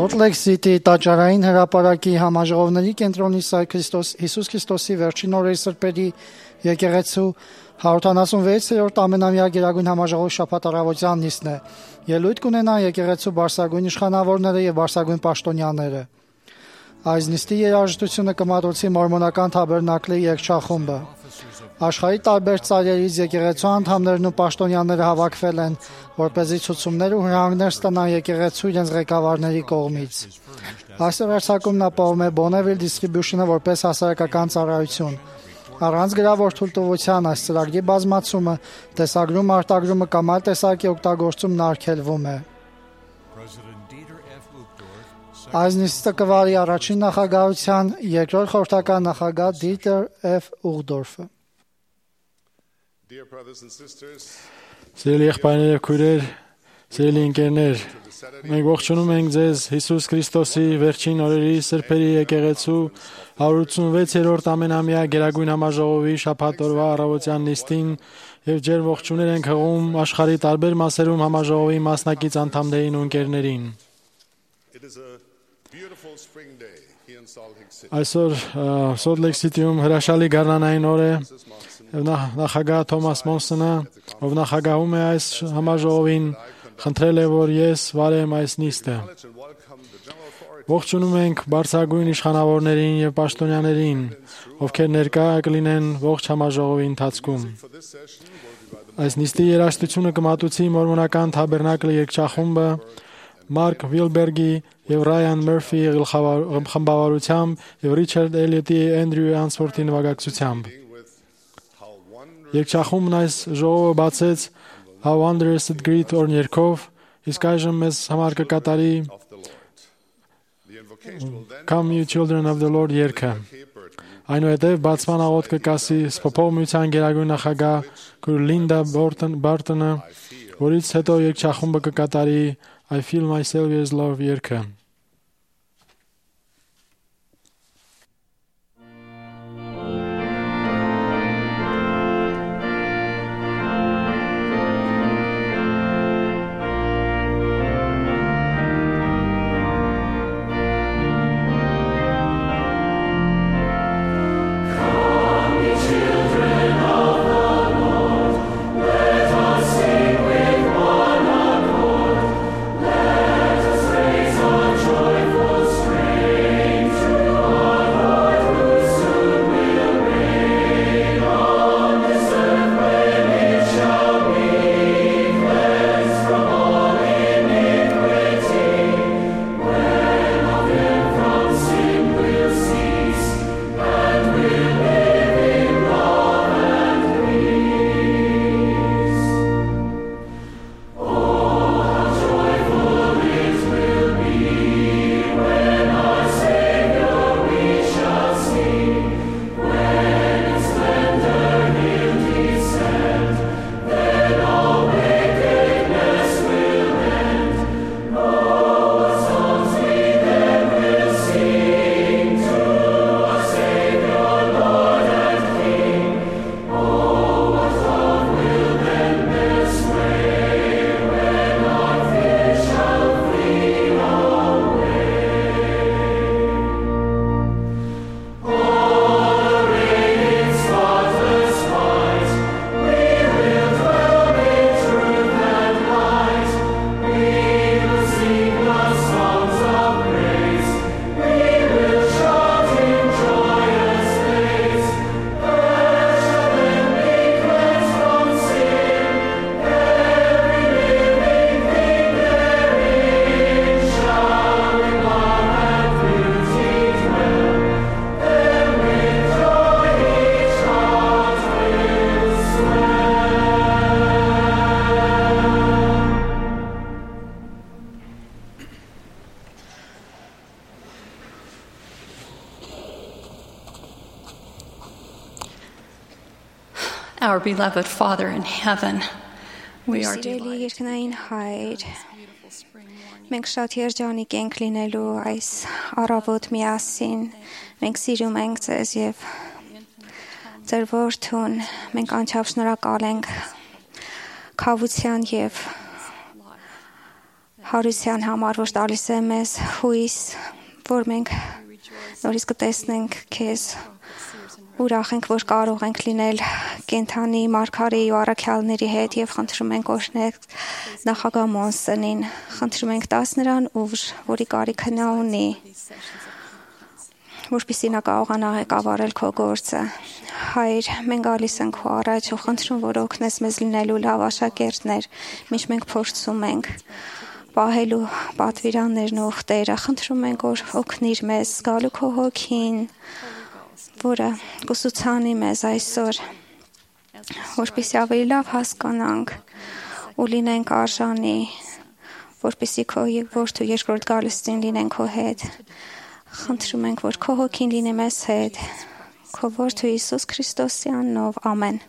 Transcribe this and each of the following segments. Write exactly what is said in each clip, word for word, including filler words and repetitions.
Սոլտ Լեյք Սիթի տաճարային հրապարակի համաժողովների կենտրոնի Քրիստոս Հիսուս Քրիստոսի վերջին օրերի սրբերի եկեղեցու հարյուրութանասունվեցերորդ ամենամյա գերագույն համաժողովի շաբաթ առավոտյան նիստն է։ Ելույթ կունենա եկեղեցու բարձրագույն իշխանավորները եւ բարձրագույն պաշտոնյաները։ Այս նիստի երաժշտությունը կմատուցի մորմոնական թաբերնակլի երգչախումբը։ Աշխարհի տարբեր ծայրերից եկեղեցու անդամներն ու պաշտոնյաները հավաքվել են, որպեսզի ցուցումներ ու հրահանգներ ստանան եկեղեցու իրենց ղեկավարների կողմից։ Այս վերցակումն ապահովում է Bonneville Distribution-ը որպես հասարակական ծառայություն։ Առանց գրավոր թույլտվության այս ծրագրի բազմացումը, տեսագրում, արտագրումը կամ այլ տեսակի օգտագործումն արգելվում է։ Այս նիստը կվարի առաջին նախագահության երկրորդ խորհրդական նախագահ Դիտեր Էֆ Ուղդորֆը։ Սիրելի եղբայրներ եւ քույրեր, սիրելի ընկերներ, մենք ողջունում ենք ձեզ Հիսուս Քրիստոսի վերջին օրերի սրբերի եկեղեցու հարյուրութանվեցերորդ ամենամյա գերագույն համաժողովի շաբաթ օրվա առավոտյան նիստին եւ ջեր ողջուներ ենք հղում աշխարհի տարբեր մասերում համաժողովի մասնակից անդամներին ու ընկերներին։ Այսօր Սոլտ Լեյք Սիթիում հրաշալի գարնանային օր է։ Նախագահ Թոմաս Մոնսոնը, ով նախագահում է այս համաժողովին, խնդրել է, որ ես վարեմ այս նիստը։ Ողջունում ենք բարձրագույն իշխանավորներին եւ պաշտոնյաներին, ովքեր ներկա կլինեն ողջ համաժողովի ընթացքում։ Այս նիստի երաժշտությունը կմատուցի մորմոնական թաբերնակլի երգչախումբը Մարկ Վիլբերգի եւ Ռայան Մըրֆի խմբավորությամբ եւ Ռիչարդ Էլիոտի Էնդրյու Անսվորթի նվագակցությամբ։ Երգչախումբն այս ժողովը բացեց How Wondrous It Greet օրն երգով, իսկ այժմ մեզ համար կկատարի Come You Children of the Lord երգը։ Այնուհետև բացման աղոթ կկասի Սփոփող միության գերագույն նախագահ Լինդա Բարտոնը, որից հետո երգչախումբը կկատարի I Feel My Savior's Love երգը։ Our beloved Father in heaven, we are Սիրելի երկնային Հայր, մենք շատ երջանիկ ենք լինելու այս առավոտ միասին, մենք սիրում ենք ձեզ եւ ձեր որդուն, մենք անչափ շնորհակալ ենք քավության եւ հարության համար, որ տալիս է մեզ հույս, որ մենք նորից կտեսնենք քեզ, ուրախ ենք, որ կարող ենք լինել կենթանի մարգարեի ու առաքյալների հետ եւ խնդրում ենք օրհնեք նախագահ Մոնսենին, խնդրում ենք տաս նրան ուժ, որի կարիքը նա ունի, որպեսզի նա կարողանա ղեկավարել քո գործը։ Հայր, մենք գալիս ենք քո առաջ ու խնդրում, որ օգնես մեզ լինելու լավ աշակերտներ, միշտ մենք փորձում ենք պահելու պատվիրաններն ու ուխտերը, խնդրում ենք, որ օգնիր մեզ զգալու քո հոգին, որը կուսուցանի մեզ այսօր, որպեսզի ավելի լավ հասկանանք ու լինենք արժանի, որպեսզի քո որդու երկրորդ գալստին լինենք քո հետ։ Խնդրում ենք, որ քո հոգին լինի մեզ հետ, քո որդու Հիսուս Քրիստոսի անունով, ամեն։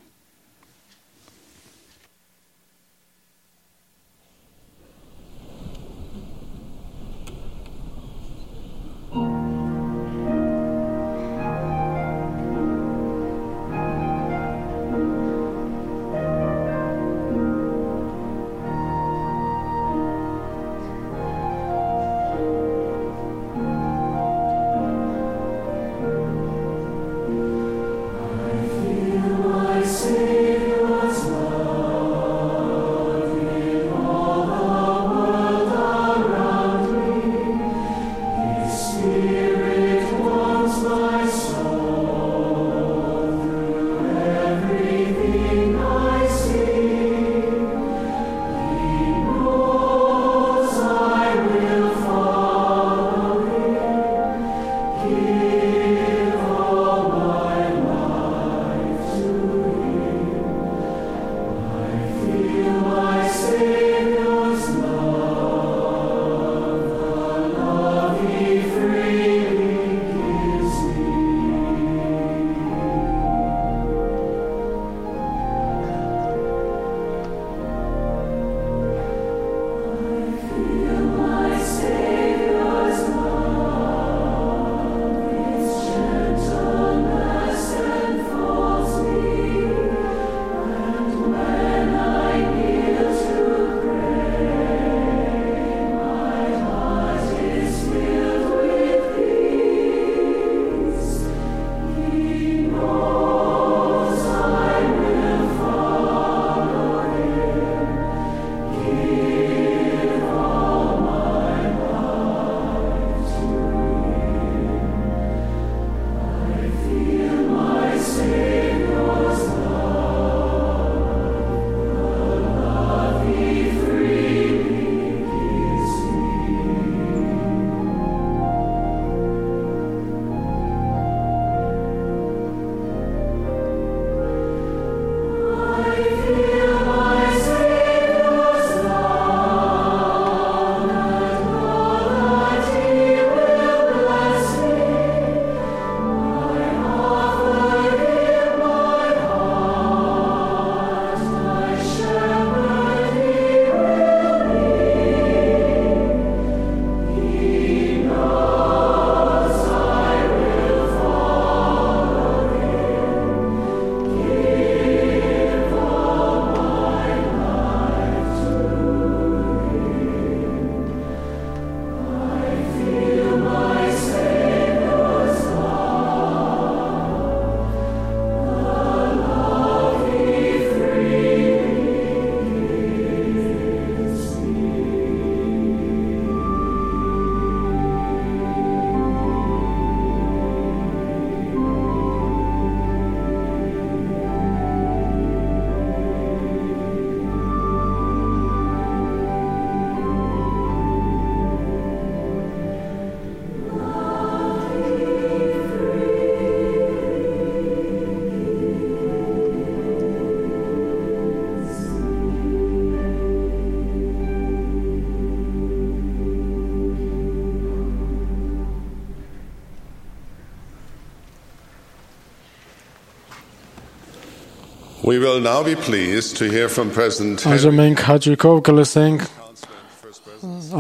We will now be pleased to hear from President Այժմ մենք հաճույքով կլսենք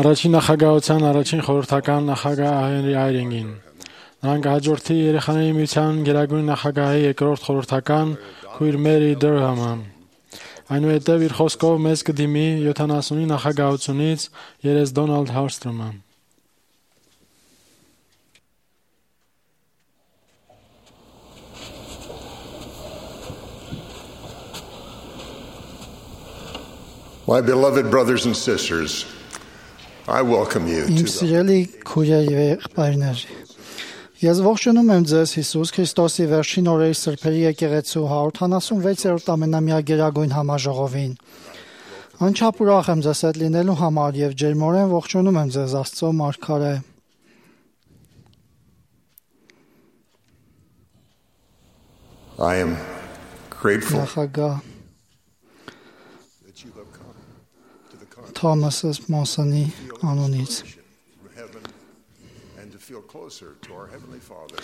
առաջին նախագահության առաջին խորհրդական նախագահ Հենրի Այրինգին։ Նրան կհաջորդի երեխաների միության գերագույն նախագահի երկրորդ խորհրդական քույր Մերի Դերհամը։ Այնուհետև իր խոսքով մեզ կդիմի յոթանասունի նախագահությունից երես Դոնալդ Հարստրոմը։ My beloved brothers and sisters, I welcome you Իմ to the սիրելի քույրեր եւ եղբայրներ, ես ողջունում եմ ձեզ Հիսուս Քրիստոսի վերջին օրերի սրբերի եկեղեցու հարյուրհինգ ամենամյա գերագույն համաժողովին։ Անչափ ուրախ եմ ձեզ հետ լինելու համար եւ ջերմորեն ողջունում եմ ձեզ Աստծո մարգարե։ I am grateful Նախագահ that you have come to the Թոմաս Մոսոնի անունից։ congregation from heaven and to feel closer to our Heavenly Father.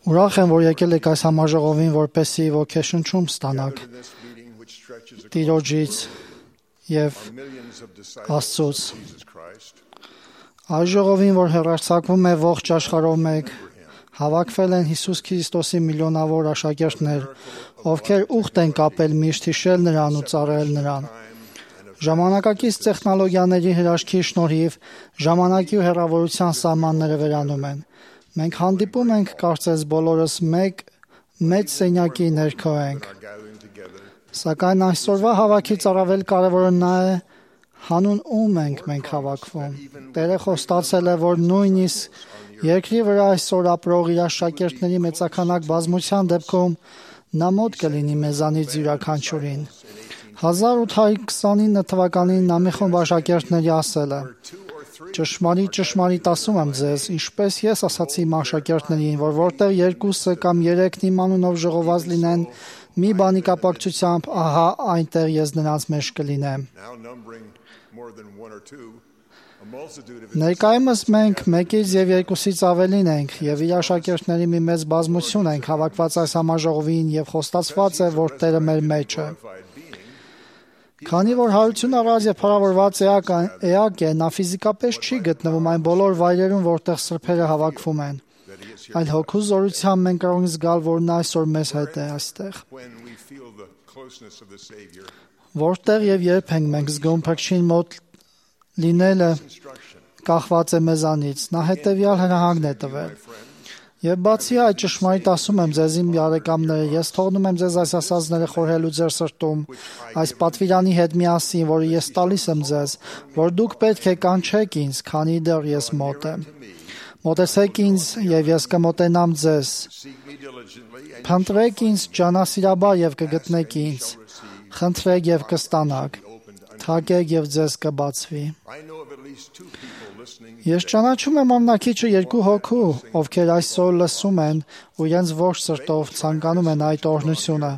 Ուրախ եմ, որ եկել եք այս համաժողովին, որպեսզի ոգեշնչում ստանաք In this meeting which stretches across Տիրոջից եւ are millions of disciples Աստծուց։ of Jesus Christ. Այս ժողովին, որ հեռարձակվում է ողջ աշխարհով մեկ, հավաքվել են Հիսուս Քրիստոսի միլիոնավոր աշակերտներ, ովքեր ուխտ են կապել միշտ հիշել նրան ու ծառայել նրան։ Ժամանակակից տեխնոլոգիաների հրաշքի շնորհիվ ժամանակի ու հեռավորության սահմանները վերանում են։ Մենք հանդիպում ենք, կարծես բոլորս մեկ մեծ սենյակի ներքո ենք։ Gathering together Սակայն այսօրվա հավաքից առավել կարևորը նա է, հանուն ում ենք մենք հավաքվում։ Տերը խոստացել է, որ նույնիսկ երկրի վրա այսօր ապրող իր աշակերտների մեծականակ բազմության դեպքում նա մոտ կլինի մեզանից յուրաքանչյուրին։ հազար ութ հարյուր քսանինը թվականին նա մի խումբ աշակերտների ասել է. Ճշմարիտ, ճշմարիտ ասում եմ ձեզ, ինչպես ես ասացի իմ աշակերտներին, որ որտեղ երկուսը կամ երեքն իմ անունով ժողոված լինեն, մի բանի կապակցությամբ, ահա այնտեղ ես նրանց մեջ կլինեմ։ now numbering more than one or two, a multitude of Ներկայումս մենք մեկից եւ երկուսից ավելին ենք եւ իր աշակերտների մի մեծ բազմություն ենք հավաքված այս համաժողովին եւ խոստացված է, որ Տերը մեր մեջ է։ identified being. Քանի որ հարություն առած եւ փառավորված էակ էակ է, նա ֆիզիկապես չի գտնվում այն բոլոր վայրերում, որտեղ սրբերը հավաքվում են։ Այլ հոգու զորությամբ մենք կարող ենք զգալ, որ նա այսօր մեզ հետ է այստեղ։ When we feel the closeness of the Savior, Որտեղ եւ երբ ենք մենք զգում փրկչին մոտ լինելը instruction, կախված է մեզանից, նա հետեւյալ հրահանգն է տվել։ Եվ բացի այդ ճշմարիտ ասում եմ ձեզ իմ բարեկամները, ես թողնում եմ ձեզ այս ասածները խորհելու ձեր սրտում, այս պատվիրանի հետ միասին, որը ես տալիս եմ ձեզ, որ դուք պետք է կանչեք ինձ, քանի դեռ ես մոտ եմ։ Մոտեցեք ինձ եւ ես կմոտենամ ձեզ։ seek me diligently, and Փնտրեք ինձ ջանասիրաբար եւ կգտնեք ինձ։ Խնդրեք եւ կստանաք։ Թակեք եւ ձեզ կբացվի։ I know of at least two people listening. Ես ճանաչում եմ ամնակիչը երկու հոգու, ովքեր այսօր լսում են ու իրենց ողջ սրտով ցանկանում են այդ օրհնությունը։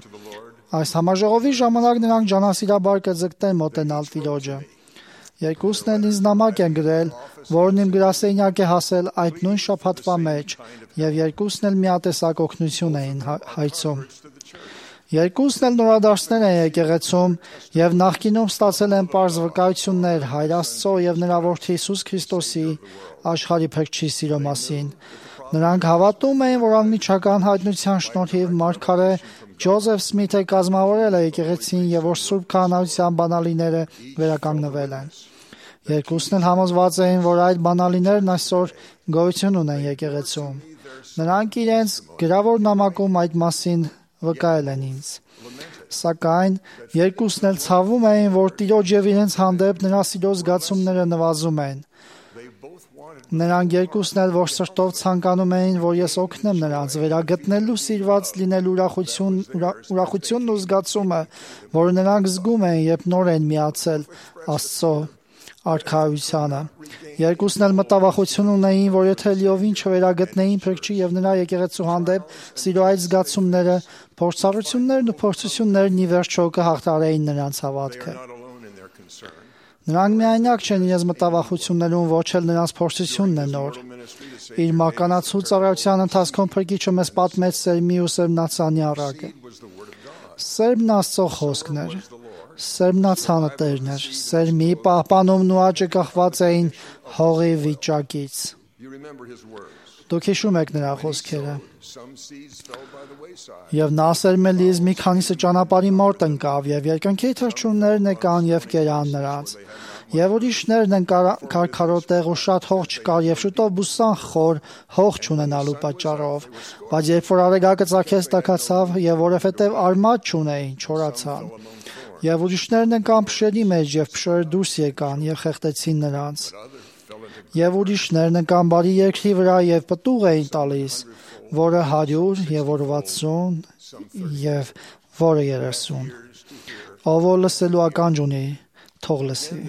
Այս համաժողովի ժամանակ նրանք ջանասիրաբար կձգտեն մոտենալ Տիրոջը։ Երկուսն էլ ինձ նամակ են գրել, որն իմ գրասենյակ է հասել այդ նույն շաբաթվա մեջ, եւ երկուսն էլ միատեսակ օգնություն էին հա- հայցում։ Երկուսն էլ նորադարձներ են եկեղեցում եւ նախկինում ստացել են պարզ վկայություններ Հայր Աստծո եւ նրա որդի Հիսուս Քրիստոսի աշխարհի փրկչի սիրո մասին։ Նրանք հավատում էին, որ անմիջական հայտնության շնորհիվ մարգարե Ջոզեֆ Սմիթը կազմավորել է եկեղեցին եւ որ Սուրբ Քահանայության բանալիները վերականգնվել են։ Երկուսն էլ համոզված էին, որ այդ բանալիներն այսօր գոյություն ունեն եկեղեցում։ Նրանք իրենց գրավոր նամակում այդ մասին վկայել են ինձ։ Սակայն երկուսն էլ ցավում էին, որ Տիրոջ եւ իրենց հանդեպ նրա սիրո զգացումները նվազում են։ Նրանք երկուսն էլ որ սրտով ցանկանում էին, որ ես օգնեմ նրանց վերագտնելու սիրված լինելու ուրախություն ուրա- ուրախությունն ու զգացումը, որը նրանք զգում են, երբ նոր են միացել Աստծո արքայությանը։ Երկուսն էլ մտավախություն ունեին, որ եթե լիովին չվերագտնեին փրկչի եւ նրա եկեղեցու հանդեպ սիրո այդ զգացումները, փորձառություններն ու փորձություններն ի վերջո կհաղթարեին նրանց հավատքը։ Not alone in their concern. Նրանք միայնակ չեն իրենց մտավախություններում, ոչ էլ նրանց փորձությունն է նոր։ Իր մականացու ծառայության ընթացքում փրկիչը մեզ պատմեց սերմի ու սերմնացանի առակը։ Սերմն Աստծո խոսքն էր։ Սերմնացանը Տերն էր։ Սերմի պահպանումն ու աճը կախված էին հողի վիճակից։ You remember his words. Դուք հիշում եք նրա խոսքերը։ Եվ նա սերմելիս մի քանիսը ճանապարհի մոտ ընկավ, եւ երկնքի թռչուններն եկան եւ կերան նրանց։ Եվ ուրիշներն քարքարոտեղ ու շատ հող չկար, եւ շուտով բուսան խոր հող չունենալու պատճառով։ Բայց երբ որ արեգակը ծագեց, տաքացավ, եւ որովհետեւ արմատ չունեին, չորացան։ Եվ ուրիշներն ընկան փշերի մեջ, եւ փշերը դուրս եկան եւ խեղդեցին նրանց։ Եվ ուրիշներն ընկան բարի երկրի վրա եւ պտուղ էին տալիս, որը հարյուր եւ որը վաթսուն եւ որը երեսուն։ Ով որ լսելու ականջ ունի, թող լսի։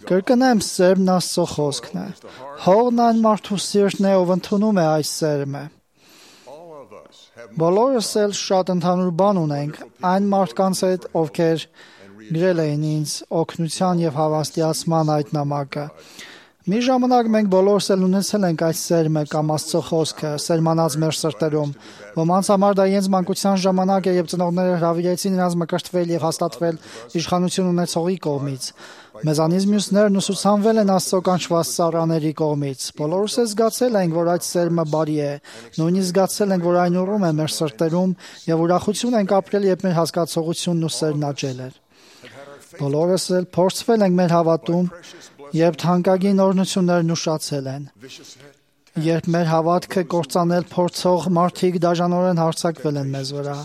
Կրկնեմ, սերմն Աստծո խոսքն է։ Հողն այն մարդու սիրտն է, ով ընդունում է այս սերմը։ Բոլորս էլ շատ ընդհանուր բան ունենք այն մարդկանց հետ, ովքեր գրել էին ինձ օգնության եւ հավաստիացման այդ նամակը։ Մի ժամանակ մենք բոլորս էլ ունեցել ենք այս սերմը կամ Աստծո խոսքը, սերմանած մեր սրտերում։ Ոմանց համար դա իրենց մանկության ժամանակ է, եւ ծնողները հրավիրեցին նրանց մկրտվել եւ հաստատվել իշխանություն ունեցողի կողմից։ Մեզանից մյուսներն ուսուցանվել են Աստծո կանչված ծառաների կողմից։ Բոլորս էլ զգացել ենք, որ այդ սերմը բարի է, նույնիսկ զգացել ենք, որ այն ուռում է մեր սրտերում եւ ուրախություն ենք ապրել, երբ մեր հասկացողությունն ու սերն աճել է։ Բոլորս էլ փորձվել ենք մեր հավատում, երբ թանկագին օրհնություններն ուշացել են։ Երբ մեր հավատքը կործանել փորձող մարդիկ դաժանորեն հարձակվել են մեզ վրա։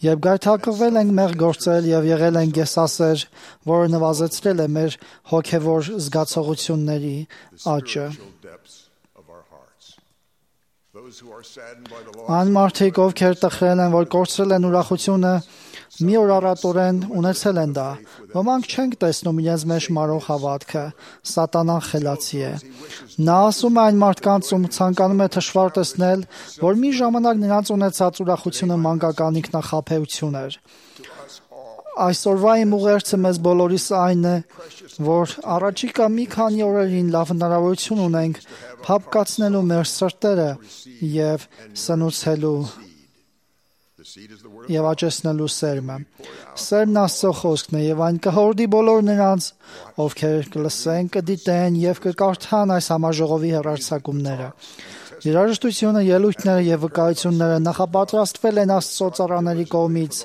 Երբ գայթակղվել ենք մեր գործել եւ եղել ենք գեսասեր, որը նվազեցրել է մեր հոգեվոր զգացողությունների աճը։ Այն մարդիկ, ովքեր տխրել են, որ կորցրել են ուրախությունը, մի օր առատորեն ունեցել են դա։ Ոմանք չենք տեսնում իրենց մեջ մարող հավատքը, սատանան խելացի է։ Նա ասում է այն մարդկանց, ում ցանկանում է թշվառ տեսնել, որ մի ժամանակ նրանց ունեցած ուրախությունը մանկական ինքնախաբեություն էր։ Այսօրվա իմ ուղերձը մեզ բոլորիս այն է, որ առաջիկա մի քանի օրերին լավ հնարավորություն ունենք փափկացնելու մեր սրտերը եւ սնուցելու եւ աճեցնելու սերմը։ Սերմն Աստծո խոսքն է եւ այն կհորդի բոլոր նրանց, ովքեր կլսեն, կդիտեն եւ կկարդան այս համաժողովի հեռարձակումները։ Երաժշտությունը, ելույթները եւ վկայությունները նախապատրաստվել են Աստծո ծառաների կողմից,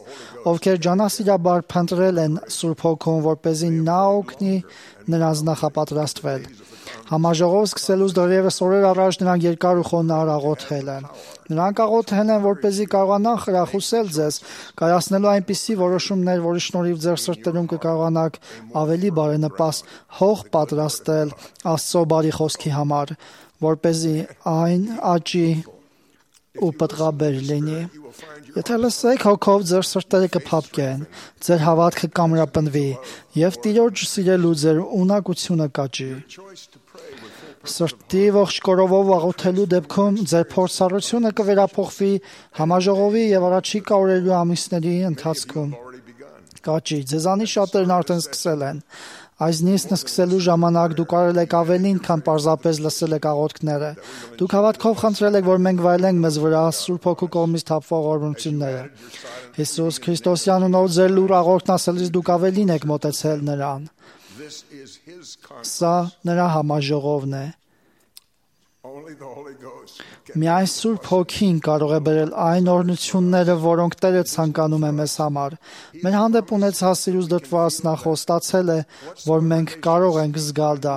ովքեր ջանասիրաբար փնտրել են Սուրբ Հոգուն, որպեսզի նա օգնի նրանց նախապատրաստվել։ Համաժողով սկսելուց դեռևս օրեր առաջ նրանք երկար ու խոնարհ աղոթել են։ Նրանք աղոթել են, որպեսզի կարողանան խրախուսել ձեզ, կայացնելու այնպիսի որոշումներ, որի շնորհիվ ձեր սրտերում կկարողանաք ավելի բարենպաստ հող պատրաստել Աստծո բարի խոսքի համար, որպեսզի այն աճի ու պտղաբեր լինի։ Եթե լսեք հոգով, ձեր սրտերը կփափկեն, ձեր հավատքը կամրապնդվի եւ Տիրոջ սիրելու ձեր ունակությունը կաճի։ Սրտի ողջ կորովով աղոթելու դեպքում ձեր փորձառությունը կվերափոխվի համաժողովի եւ առաջիկա օրերի ու ամիսների ընթացքում։ Կաճի, ձեզանից շատերն արդեն սկսել են։ Այս նիստը սկսելու ժամանակ դուք արել եք ավելին, քան պարզապես լսել եք աղոթքները։ Դուք հավատքով խնդրել եք, որ մենք վայելենք մեզ վրա Սուրբ Հոգու կողմից թափվող օրհնությունները։ Հիսուս Քրիստոսի անունով ձեր լուր աղոթքն ասելիս դուք ավելին եք մոտեցել նրան։ Սա նրա համաժողովն է։ Միայն Սուրբ Հոգին կարող է բերել այն օրհնությունները, որոնք Տերը ցանկանում է մեզ համար։ Մեր հանդեպ ունեցած սիրուց դրդված նա խոստացել է, որ մենք կարող ենք զգալ դա։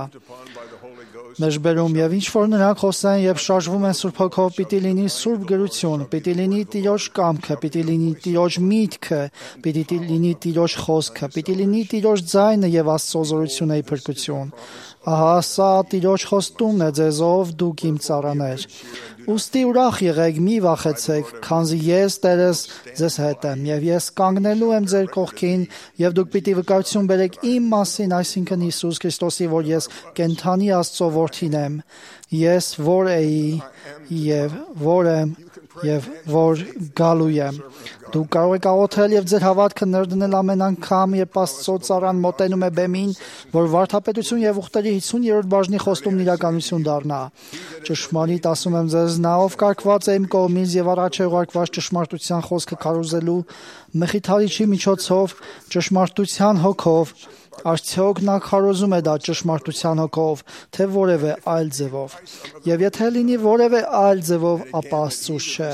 Մեջբերում եւ ինչ որ նրանք խոսեն եւ շարժվում են Սուրբ Հոգով, պիտի լինի Սուրբ գրություն, պիտի լինի Տիրոջ կամքը, պիտի լինի Տիրոջ միտքը, պիտի լինի Տիրոջ խոսքը, պիտի լինի Տիրոջ ձայնը եւ Աստծո զորությունը ի փրկություն։ Ահա սա Տիրոջ խոստումն է ձեզ, ով դուք իմ ծառաներ։ Ուստի ուրախ եղեք, մի վախեցեք, քանզի ես Տերս ձեզ հետ եմ, եւ ես կանգնելու եմ ձեր կողքին, եւ դուք պիտի վկայություն բերեք իմ մասին, այսինքն Հիսուս Քրիստոսի, որ ես կենթանի Աստծո որդին եմ, ես որ էի եւ որ եմ եւ որ գալու եմ։ Դուք կարող եք աղոթել եւ ձեր հավատքը ներդնել ամեն անգամ, երբ Աստծո ծառան մոտենում է բեմին, որ վարդապետություն եւ ուխտերի հիսուն-երրորդ բաժնի խոստումն իրականություն դառնա։ Ճշմարիտ ասում եմ ձեզ, նա ով կարգված է իմ կողմից եւ առաջ է ուղարկված ճշմարտության խոսքը քարոզելու, մխիթարիչի միջոցով, ճշմարտության հոգով, Արդյոք նա քարոզում է դա ճշմարտության հոգով, թե որևէ այլ ձևով։ Եվ եթե լինի որևէ այլ ձևով, ապա Աստծուց չէ։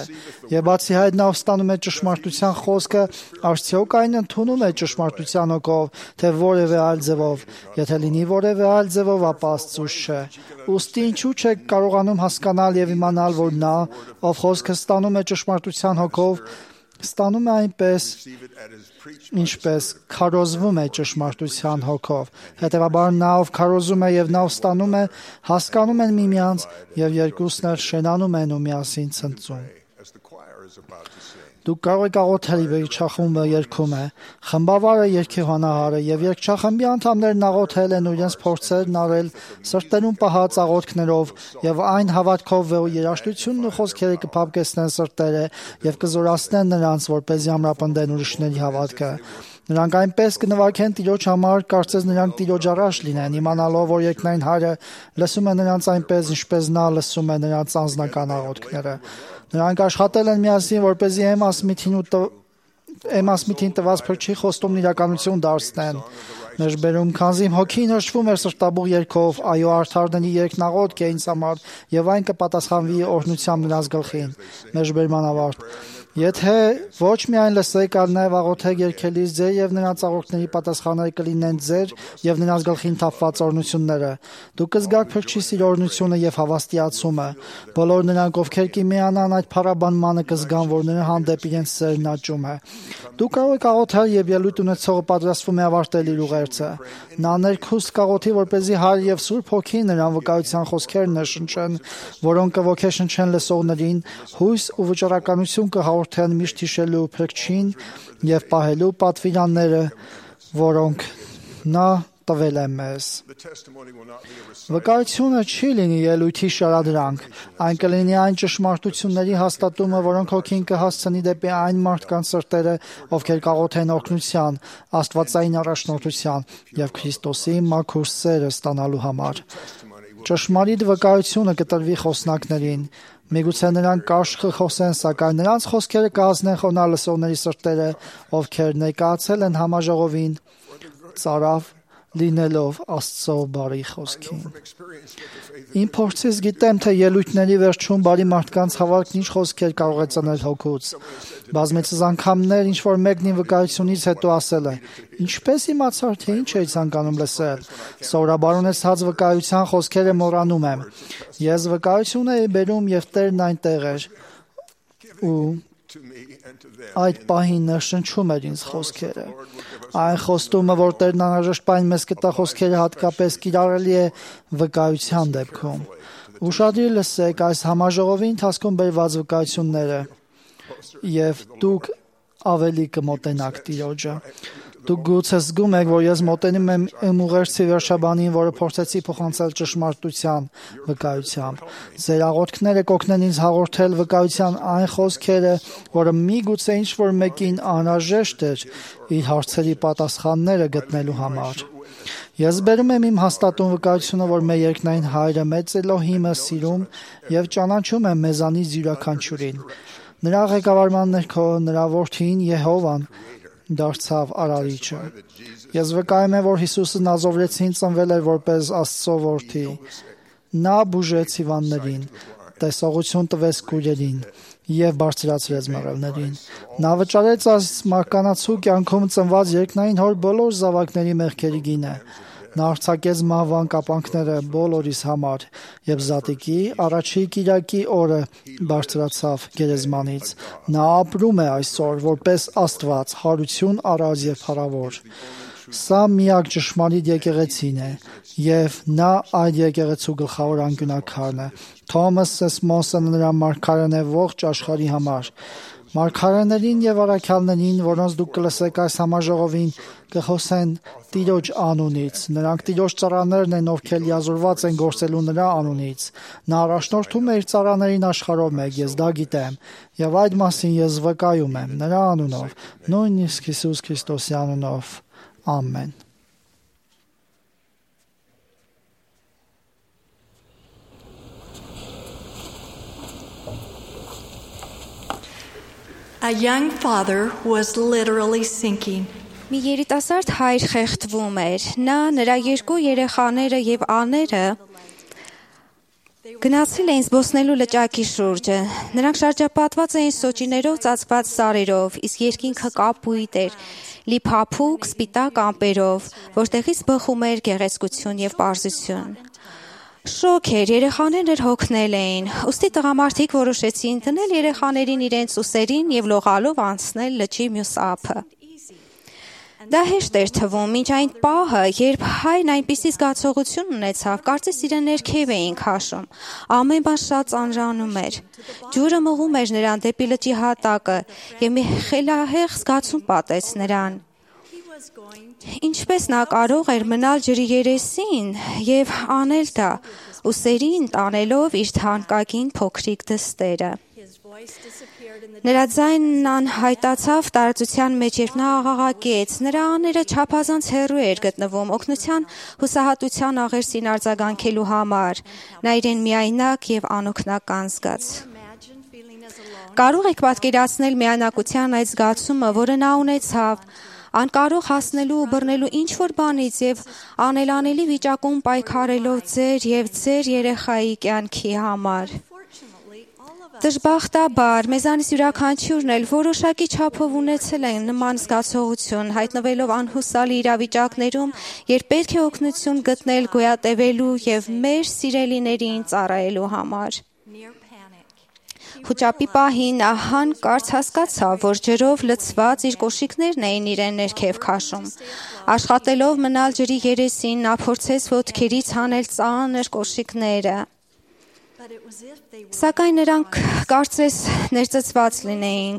Եվ բացի այդ նա ստանում է ճշմարտության խոսքը, արդյոք այն ընդունում է ճշմարտության հոգով, թե որևէ այլ ձևով։ Եթե լինի որևէ այլ ձևով, ապա Աստծուց չէ։ Ուստի ինչու չեք կարողանում հասկանալ եւ իմանալ, որ նա, ով խոսքը ստանում է ճշմարտության հոգով, ստանում է այնպես, ինչպես քարոզվում է ճշմարտության հոգով։ Հետևաբար նա, ով քարոզում է եւ նա, ով ստանում է, հասկանում են միմյանց եւ երկուսն էլ շենանում են ու միասին ցնծում։ Դուք կարող եք աղոթել, երգչախումբը երգում է, խմբավարը երգեհանահարը եւ երգչախմբի անդամներն աղոթել են ու իրենց փորձերն արել սրտերում պահած աղոթքներով եւ այն հավատքով, որ երաժշտությունն ու խոսքերը կփափկեցնեն սրտերը եւ կզորացնեն նրանց, որպեսզի ամրապնդեն ուրիշների հավատքը։ Նրանք այնպես կնվագեն Տիրոջ համար, կարծես նրանք Տիրոջ առաջ լինեն, իմանալով, որ երկնային Հայրը լսում է նրանց այնպես, ինչպես նա լսում է նրանց անձնական աղոթքները։ Նրանք աշխատել են միասին, որպեսզի Էմաս միթին ու Էմաս միթին տված փրկչի խոստումն իրականություն դարձնեն։ Մեջբերում, քանզի հոգին հրճվում էր սրտաբուխ երգով, այո, արդարների երգն աղոթք է ինձ համար, եւ այն կպատասխանվի օրհնությամբ նրանց գլխին։ Մեջբերման ավարտ։ Եթե ոչ միայն լսեք, այլ նաև աղոթեք երգելիս ձեր եւ նրանց աղոթքների պատասխանները կլինեն ձեր եւ նրանց գլխին թափված օրհնությունները։ Դուք կզգաք փրկչի սիրո օրհնությունը եւ հավաստիացումը։ Բոլոր նրանք, ովքեր կմիանան այդ փառաբանմանը, կզգան, որ նրա հանդեպ իրենց սերն աճում է։ Դուք կարող եք աղոթել, եւ ելույթ ունեցողը պատրաստվում է ավարտել իր ուղերձը։ Նա ներքուստ կաղոթի, որպեսզի Հայր եւ Սուրբ Հոգին նրան վկայության խոսքերն ներշնչեն, որոնք կոգեշնչեն լսողներին, հույս ու վճռականություն կհաղորդեն միշտ հիշելու փրկչին եւ պահելու պատվիրանները, որոնք նա տվել է մեզ։ Վկայությունը չի լինի ելույթի շարադրանք, այն կլինի այն ճշմարտությունների հաստատումը, որոնք Հոգին կհասցնի դեպի այն մարդկանց սրտերը, ովքեր կաղոթեն օրհնության, աստվածային առաջնորդության եւ Քրիստոսի մաքուր սերը ստանալու համար։ Ճշմարիտ վկայությունը կտրվի խոսնակներին։ Միգուցե նրանք կարճ կխոսեն, սակայն նրանց խոսքերը կհասնեն խոնարհ լսողների սրտերը, ովքեր ներկայացել են համաժողովին, ծարավ լինելով Աստծո բարի խոսքին։ Իմ փորձից գիտեմ, թե ելույթների վերջում բարի մարդկանց հավատքն ինչ խոսքեր կարող է ծնել հոգուց։ Բազմիցս անգամներ ինչ որ մեկն իմ վկայությունից հետո ասել է. «Ինչպես իմացար, թե ինչ էի ցանկանում լսել»։ Սովորաբար ունեցած վկայության խոսքերը մոռանում եմ։ Ես վկայություն էի բերում եւ Տերն այնտեղ էր ու այդ պահին ներշնչում էր ինձ խոսքերը։ Այն խոստումը, որ Տերն անհրաժեշտ բան մեզ կտա խոսքերը հատկապես կիրառելի է վկայության դեպքում։ Ուշադրի լսեք այս համաժողովի ընթացքում բերված վկայությունները եւ դուք ավելի կմոտենաք Տիրոջը։ Դուք գուցե զգում եք, որ ես մոտենում եմ իմ ուղերձի վերջաբանին, որը փորձեցի փոխանցել ճշմարտության վկայությամբ։ Ձեր աղոթքները կօգնեն ինձ հաղորդել վկայության այն խոսքերը, որը միգուցե ինչ-որ մեկին անհրաժեշտ էր իր հարցերի պատասխանները գտնելու համար։ Ես բերում եմ իմ հաստատուն վկայությունը, որ մեր երկնային Հայրը մեծ Էլոհիմը սիրում եւ ճանաչում է մեզանից յուրաքանչյուրին։ Նրա ղեկավարման ներքո նրա որդին Եհովան դարձավ արարիչը։ Ես վկայում եմ, որ Հիսուսը Նազովրեցին ծնվել էր որպես Աստծո որդի։ Նա բուժեց հիվանդներին, տեսողություն տվեց կույրերին եւ բարձրացրեց մեռելներին։ Նա վճարեց այս մարկանացու կյանքում ծնված երկնային հոր բոլոր զավակների մեղքերի գինը։ Նա արձակեց մահվան կապանքները բոլորիս համար եւ զատիկի առաջի կիրակի օրը բարձրացավ գերեզմանից։ Նա ապրում է այսօր որպես Աստված, հարություն առած եւ փառավոր։ Սա միակ ճշմարիտ եկեղեցին է եւ նա այդ եկեղեցու գլխավոր անկյունակարն է։ Թոմաս Սեսմոսը նրա մարգարեն է ողջ աշխարհի համար։ Մարգարեներին եւ առաքյալներին, որոնց դուք կլսեք այս համաժողովին, կխոսեն Տիրոջ անունից։ Նրանք Տիրոջ ծառաներն են, ովքեր լիազորված են գործելու նրա անունից։ Նա առաջնորդում է իր ծառաներին աշխարհով մեկ, ես դա գիտեմ, եւ այդ մասին ես վկայում եմ նրա անունով, նույնիսկ Հիսուս Քրիստոսի անունով։ Ամեն։ A young father was literally sinking. Մի երիտասարդ հայր խեղդվում էր։ Նա, նրա երկու երեխաները եւ աները գնացել էին զբոսնելու լճակի շուրջը։ Նրանք շրջապատված էին սոճիներով ծածկված սարերով, իսկ երկինքը կապույտ էր, լի փափուկ, սպիտակ ամպերով, որտեղից բխում էր գեղեցկություն եւ պարզություն։ Շոկ էր, երեխաներն հոգնել էին, ուստի տղամարդիկ որոշեցին դնել երեխաներին իրենց ուսերին եւ լողալով անցնել լճի մյուս ափը։ Դա հեշտ էր թվում, մինչ այն պահը, երբ հայրն այնպիսի զգացողություն ունեցավ, կարծես իրեն ներքև էին քաշում։ Ամեն բան շատ ծանրանում էր։ Ջուրը մղում էր նրան դեպի լճի հատակը, եւ մի խելահեղ զգացում պատեց նրան։ Ինչպես նա կարող էր մնալ ջրի երեսին եւ անել դա, ուսերին տանելով իր թանկագին փոքրիկ դստերը։ Նրա ձայնն անհայտացավ տարածության մեջ, երբ նա աղաղակեց, նրա աները չափազանց հեռու էր գտնվում օգնության հուսահատության աղերսին արձագանքելու համար։ Նա իրեն միայնակ եւ անօգնական զգաց։ Կարող եք պատկերացնել միայնակության այդ զգացումը, որը նա ունեցավ, անկարող հասնելու ու բռնելու ինչ-որ բանից եւ անելանելի վիճակում պայքարելով ձեր եւ ձեր երեխայի կյանքի համար։ Դժբախտաբար, մեզանից յուրաքանչյուրն էլ որոշակի չափով ունեցել են նման զգացողություն, հայտնվելով անհուսալի իրավիճակներում, երբ պետք է օգնություն գտնել գոյատևելու եւ մեր սիրելիներին ծառայելու համար։ Խոճապի պահին նա հանկարծ հասկացավ, որ ջրով լցված իր կոշիկներն էին իրեն ներքև քաշում։ Աշխատելով մնալ ջրի երեսին, նա փորձեց ոտքերից հանել ծանր կոշիկները։ Սակայն նրանք կարծես ներծծված լինեին,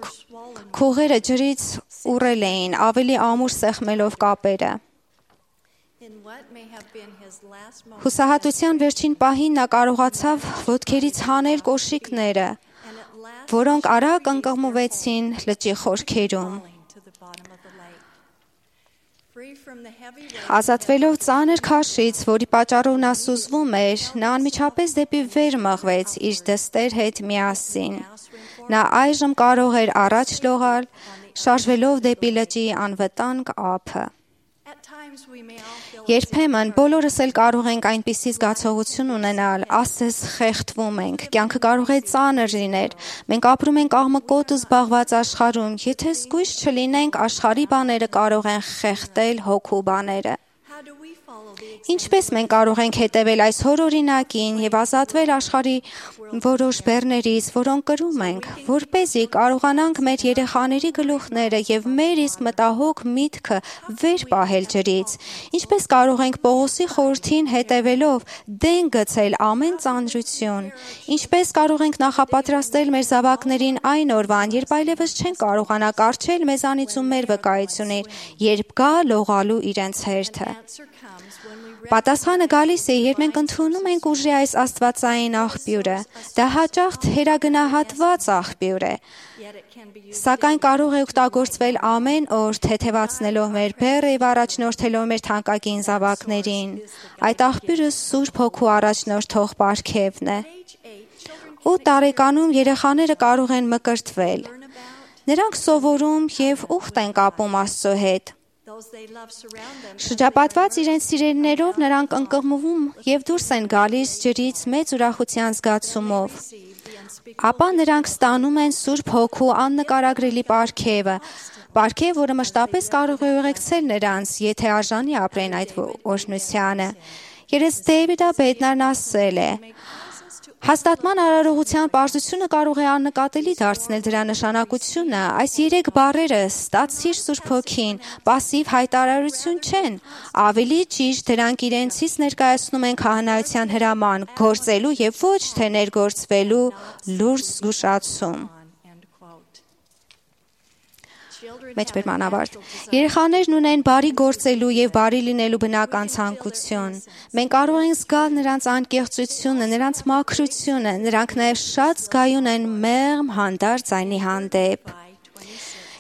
քողերը ջրից ուռել էին, ավելի ամուր սեղմելով կապերը։ Հուսահատության վերջին պահին նա կարողացավ ոտքերից հանել կոշիկները, որոնք արագ ընկղմվեցին լճի խորքերում։ Ազատվելով ծանր քաշից, որի պատճառով նա սուզվում էր, նա անմիջապես դեպի վեր մղվեց իր դստեր հետ միասին։ Նա այժմ կարող էր առաջ լողալ, շարժվելով դեպի լճի անվտանգ ափը։ Երբեմն բոլորս էլ կարող ենք այնպիսի զգացողություն ունենալ, ասես խեղդվում ենք, կյանքը կարող է ծանր լինել, մենք ապրում ենք աղմկոտ ու զբաղված աշխարհում, եթե զգույշ չլինենք, աշխարհի բաները կարող են խեղդել հոգու բաները։ Ինչպես մենք կարող ենք հետևել այս հորօրինակին եւ ազատվել աշխարհի որոշ բեռներից, որոնք կրում ենք, որպեսզի կարողանանք մեր երեխաների գլուխները եւ մեր իսկ մտահոգ միտքը վեր պահել ջրից։ Ինչպես կարող ենք Պողոսի խորհրդին հետևելով դեն գցել ամեն ծանրություն։ Ինչպես կարող ենք նախապատրաստել մեր զավակներին այն օրվան, երբ այլևս չեն կարողանա կառչել մեզանից ու մեր վկայություններ, երբ գա լողալու իրենց հերթը։ Պատասխանը գալիս է, երբ մենք ընդունում ենք ուժի այս աստվածային աղբյուրը։ Դա հաճախ թերագնահատված աղբյուր է, սակայն կարող է օգտագործվել ամեն օր, թեթևացնելով մեր բեռը եւ առաջնորդելով մեր թանկագին զավակներին։ Այդ աղբյուրը Սուրբ Հոգու առաջնորդող պարգևն է։ Ութ տարեկանում երեխաները կարող են մկրտվել։ Նրանք սովորում եւ ուխտ են կապում Աստծո հետ։ Շրջապատված իրենց սիրելիներով նրանք ընկղմվում եւ դուրս են գալիս ջրից մեծ ուրախության զգացումով։ Ապա նրանք ստանում են Սուրբ Հոգու աննկարագրելի պարգևը, պարգև, որը մշտապես կարող է ուղեկցել նրանց, եթե արժանի ապրեն այդ օրհնությանը։ Երես Դեյվիդ Բեդնարն ասել է. Հաստատման արարողության պարզությունը կարող է աննկատելի դարձնել դրա նշանակությունը։ Այս երեք բառերը՝ ստացիր Սուրբ Հոգին, պասիվ հայտարարություն չեն։ Ավելի ճիշտ, դրանք իրենցից ներկայացնում են քահանայության հրաման, գործելու եւ ոչ թե ներգործվելու լուրջ զգուշացում։ Մեջբերմանավարտ։ Երեխաներն ունեն բարի գործելու եւ բարի լինելու բնական ցանկություն։ Մենք կարող ենք զգալ նրանց անկեղծությունը, նրանց մաքրությունը, նրանք նաեւ շատ զգայուն են մեղմ հանդարտ ձայնի հանդեպ։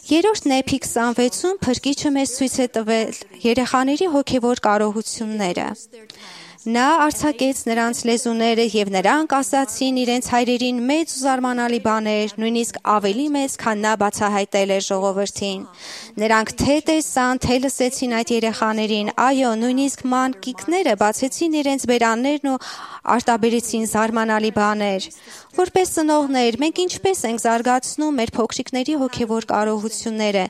Երրորդ Նեփի քսանվեցում փրկիչը մեզ ցույց է տվել երեխաների հոգեվոր կարողությունները։ Նա արձակեց նրանց լեզուները եւ նրանք ասացին իրենց հայրերին մեծ ու զարմանալի բաներ, նույնիսկ ավելի մեծ, քան նա բացահայտել էր ժողովրդին։ Նրանք թե տեսան, թե լսեցին այդ երեխաներին, այո, նույնիսկ մանկիկները բացեցին իրենց բերաններն ու արտաբերեցին զարմանալի բաներ։ Որպես ծնողներ, մենք ինչպես ենք զարգացնում մեր փոքրիկների հոգևոր կարողությունները,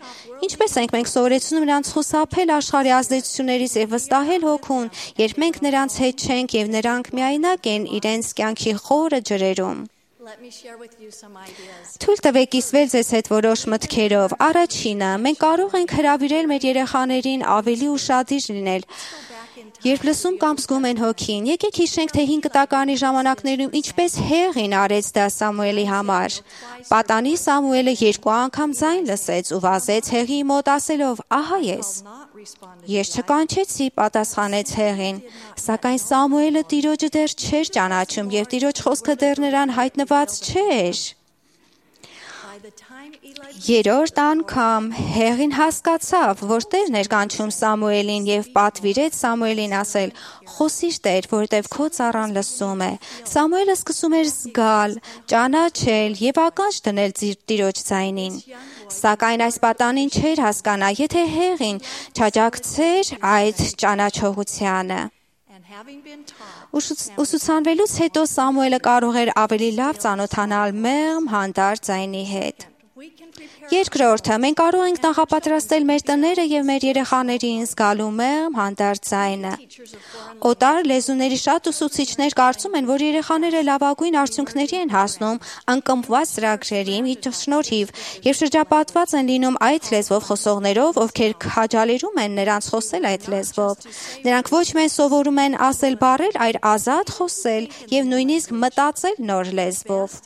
ինչպես ենք մենք սովորեցնում նրանց խուսափել աշխարհի ազդեցություններից եւ վստահել հոգուն, երբ մենք նրանց հետ չենք եւ նրանք միայնակ են իրենց կյանքի խորը ջրերում։ Թույլ տվեք կիսվել ձեզ հետ որոշ մտքերով։ Առաջինը, մենք կարող ենք հրավիրել մեր երեխաներին ավելի ուշադիր լինել։ Երբ լսում կամ զգում են հոգին, եկեք հիշենք, թե հինգ կտակարանի ժամանակներում ինչպես Հեղին արեց դա Սամուելի համար։ Պատանի Սամուելը երկու անգամ ձայն լսեց ու վազեց Հեղիի մոտ ասելով. «Ահա ես»։ Ես չկանչեցի, պատասխանեց Հեղին, սակայն Սամուելը Տիրոջը դեռ չէր ճանաչում եւ Տիրոջ խոսքը դեռ նրան հայտնված չէր։ Երրորդ անգամ Հեղին հասկացավ, որ Տերն էր կանչում Սամուելին եւ պատվիրեց Սամուելին ասել. «Խոսիր Տեր, որտեւ քո ծառան լսում է»։ Սամուելը սկսում էր զգալ, ճանաչել եւ ականջ դնել Տիրոջ ձայնին։ Սակայն այս պատանին չէր հասկանա, եթե Հեղին չաջակցեր այդ ճանաչողությանը։ Ուսուցանվելուց հետո Սամուելը կարող էր ավելի լավ ծանոթանալ մեղմ հանդարտ ձայնի հետ։ Երկրորդը, մենք կարող ենք նախապատրաստել մեր տները եւ մեր երեխաներին զգալու մեղմ հանդարտ ձայնը։ Օտար լեզուների շատ ուսուցիչներ կարծում են, որ երեխաները լավագույն արդյունքների են հասնում անկմված ծրագրերի շնորհիվ եւ շրջապատված են լինում այդ լեզվով խոսողներով, ովքեր քաջալերում են նրանց խոսել այդ լեզվով։ Նրանք ոչ միայն սովորում են ասել բառեր, այլ ազատ խոսել եւ նույնիսկ մտածել նոր լեզվով։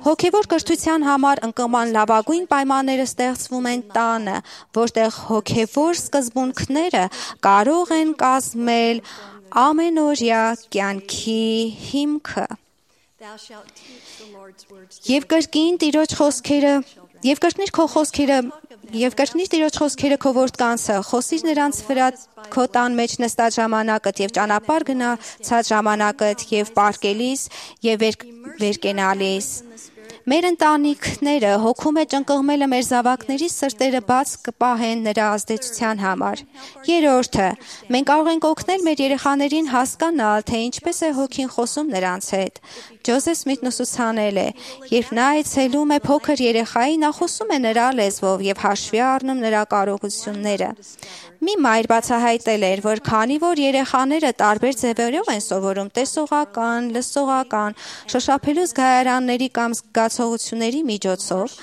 Հոգևոր կրթության համար անկման լավագույն պայմանները ստեղծվում են տանը, որտեղ հոգևոր սկզբունքները կարող են կազմել ամենօրյա կյանքի հիմքը։ Եվ կրկին Տիրոջ խոսքերը, եւ կրկնիր քո խոսքերը, եւ կրկնիր Տիրոջ խոսքերը քո որդկանցը, խոսիր նրանց վրա քո տան մեջ նստած ժամանակդ եւ ճանապարհ գնացած ժամանակդ եւ պարկելիս եւ վերկենալիս։ Մեր ընտանիքները հոգու մեջ ընկղմելը մեր զավակների սրտերը բաց կպահեն նրա ազդեցության համար։ Երրորդը, մենք կարող ենք օգնել մեր երեխաներին հասկանալ, թե ինչպես է հոգին խոսում նրանց հետ։ Ջոզեֆ Սմիթն ուսուցանել է, երբ նա այցելում է փոքր երեխայի, նա խոսում է նրա լեզվով եւ հաշվի առնում նրա կարողությունները։ Մի մայր բացահայտել էր, որ քանի որ երեխաները տարբեր ձևերով են սովորում տեսողական, լսողական, շոշափելու զգայարանների կամ զգացողությունների միջոցով,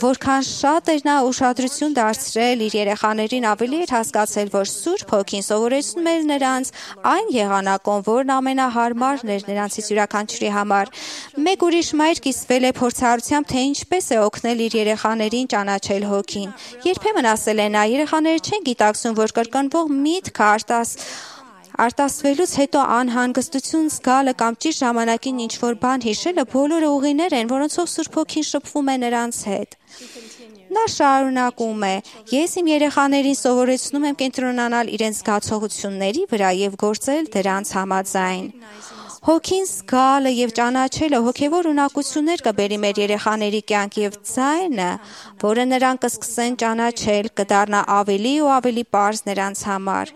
որքան շատ էր նա ուշադրություն դարձրել իր երեխաներին, ավելի էր հասկացել, որ Սուրբ Հոգին սովորեցնում էր նրանց այն եղանակով, որն ամենահարմարն էր նրանցից յուրաքանչյուրի համար։ Մեկ ուրիշ մայր կիսվել է փորձառությամբ, թե ինչպես է օգնել իր երեխաներին ճանաչել Հոգին։ Երբեմն ասել է նա, երեխաները չեն գիտակցում, որ կրկնվող միտքը արտաս արտասվելուց հետո անհանգստություն զգալը կամ ճիշտ ժամանակին ինչ-որ բան հիշելը բոլորը ուղիներ են, որոնցով Սուրբ Հոգին շփվում է նրանց հետ։ Նա շարունակում է. «Ես իմ երեխաներին սովորեցնում եմ կենտրոնանալ իրենց զգացողությունների վրա եւ գործել դրանց համաձայն։ Հոգին զգալը եւ ճանաչելը հոգեվոր ունակություններ կբերի մեր երեխաների կյանք եւ ձայնը, որը նրանք կսկսեն ճանաչել, կդառնա ավելի ու ավելի պարզ նրանց համար։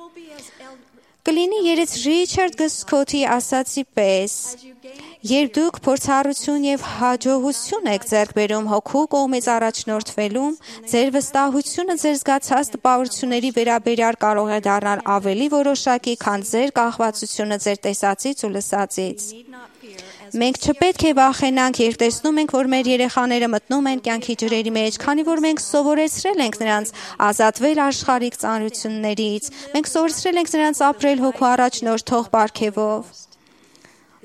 Կլինի երեց Ռիչարդ Գսքոթի ասացի պես. երբ դուք փորձառություն եւ հաջողություն եք ձեռք բերում հոգու կողմից առաջնորդվելուն, ձեր վստահությունը ձեր զգացած տպավորությունների վերաբերյալ կարող է դառնալ ավելի որոշակի, քան ձեր կախվածությունը ձեր տեսածից ու լսածից։ Մենք չպետք է վախենանք, երբ տեսնում ենք, որ մեր երեխաները մտնում են կյանքի ջրերի մեջ, քանի որ մենք սովորեցրել ենք նրանց ազատվել աշխարհիկ ծանրություններից, մենք սովորեցրել ենք նրանց ապրել հոգու առաջնորդող պարգևով։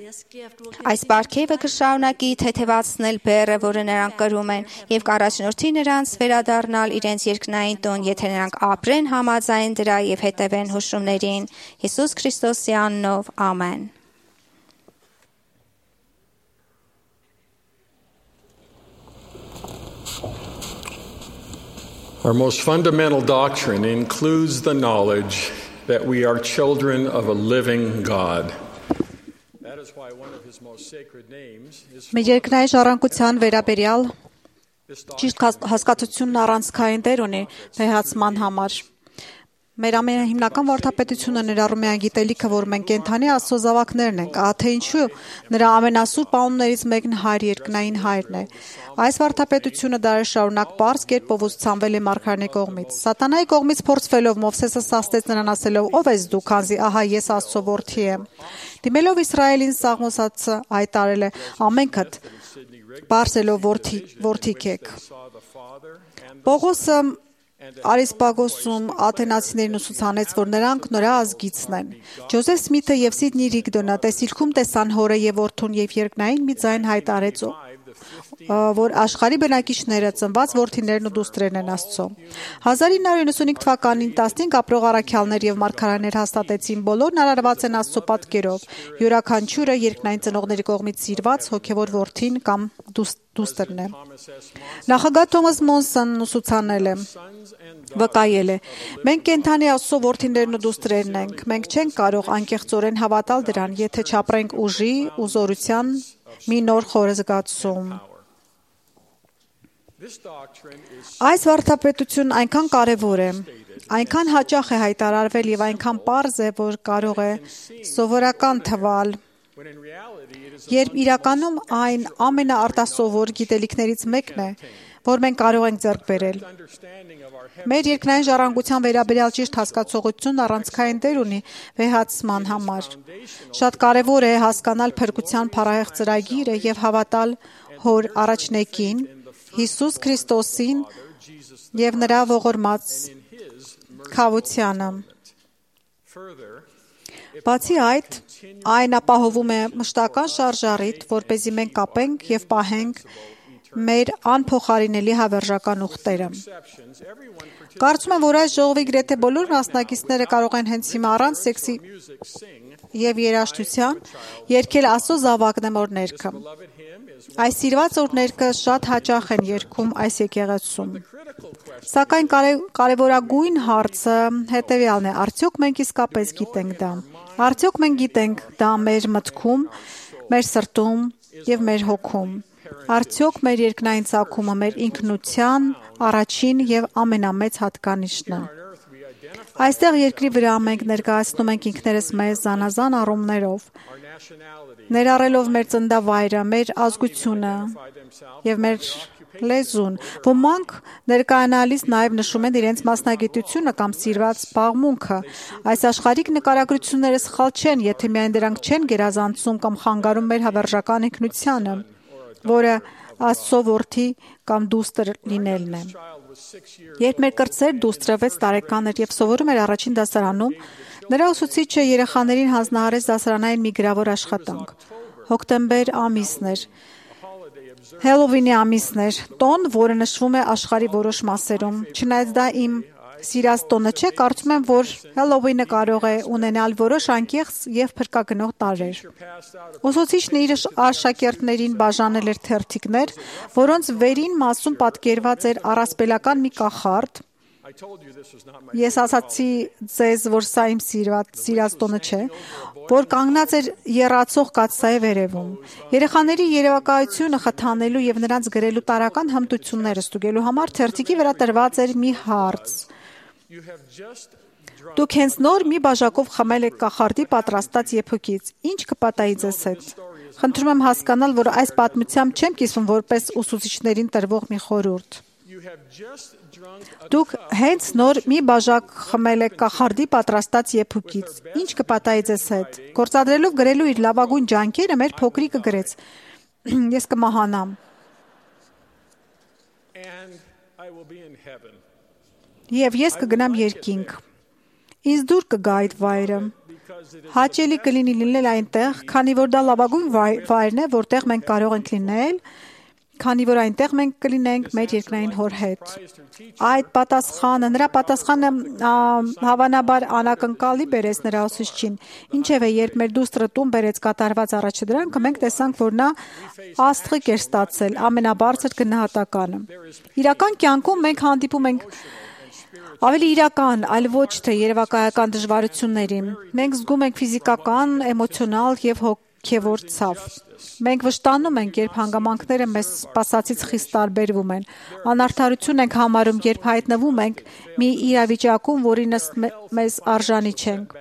Այս պարգևը կշարունակի թեթևացնել բեռը, որը նրանք կրում են, եւ կառաջնորդի նրանց վերադառնալ իրենց երկնային տուն, եթե նրանք ապրեն համաձայն դրա եւ հետևեն հուշումներին։ Հիսուս Քրիստոսի անունով, ամեն։ Our most fundamental doctrine includes the knowledge that we are children of a living God. Մեր երկնային ժառանգության վերաբերյալ ճիշտ հասկացությունն առանցքային դեր ունի վեհացման համար։ Մեր ամենահիմնական վարդապետությունը ներառում է այն գիտելիքը, որ մենք կենդանի Աստծո զավակներն ենք, ահա թե ինչու նրա ամենասուրբ անուններից մեկն Հայր երկնային Հայրն է։ Այս վարդապետությունը դարեր շարունակ պարզ կերպով ուսուցանվել է մարգարեների կողմից։ Սատանայի կողմից փորձվելով Մովսեսը սաստեց նրան ասելով. «Ո՞վ ես դու, քանզի ահա ես Աստծո որդի եմ»։ Դիմելով Իսրայելին Սաղմոսացը հայտարել է. «Ամենքդ բարձելով որդի որդիք եք»։ Պողոսը Արիսպագոսում աթենացիներին ուսուցանեց, որ նրանք նրա ազգիցն են։ Ջոզեֆ Սմիթը եւ Սիդնի Ռիգդոնը տեսիլքում տեսան հորը եւ որդուն եւ երկնային մի ձայն հայտարարեց, որ աշխարհի բնակիչները ծնված որդիներն ու դուստրերն են Աստծո։ հազար ինը հարյուր իննսունհինգ թվականին տասնհինգ ապրող առաքյալներ եւ մարգարեներ հաստատեցին, բոլորն արարված են Աստծո պատկերով, յուրաքանչյուրը երկնային ծնողների կողմից սիրված հոգեվոր որդին կամ դուստրն է։ Նախագահ Թոմաս Մոնսոնն ուսուցանել է. վկայել է. «Մենք կենդանի Աստծո որդիներն ու դուստրերն ենք, մենք չենք կարող անկեղծորեն հավատալ դրան, եթե չապրենք ուժի ու զորության մի նոր խորը զգացում»։ Այս վարդապետությունն այնքան կարևոր է, այնքան հաճախ է հայտարարվել եւ այնքան պարզ է, որ կարող է սովորական թվալ, երբ իրականում այն ամենաարտասովոր գիտելիքներից մեկն է, որ մենք կարող ենք ձեռք բերել։ Մեր երկնային ժառանգության վերաբերյալ ճիշտ հասկացողությունն առանցքային դեր ունի վեհացման համար։ Շատ կարևոր է հասկանալ փրկության փառահեղ ծրագիրը եւ հավատալ Հոր առաջնեկին, Հիսուս Քրիստոսին եւ նրա ողորմած քավությանը։ Բացի այդ, այն ապահովում է մշտական շարժառիթ, որպեսզի մենք կապենք եւ պահենք մեր անփոխարինելի հավերժական ուխտերը։ Կարծում եմ, որ այս ժողովի գրեթե բոլոր մասնակիցները կարող են հենց հիմա առանց սեքսի եւ երաժշտության երգել Աստծո զավակն եմ օրհներգը։ Այս սիրված օրհներգը շատ հաճախ են երգում այս եկեղեցում։ Սակայն կարևորագույն հարցը հետեւյալն է. արդյոք մենք իսկապես գիտենք դա։ Արդյոք մենք գիտենք դա մեր մտքում, մեր սրտում եւ մեր հոգում։ Արդյոք մեր երկնային ծագումը մեր ինքնության առաջին եւ ամենամեծ հատկանիշն է։ Այստեղ երկրի վրա մենք ներկայացնում ենք ինքներս մեզ զանազան առումներով, ներառելով մեր ծննդավայրը, մեր ազգությունը եւ մեր լեզուն։ Ոմանք ներկայանալիս նաև նշում են իրենց մասնագիտությունը կամ սիրված զբաղմունքը։ Այս աշխարհիկ նկարագրությունները սխալ չեն, եթե միայն դրանք չեն գերազանցում կամ խանգարում մեր հավերժական ինքնությանը, որը Աստծո որդի կամ դուստր լինելն է։ Երբ մեր կրտսեր դուստրը վեց տարեկան էր եւ սովորում էր առաջին դասարանում, նրա ուսուցիչը երեխաներին հանձնարարեց դասարանային մի գրավոր աշխատանք։ Հոկտեմբեր ամիսն էր։ Հելովինի ամիսն էր, տոն, որը նշվում է աշխարհի որոշ մասերում։ Չնայած դա իմ սիրած տոնը չէ, կարծում եմ, որ Հելովինը կարող է ունենալ որոշ անկեղծ եւ փրկագնող տարրեր։ Ուսուցիչն իր աշակերտներին բաժանել էր թերթիկներ, որոնց վերին մասում պատկերված էր առասպելական մի կախարդ։ Ես ասացի ձեզ, որ սա իմ սիրված սիրած տոնը չէ, որ կանգնած էր եռացող կաթսայի վերևում։ Երեխաների երևակայությունը խթանելու եւ նրանց գրելու տարական հմտությունները ստուգելու համար թերթիկի վրա տրված էր մի հարց։ Դուք հենց նոր մի բաժակով խմել եք կախարդի պատրաստած եփոքից։ Ինչ կպատահի ձեզ հետ։ Խնդրում եմ հասկանալ, որ այս պատմությամբ չեմ կիսվում որպես ուսուցիչներին տրվող մի խորհուրդ։ Դուք հենց նոր մի բաժակ խմել եք կախարդի պատրաստած եփոքից։ Ինչ կպատահի ձեզ հետ։ Գործադրելով գրելու իր լավագույն ջանքերը մեր փոքրիկը գրեց. Ես կմահանամ։ Եվ ես կգնամ երկինք։ Ինձ դուր կգա այդ վայրը։ Հաճելի կլինի լինել այնտեղ, քանի որ դա լավագույն վայրն է, որտեղ մենք կարող ենք լինել, քանի որ այնտեղ մենք կլինենք մեր երկնային հոր հետ։ Այդ պատասխանը, նրա պատասխանը հավանաբար անակնկալի բերեց նրա ուսուցչին։ Ինչևէ, երբ մեր դուստրը տուն բերեց կատարված առաջադրանքը, մենք տեսանք, որ նա աստղիկ էր ստացել, ամենաբարձր գնահատականը։ Իրական կյանքում մենք հանդիպում ենք ավելի իրական, այլ ոչ թե երևակայական դժվարությունների։ Մենք զգում ենք ֆիզիկական, էմոցիոնալ եւ հոգևոր ցավ։ Մենք վշտանում ենք, երբ հանգամանքները մեզ սպասածից խիստ տարբերվում են։ Անարդարություն ենք համարում, երբ հայտնվում ենք մի իրավիճակում, որին մեզ արժանի չենք։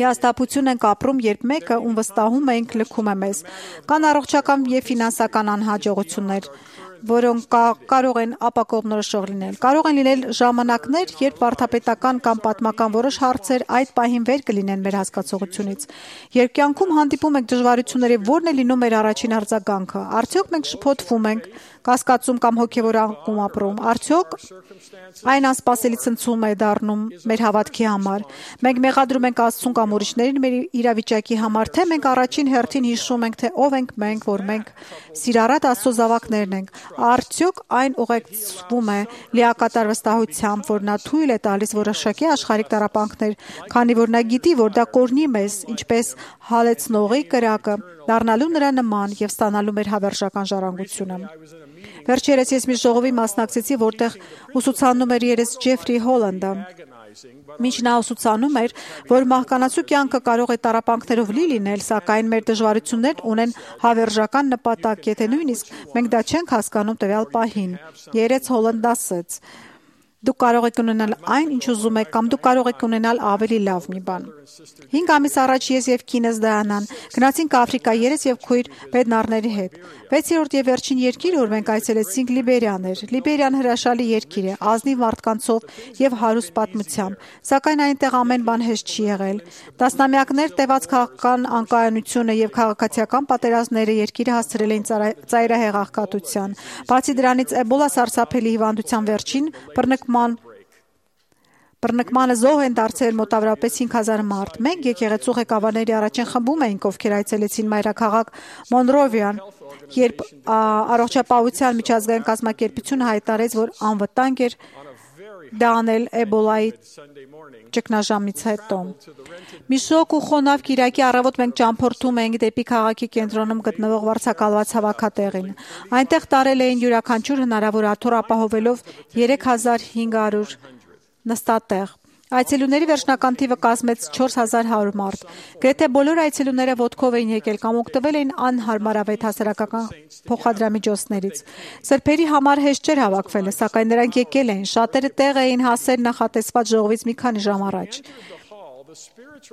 Հիասթափություն ենք ապրում, երբ մեկը, ում վստահում ենք, լքում է մեզ։ Կան առողջական և ֆինանսական անհաջողություններ, որոնք կարող են ապակողմնորոշող լինել։ Կարող են լինել ժամանակներ, երբ վարդապետական կամ պատմական որոշ հարցեր այդ պահին վեր կլինեն մեր հասկացողությունից։ Երբ կյանքում հանդիպում ենք դժվարությունների, ո՞րն է լինում մեր առաջին արձագանքը։ Արդյոք մենք շփոթվում ենք, կասկածում կամ հոգևոր անկում ապրում։ Արդյոք այն անսպասելի ցնցում է դառնում մեր հավատքի համար։ Մենք մեղադրում ենք Աստծուն կամ ուրիշներին մեր իրավիճակի համար, թե մենք առաջին հերթին հիշում ենք, թե ով ենք մենք, որ մենք սիրառատ Աստծո զավակներն ենք։ Արդյոք այն ուղեկցվում է լիակատար վստահությամբ, որ նա թույլ է տալիս որոշակի աշխարհիկ տառապանքներ, քանի որ նա գիտի, որ դա կօրհնի մեզ, ինչպես հալեցնողի կրակը, դառնալու նրա նման եւ ստանալու մեր հավերժական ժառանգությունը։ Վերջերս ես մի ժողովի մասնակցեցի, որտեղ ուսուցանում էր երես Ջեֆրի Հոլանդը։ Մինչ նա ուսուցանում էր, որ մահկանացու կյանքը կարող է տառապանքներով լի լինել, սակայն մեր դժվարություններն ունեն հավերժական նպատակ, եթե նույնիսկ մենք դա չենք հասկանում տվյալ պահին։ Երես Հոլանդը ասաց. Դուք կարող եք ունենալ այն, ինչ ուզում եք, կամ դուք կարող եք ունենալ ավելի լավ մի բան։ Հինգ ամիս առաջ ես եւ կինս Դիանան գնացինք Աֆրիկա երես եւ քույր բեդնարների հետ։ Վեցերորդ եւ վերջին երկիրը, որ մենք այցելեցինք, Լիբերիան էր։ Լիբերիան հրաշալի երկիր է, ազնիվ մարդկանցով եւ հարուստ պատմությամբ, սակայն այնտեղ ամեն բան հեշտ չի եղել։ Տասնամյակներ տևած քաղաքական անկայունությունը եւ քաղաքացիական պատերազմները երկիրը հասցրել էին ծայրահեղ աղքատության։ Բացի դրանից, Էբոլա սարսափելի հիվանդության վերջին բռնկման Բռնկմանը զոհ են դարձել մոտավորապես հինգ հազար մարդ։ Մենք եկեղեցու ղեկավարների առաջին խմբում էինք, ովքեր այցելեցին մայրաքաղաք Մոնրովիան, երբ առողջապահության միջազգային կազմակերպությունը հայտարարեց, որ անվտանգ էր դա անել Էբոլայի ճգնաժամից հետո։ Մի շոկ ու խոնավ կիրակի առավոտ մենք ճամփորդում էինք դեպի քաղաքի կենտրոնում գտնվող վարձակալված հավաքատեղին։ Այնտեղ տարել էին յուրաքանչյուր հնարավոր աթոռ, ապահովելով երեք հազար հինգ հարյուր նստատեղ։ Այցելուների վերջնական թիվը կազմեց չորս հազար հարյուր մարդ։ Գրեթե բոլոր այցելուները ոտքով էին եկել կամ օգտվել էին անհարմարավետ հասարակական փոխադրամիջոցներից։ Սրբերի համար հեշտ չէր հավաքվելը, սակայն նրանք եկել էին։ Շատերը տեղ էին հասել նախատեսված ժողովից մի քանի ժամ առաջ։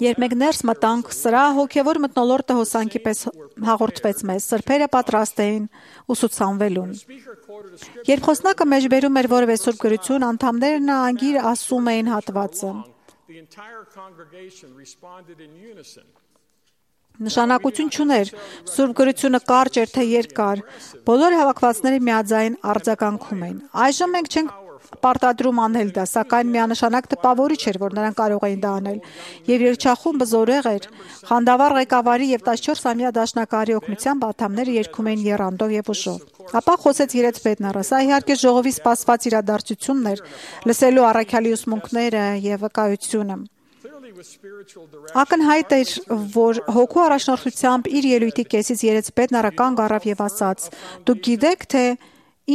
Երբ մենք ներս մտանք, սրա հոգևոր մթնոլորտը հոսանքի պես հաղորդվեց մեզ։ Սրբերը պատրաստ էին ուսուցանվելուն։ Երբ խոսնակը մեջբերում էր որևէ սուրբ գրություն, անդամներն անգիր ասում էին հատվածը։ Նշանակություն չուներ սուրբ գրությունը կարճ էր թե երկար։ Բոլոր հավաքվածները միաձայն արձագանքում էին։ Այժմ մենք չենք պարտադրում անել դա, սակայն միանշանակ տպավորիչ էր, որ նրանք կարող էին դա անել։ Եվ երգչախումբը զորեղ էր, խանդավառ ղեկավարի եւ տասնչորսամյա դաշնակահարի օգնությամբ անդամները երգում էին եռանդով եւ ուժով։ Ապա խոսեց երեց Բեդնարը։ Սա իհարկե ժողովի սպասված իրադարձությունն էր, լսելու առաքյալի ուսմունքները եւ վկայությունը։ Ակնհայտ էր, որ հոգու առաջնորդությամբ իր ելույթի կեսից երեց Բեդնարը կանգ առավ եւ ասաց. «Դուք գիտեք, թե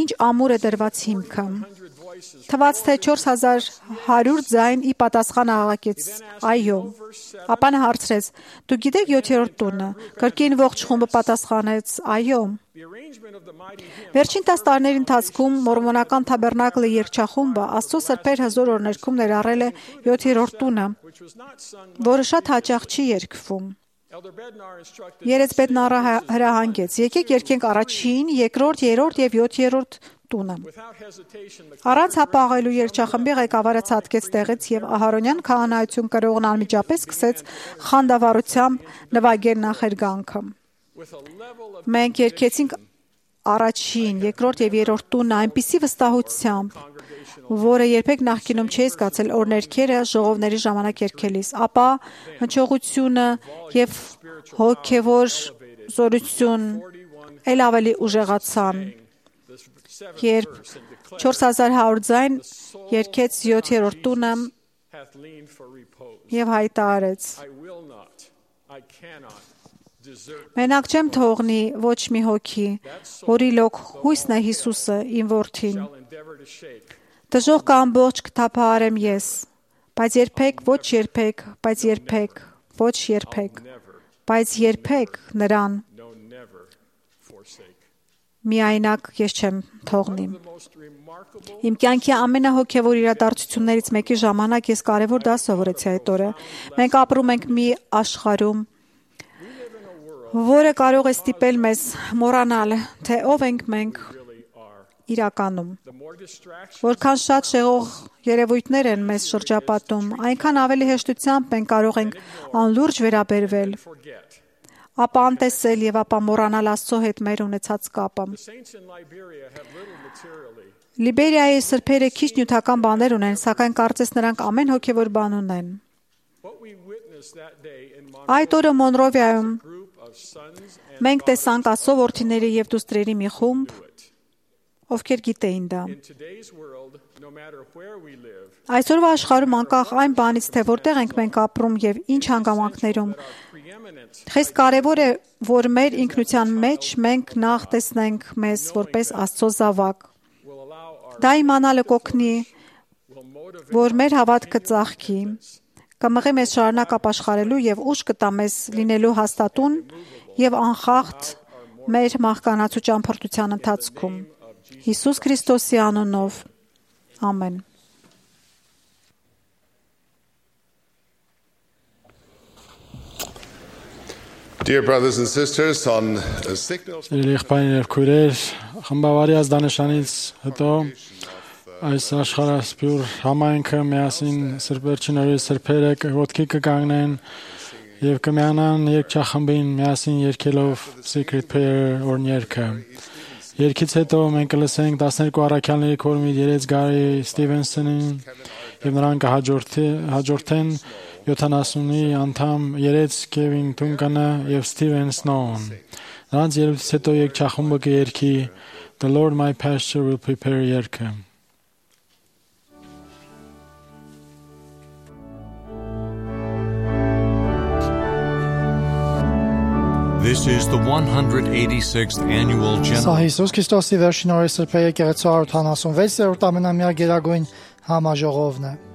ինչ ամուր է դրված հիմքը»։ Թվաց, թե չորս հազար հարյուր ձայն ի պատասխան աղաղակեց. «Այո»։ Ապա նա հարցրեց. «Դուք գիտեք յոթերորդ տունը»։ Կրկին ողջ խումբը պատասխանեց. «Այո»։ Վերջին տասը տարիների ընթացքում մորմոնական թաբերնակլի երգչախումբը Աստծո սրբեր հզոր օրներքում ներառել է յոթերորդ տունը, որը շատ հաճախ չի երգվում։ Երեց Բեդնարը հրահանգեց. «Եկեք երգենք առաջին, երկրորդ, երրորդ եւ յոթերորդ տունը»։ Առանց հապաղելու երգչախմբի ղեկավարը ցատկեց տեղից եւ Ահարոնյան քահանայություն կրողն անմիջապես սկսեց խանդավառությամբ նվագել նախերգանքը։ Մենք երգեցինք առաջին, երկրորդ եւ երրորդ տունը այնպիսի վստահությամբ, որը երբեք նախկինում չէի զգացել օրներքերը ժողովների ժամանակ երգելիս, ապա հնչողությունը եւ հոգեվոր զորություն ել ավելի ուժեղացան, երբ չորս հազար հարյուր ձայն երգեց յոթերորդ տունը եւ հայտարարեց. «Մենակ չեմ թողնի ոչ մի հոգի, որի լոկ հույսն է Հիսուսը, իմ որդին։ Դժոխքը ամբողջ կթափահարեմ ես, բայց երբեք, ոչ երբեք, բայց երբեք, ոչ երբեք, բայց երբեք նրան միայնակ ես չեմ թողնի։ Իմ կյանքի ամենահոգևոր իրադարձություններից մեկի ժամանակ ես կարևոր դաս սովորեցի այդ օրը։ Մենք ապրում ենք մի աշխարհում, որը կարող է ստիպել մեզ մոռանալ, թե ով ենք մենք իրականում։ Որքան շատ շեղող երևույթներ են մեզ շրջապատում, այնքան ավելի հեշտությամբ մենք կարող ենք անլուրջ վերաբերվել, ապա անտեսել եւ ապա մոռանալ Աստծո հետ մեր ունեցած կապը։ Լիբերիայի սրբերը քիչ նյութական բաներ ունեն, սակայն կարծես նրանք ամեն հոգևոր բան ունեն։ Այդ օրը Մոնրովիայում մենք տեսանք Աստծո որդիների եւ դուստրերի մի խումբ, ովքեր գիտեին դա։ Այսօրվա աշխարհում անկախ այն բանից, թե որտեղ ենք մենք ապրում եւ ինչ հանգամանքներում, խիստ կարևոր է, որ մեր ինքնության մեջ մենք նախ տեսնենք մեզ որպես Աստծո զավակ։ Դա իմանալը կօգնի, որ մեր հավատքը ծաղկի, կմղի մեզ շարունակ ապաշխարելու եւ ուժ կտա մեզ լինելու հաստատուն եւ անխախտ մեր մահկանացու ճամփորդության ընթացքում։ Հիսուս Քրիստոսի անունով, ամեն։ Dear brothers and sisters, on a signal Եղբայրներ, քույրեր, խմբավարի ազդանշանից հետո այս աշխարհասփյուր համայնքը միասին սրբերչին օրի սրբերը ոտքի կկանգնեն եւ կմիանան երգչախմբին միասին երգելով Secret Prayer օրհներգը։ Երգից հետո մենք կլսենք տասներկու առաքյալների քորմի երեց Գարի Ստիվենսոնին եւ նրան կհաջորդեն յոթանասունի անդամ երեց Քևին Թունկանը եւ Ստիվեն Սնոուն։ Նրանց երգից հետո երգչախումբը կերգի The Lord My Pasture Will Prepare երգը։ This is the one hundred eighty-sixth annual Սա general Հիսուս Քրիստոսի վերջին օրի սրբե եկեղեցու one hundred seventy-sixth-րդ ամենամյա գերագույն համաժողովն է։ Praise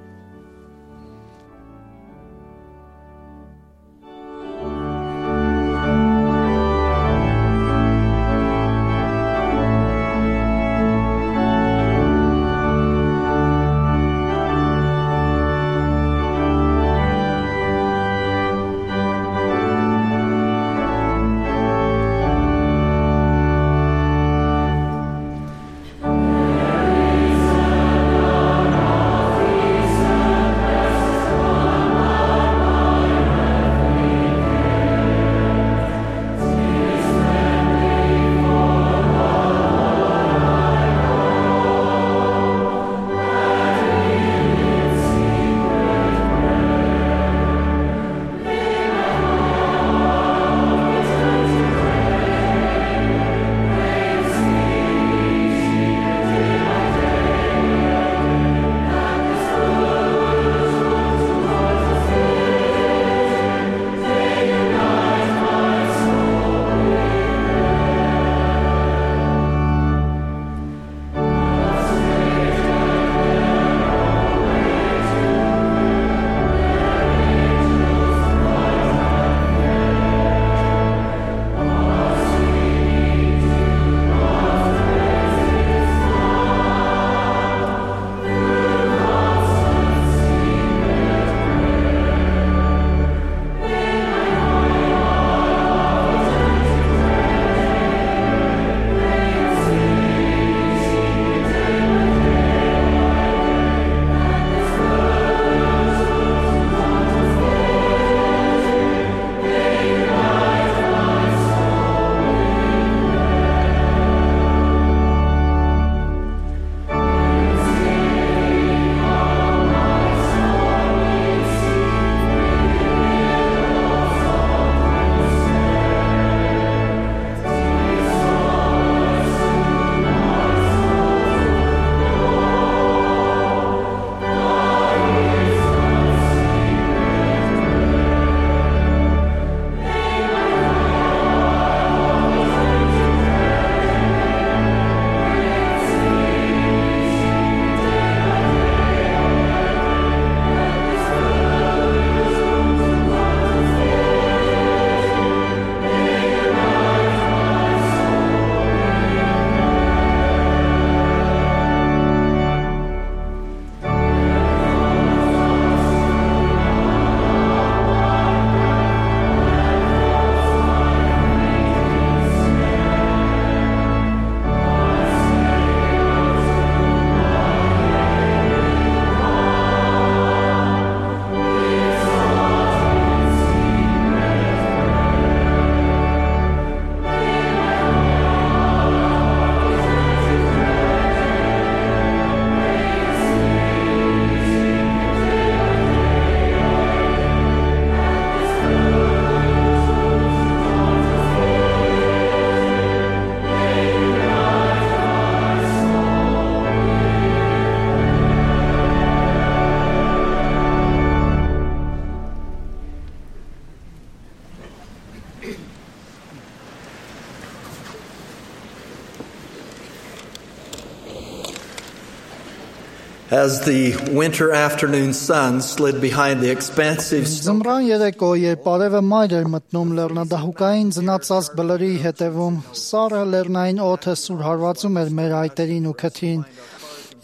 As the winter afternoon sun slid behind the expansive Ձմռան երեկո, երբ արևը մայր էր մտնում լեռնադահուկային ձնածածկ բլրի հետևում, սառը լեռնային օդը սուր հարվածում էր մեր այտերին ու քթին,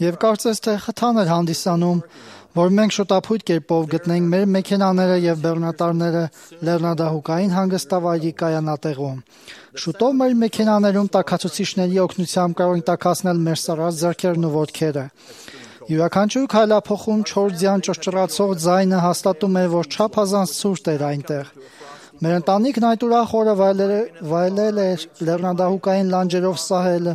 եւ կարծես թե խթան էր հանդիսանում, որ մենք շուտապույտ կերպով գտնենք մեր մեքենաները եւ բեռնատարները լեռնադահուկային հանգստավայրի կայանատեղում։ Շուտով մեր մեքենաներում տաքացուցիչների օգնությամբ կարող ենք տաքացնել մեր սառած ձեռքերն ու ոտքերը։ Յուրաքանչյուր քայլափոխում չորձյան ճռճռացող ձայնը հաստատում էր, որ չափազանց ցուրտ էր այնտեղ։ Մեր ընտանիքն այդ ուրախ օրը վայելել էր լեռնադահուկային լանջերով սահելը,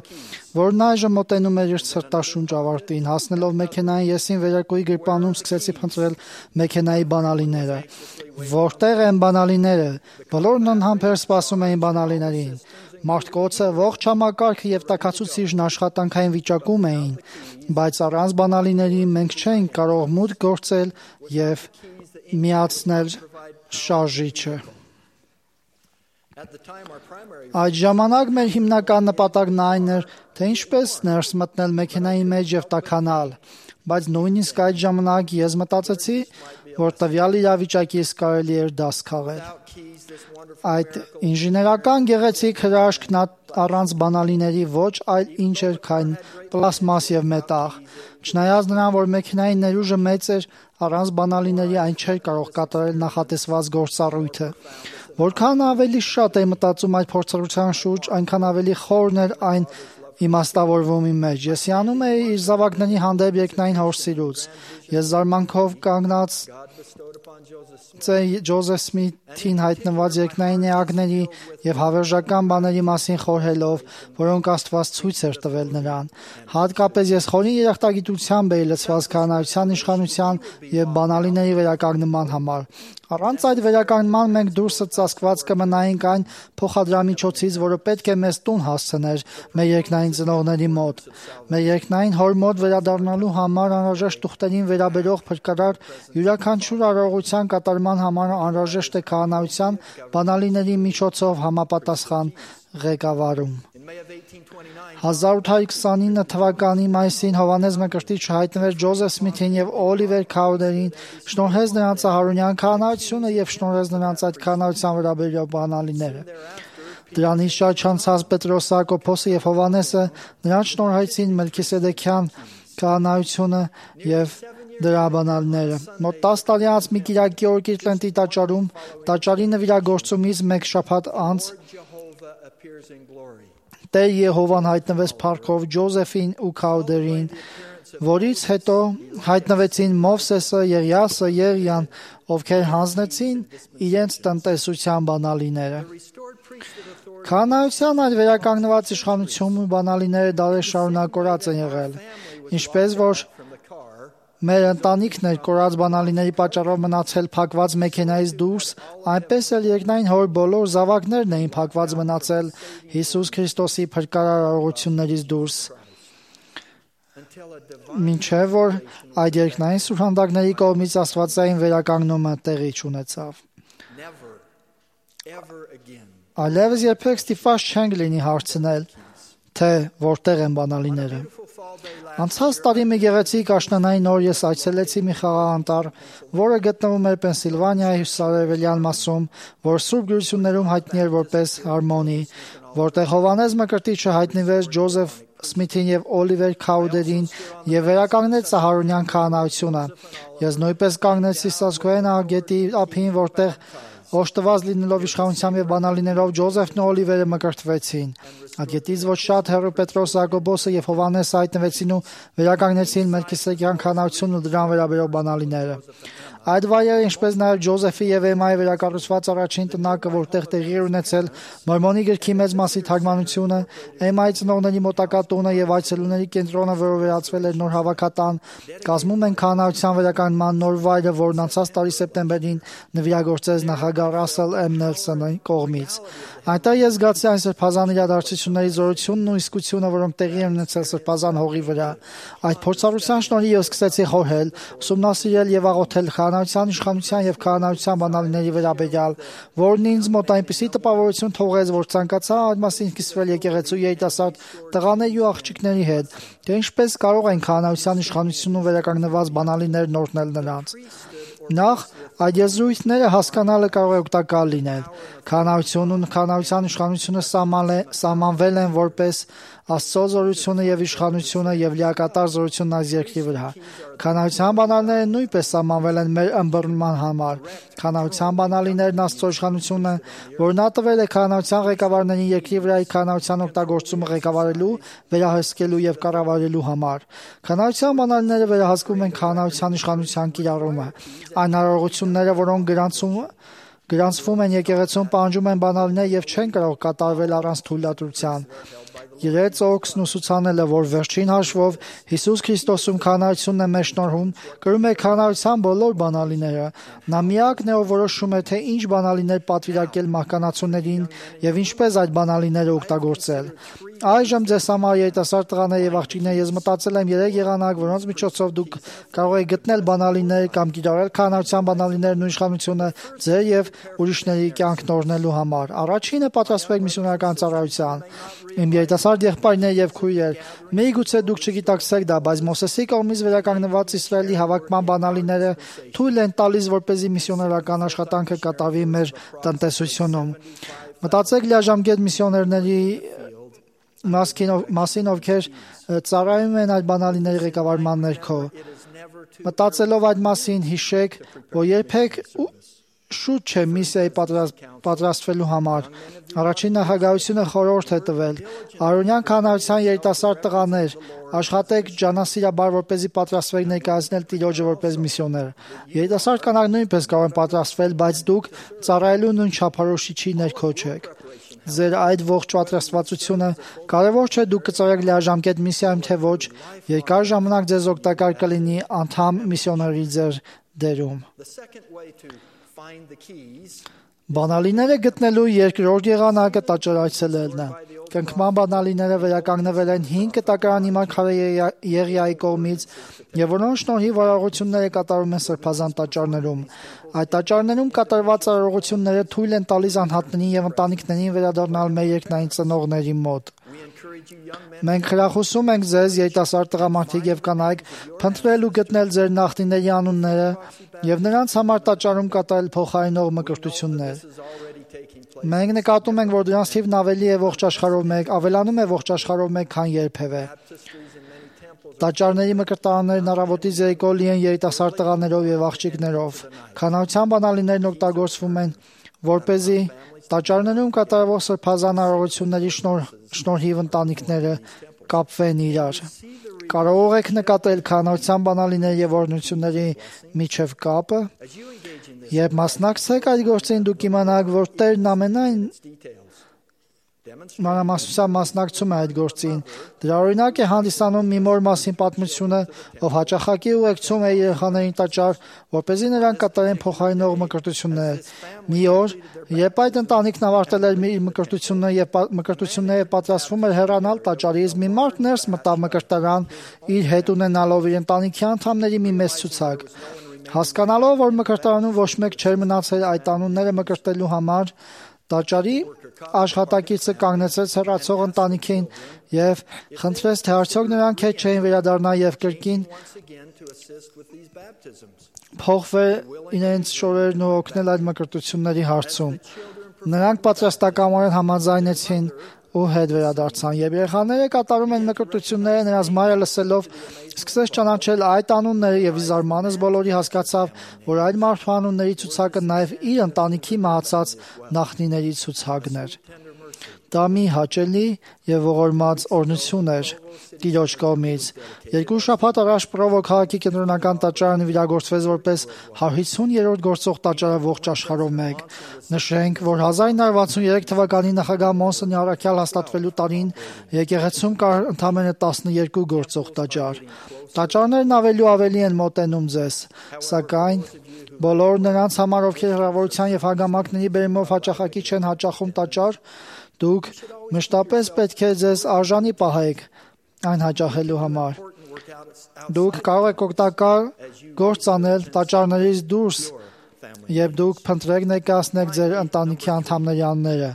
որն այժմ մոտենում էր իր սրտաշունչ ավարտին, հասնելով մեքենային եսին վերարկուի գրպանում սկսեցի փնտրել մեքենայի բանալիները։ Որտեղ են բանալիները։ Բոլորն անհամբեր սպասում էին բանալիներին։ Մարդկոցը, ողջ համակարգը եւ տաքացուցիչն աշխատանքային վիճակում էին, բայց առանց բանալիների մենք չէինք կարող մուտք գործել եւ միացնել շարժիչը։ Այդ ժամանակ մեր հիմնական նպատակն այն էր, թե ինչպես ներս մտնել մեքենայի մեջ եւ տաքանալ, բայց նույնիսկ այդ ժամանակ ես մտածեցի, որ տվյալ իրավիճակից կարելի էր դաս քաղել։ Այդ ինժեներական գեղեցիկ հրաշքն առանց բանալիների ոչ այլ ինչ էր, քան պլաստմաս եւ մետաղ։ Չնայած նրան, որ մեքենայի ներուժը մեծ էր, առանց բանալիների այն չէր կարող կատարել նախատեսված գործառույթը։ Որքան ավելի շատ էի մտածում այդ փորձառության շուրջ, այնքան ավելի խորն էր այն իմաստավորվում իմ մեջ։ Ես հիանում էի իր զավակների հանդեպ երկնային հորսիրուց։ Ես զարմանքով կանգնած Ջոզեֆ Սմիթին հայտնված երկնային էակների եւ հավերժական բաների մասին խորհելով, որոնք Աստված ցույց էր տվել նրան։ Հատկապես ես խորին երախտագիտությամբ էի լցված քահանայության իշխանության եւ բանալիների վերականգնման համար։ Առանց այդ վերականգնման մենք դուրսը ծածկված կմնայինք այն փոխադրամիջոցից, որը պետք է մեզ տուն հասցներ մեր երկնային ծնողների մոտ։ Մեր երկնային հոր մոտ վերադառնալու համար անհրաժեշտ ուխտերին վերաբերող փրկարար յուրաքանչյուր արարողության կատարման համար անհրաժեշտ է քահանայության բանալիների միջոցով համապատասխան ղեկավարում։ հազար ութ հարյուր քսանինը թվականի մայիսին Հովհաննես Մկրտիչը հայտնվեց Ջոզեֆ Սմիթին եւ Օլիվեր Քաուդերին, շնորհեց նրանց հարունյան քահանայությունը եւ շնորհեց նրանց այդ քահանայության վերաբերյալ բանալիները։ Դրանից շատ չանցած Պետրոս, Հակոբոսը եւ Հովհաննեսը նրանց շնորհեցին Մելքիսեդեքյան քահանայությունը եւ դրա բանալիները։ Մոտ տասը տարի անց մի կիրակի օր Կիրտլենտի տաճարում տաճարի նվիրագործումից մեկ շաբաթ անց Տեր Եհովան հայտնվեց փառքով Ջոզեֆին ու Քաուդերին, որից հետո հայտնվեցին Մովսեսը, Եղիասը, Երիան, ովքեր հանձնեցին իրենց տնտեսության բանալիները։ Քահանայության այդ վերականգնված իշխանությունը բանալիները դարեր շարունակ կորած են եղել, ինչպես որ մեր ընտանիքն էր կորած բանալիների պատճառով մնացել փակված մեքենայից դուրս, այնպես էլ երկնային հոր բոլոր զավակներն էին փակված մնացել Հիսուս Քրիստոսի փրկարար արարողություններից դուրս։ Մինչև որ այդ երկնային սուրհանդակների կողմից աստվածային վերականգնումը տեղի չունեցավ։ Այլևս երբեք ստիպված չենք լինի հարցնել, թե որտեղ են բանալիները։ Անցած տարի մի գեղեցիկ աշնանային օր ես այցելեցի մի խաղաղանտառ, որը գտնվում էր Պենսիլվանիայի հյուսիսարևելյան մասում, որ Սուրբ գրություններում հայտնի էր որպես Հարմոնի, որտեղ Հովհաննես Մկրտիչը հայտնվեց Ջոզեֆ Սմիթին եւ Օլիվեր Քաուդերին եւ վերականգնեց Սահարոնյան քահանայությունը։ Ես նույնպես կանգնեցի Սասկոեն ագետի ափին, որտեղ օժտված լինելով իշխանությամբ եւ բանալիներով Ջոզեֆն ու Օլիվերը մկրտվեցին։ Ագետից ոչ շատ հեռու Պետրոս, Հակոբոսը եւ Հովհաննեսը հայտնվեցին ու վերականգնեցին Մելքիսեդեքյան քահանայությունն ու դրան վերաբերող բանալիները։ Այդ վայրերը, ինչպես նաև Ջոզեֆի եւ Էմայի վերակառուցված առաջին տնակը, որտեղ տեղի էր ունեցել Մորմոնի գրքի մեծ մասի թարգմանությունը, Էմայի ծնողների մոտակա տունը եւ այցելուների կենտրոնը, որը վերածվել էր նոր հավաքատան, կազմում են քահանայության վերականգնման նոր վայրը, որն անցած տարի սեպտեմբերին նվիրագործեց նախագահ Ռասել Էմ Նելսոնի կողմից։ Այնտեղ ես զգացի այն սրբազան իրադարձությունների զորությունն ու իսկությունը, որոնք տեղի են ունեցել սրբազան հողի վրա։ Այդ փորձառության շնորհիվ ես սկսեցի խորհել, ուսումնասիրել եւ աղոթել քահանայության իշխանության եւ քահանայության բանալիների վերաբերյալ, որն ինձ մոտ այնպիսի տպավորություն թողեց, որ ցանկացա այդ մասին կիսվել եկեղեցու երիտասարդ տղաների ու աղջիկների հետ, թե ինչպես կարող են քահանայության իշխանությունն ու վերականգնված բանալիներն օրհնել նրանց։ Նախ այդ եզրույթները հասկանալը կարող է օգտակար լինել։ Քահանայությունն ու քահանայության իշխանությունը սահմանվել են որպես Աստծո զորությունը եւ իշխանությունը եւ լիակատար զորությունն այս երկրի վրա։ Քահանայության բանալիները նույնպես սահմանվել են մեր ըմբռնման համար։ Քահանայության բանալիներն Աստծո իշխանությունը, որ նա տվել է քահանայության ղեկավարներին երկրի վրայի քահանայության օգտագործումը ղեկավարելու, վերահսկելու եւ կառավարելու համար։ Քահանայության բանալիները վերահսկում են քահանայության իշխանության կիրառումը։ Այն արարողությունները, որոնք գրանցում գրանցվում են եկեղեցում, պահանջում են բանալիներ եւ չեն կարող կատարվել առանց թույլատրության։ Իրենց օգնն ուսուցանելը, որ վերջին հաշվով Հիսուս Քրիստոսում քահանայությունն է մեր շնորհում, կրում է քահանայության բոլոր բանալիները։ Նա միակն է, ով որոշում է, թե ինչ բանալիներ պատվիրակել մահկանացուներին եւ ինչպես այդ բանալիները օգտագործել։ Այժմ ձեզ համար երիտասարդ տղաներ եւ աղջիկներ, ես մտածել եմ երեք եղանակ, որոնց միջոցով դուք կարող եք գտնել բանալիներ կամ կիրառել քահանայության բանալիներն ու իշխանությունը ձեր եւ ուրիշների կյանքն օրհնելու համար։ Առաջինը պատրաստվեք միսիոնարական ծառայության։ Իմ երիտասարդ եղբայրներ եւ քույրեր, միգուցե դուք չգիտակցեք դա, բայց Մոսեսի կողմից վերականգնված Իսրայելի հավաքման բանալիները թույլ են տալիս, որպեսզի միսիոնարական աշխատանքը կատարվի մեր տնտեսությունում։ Մտածեք լիաժամկետ միսիոներների մասին, ովքեր ծառայում են այդ բանալիների ղեկավարման ներքո։ Մտածելով այդ մասին, հիշեք, որ երբեք շուտ չէ միսիայի պատրաստվելու համար։ Առաջին նախագահությունը խորհուրդ է տվել. Արոնյան քահանայության երիտասարդ տղաներ, աշխատեք ջանասիրաբար, որպեսզի պատրաստվեք ներկայացնել Տիրոջը որպես միսիոներ։ Երիտասարդ կանայք նույնպես կարող են պատրաստվել, բայց դուք ծառայելու նույն չափորոշիչի ներքո չեք։ Ձեր այդ ողջ պատրաստվածությունը կարևոր չէ դուք կծառայեք լիաժամկետ միսիայում, թե ոչ, երկար ժամանակ ձեզ օգտակար կլինի անդամ միսիոների ձեր դերում։ Բանալիները գտնելու երկրորդ եղանակը տաճար այցելելն է։ Կնքման բանալիները վերականգնվել են հինգ կտակարանի մարգարե Եղիայի կողմից եւ որոնց շնորհիվ արարողությունները կատարում են սրբազան տաճարներում։ Այդ տաճարներում կատարված արարողությունները թույլ են տալիս անհատներին եւ ընտանիքներին վերադառնալ մեր երկնային ծնողների մոտ։ Մենք խրախուսում ենք ձեզ, երիտասարդ տղամարդիկ եւ կանայք, փնտրել ու գտնել ձեր նախնիների անունները եւ նրանց համար տաճարում կատարել փոխարինող մկրտություններ։ Մենք նկատում ենք, որ դրանց թիվն ավելի է ողջ աշխարհով մեկ, ավելանում է ողջ աշխարհով մեկ, քան երբևէ։ Տաճարների մկրտարաններն առավոտից երեկո լի են երիտասարդ տղաներով եւ աղջիկներով։ Քահանայության բանալիներն օգտագործվում են, որպեսզի տաճարներում կատարվող սրբազան արարողությունների շնորհիվ ընտանիքները կապվեն իրար։ Կարող եք նկատել քահանայության բանալիների եւ օրհնությունների միջև կապը։ Երբ մասնակցեք այդ գործին, դուք իմանաք, որ Տերն ամենայն մանրամասնությամբ մասնակցում է այդ գործին։ Դրա օրինակ է հանդիսանում մի մոր մասին պատմությունը, ով հաճախակի ուղեկցում է երեխաներին տաճար, որպեսզի նրանք կատարեն փոխարինող մկրտություններ։ Մի օր, երբ այդ ընտանիքն ավարտել էր իր մկրտությունը եւ մկրտությունները պատրաստվում էր հեռանալ տաճարից, մի մարդ ներս մտավ մկրտարան, իր հետ ունենալով իր ընտանիքի անդամների մի մեծ ցուցակ։ Հասկանալով, որ մկրտարանում ոչ մեկ չէր մնացել այդ անունները մկրտելու համար, տաճարի աշխատակիցը կանգնեցրեց հեռացող ընտանիքին եւ խնդրեց, թե արդյոք նրանք հետ չէին վերադառնա եւ կրկին փոխվել իրենց շորերն ու օգնել այդ մկրտությունների հարցում։ Նրանք պատրաստակամորեն համաձայնեցին ու հետ վերադարձան, եւ երեխաները կատարում են մկրտությունները, նրանց մայրը լսելով սկսեց ճանաչել այդ անունները եւ զարմանս բոլորի հասկացավ, որ այդ մարդու անունների ցուցակը նաեւ իր ընտանիքի մահացած նախնիների ցուցակն էր։ Դա մի հաճելի եւ ողորմած օրհնություն էր Տիրոջ կողմից։ Երկու շաբաթ առաջ Պրովո քաղաքի կենտրոնական տաճարը վիրագործվեց որպես հարյուրից գործող տաճարը ողջ աշխարհով մեկ։ Նշենք, որ հազար ինը հարյուր վաթսուններեք թվականի նախագահ Մոնսոնի առաքյալ հաստատվելու տարին եկեղեցում կար ընդամենը տասներկու գործող տաճար։ Տաճարներն ավելի ու ավելի են մոտենում ձեզ, սակայն բոլոր նրանց համար, ովքեր հրավերության եւ հագամակների բերումով հաճախակի չեն հաճախում տաճար, դուք մշտապես պետք է ձեզ արժանի պահեք այն հաճախելու համար։ Դուք կարող եք օգտակար գործ անել տաճարներից դուրս, երբ դուք փնտրեք ներկայացնեք ձեր ընտանիքի անդամների անունները։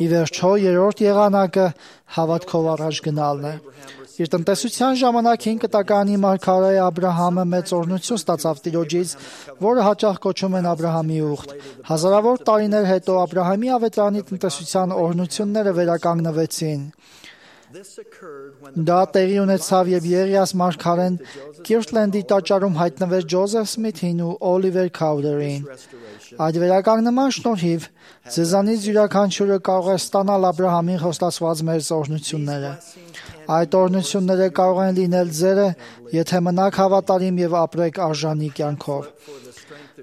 Ի վերջո, երրորդ եղանակը հավատքով առաջ գնալն է։ Իր տնտեսության ժամանակ հին կտակարանի մարգարե Աբրահամը մեծ օրհնություն ստացավ Տիրոջից, որը հաճախ կոչում են Աբրահամի ուխտ։ Հազարավոր տարիներ հետո Աբրահամի ավետարանի տնտեսության օրհնությունները վերականգնվեցին։ Դա տեղի ունեցավ, երբ Եղիաս մարգարեն Կիրթլենդի տաճարում հայտնվեց Ջոզեֆ Սմիթին ու Օլիվեր Քաուդերին։ Այդ վերականգնման շնորհիվ ձեզանից յուրաքանչյուրը կարող է ստանալ Աբրահամին խոստացված մեծ օրհնությունները։ Այդ օրհնությունները կարող են լինել ձերը, եթե մնաք հավատարիմ եւ ապրեք արժանի կյանքով։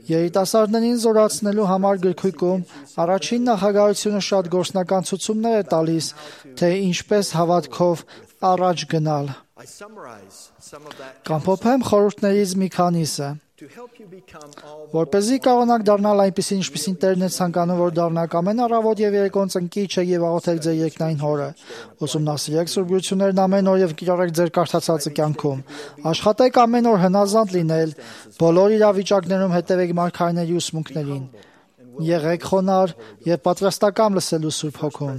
Երիտասարդներին զորացնելու համար գրքույկում առաջին նախագահությունը շատ գործնական ցուցումներ է տալիս, թե ինչպես հավատքով առաջ գնալ։ Կամփոփեմ խորհուրդներից մի քանիսը։ Որպեսզի կարողանաք դառնալ այնպիսին, ինչպիսին Տերն է ցանկանում, որ դառնաք ամեն առավոտ եւ երեկոն ծնկիչը եւ աղոթեք ձեր երկնային Հորը։ Ուսումնասիրեք Սուրբ Գրություններն ամեն օր եւ կիրառեք ձեր կարդացածը կյանքում։ Աշխատեք ամեն օր հնազանդ լինել, բոլոր իրավիճակներում հետևեք մարգարեների ուսմունքներին։ Եղեք խոնարհ եւ պատրաստակամ լսելու Սուրբ Հոգուն։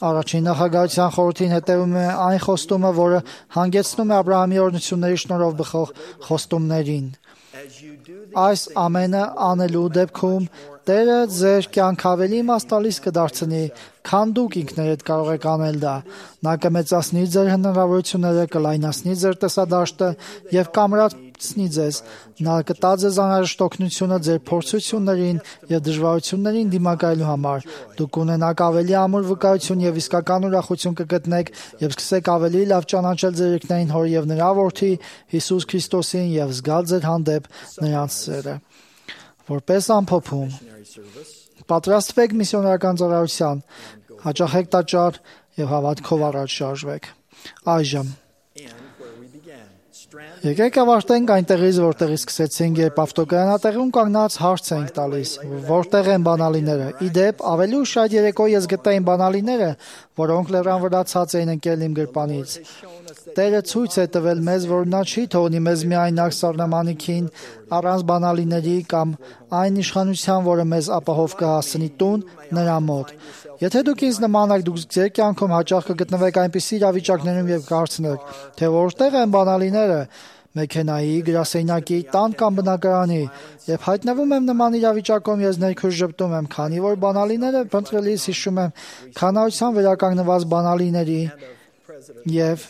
Առաջին նախագահության խորհրդին հետևում է այն խոստումը, որը հանգեցնում է Աբրահամի օրհնությունների շնորհով բխող խոստումներին։ Այս ամենը անելու դեպքում Տերը ձեր կյանք ավելի իմաստալից կդարձնի, քան դուք ինքներդ կարող եք անել դա։ Նա կմեծացնի ձեր հնարավորությունները, կլայնացնի ձեր տեսադաշտը եւ կամրացնի ձեզ։ Նա կտա ձեզ անհրաժեշտ օգնությունը ձեր փորձություններին եւ դժվարություններին դիմակայելու համար։ Դուք կունենաք ավելի ամուր վկայություն եւ իսկական ուրախություն կգտնեք եւ սկսեք ավելի լավ ճանաչել ձեր երկնային Հոր եւ նրա Որդի Հիսուս Քրիստոսին եւ զգալ ձեր հանդեպ նրանց սերը։ Որպես ամփոփում, պատրաստվեք միսիոներական ծառայության, հաճախեք տաճար եւ հավատքով առաջ շարժվեք։ Այժմ եկեք ավարտենք այնտեղից, որտեղից սկսեցինք, երբ ավտոկայանատեղում կանգնած հարց ենք տալիս, որտեղ են բանալիները։ Ի դեպ, ավելի ուշ այդ երեկո ես գտա իմ բանալիները, որոնք լեռան վրա ցած էին ընկել իմ գրպանից։ Տերը ցույց է տվել մեզ, որ նա չի թողնի մեզ միայնակ սառնամանիքին առանց բանալիների կամ այն իշխանության, որը մեզ ապահով կհասցնի տուն նրա մոտ։ Եթե դուք ինձ նմանակ, դուք ձեր կյանքում հաճախ կգտնվեք այնպիսի իրավիճակներում եւ կհարցնեք, թե որտեղ են բանալիները, մեքենայի, գրասենյակի, տան կամ բնակարանի, եւ հայտնվում եմ նման իրավիճակում, ես ներքուր ժպտում եմ, քանի որ բանալիները փնտրելիս հիշում եմ քանայության վերականգնված բանալիների եւ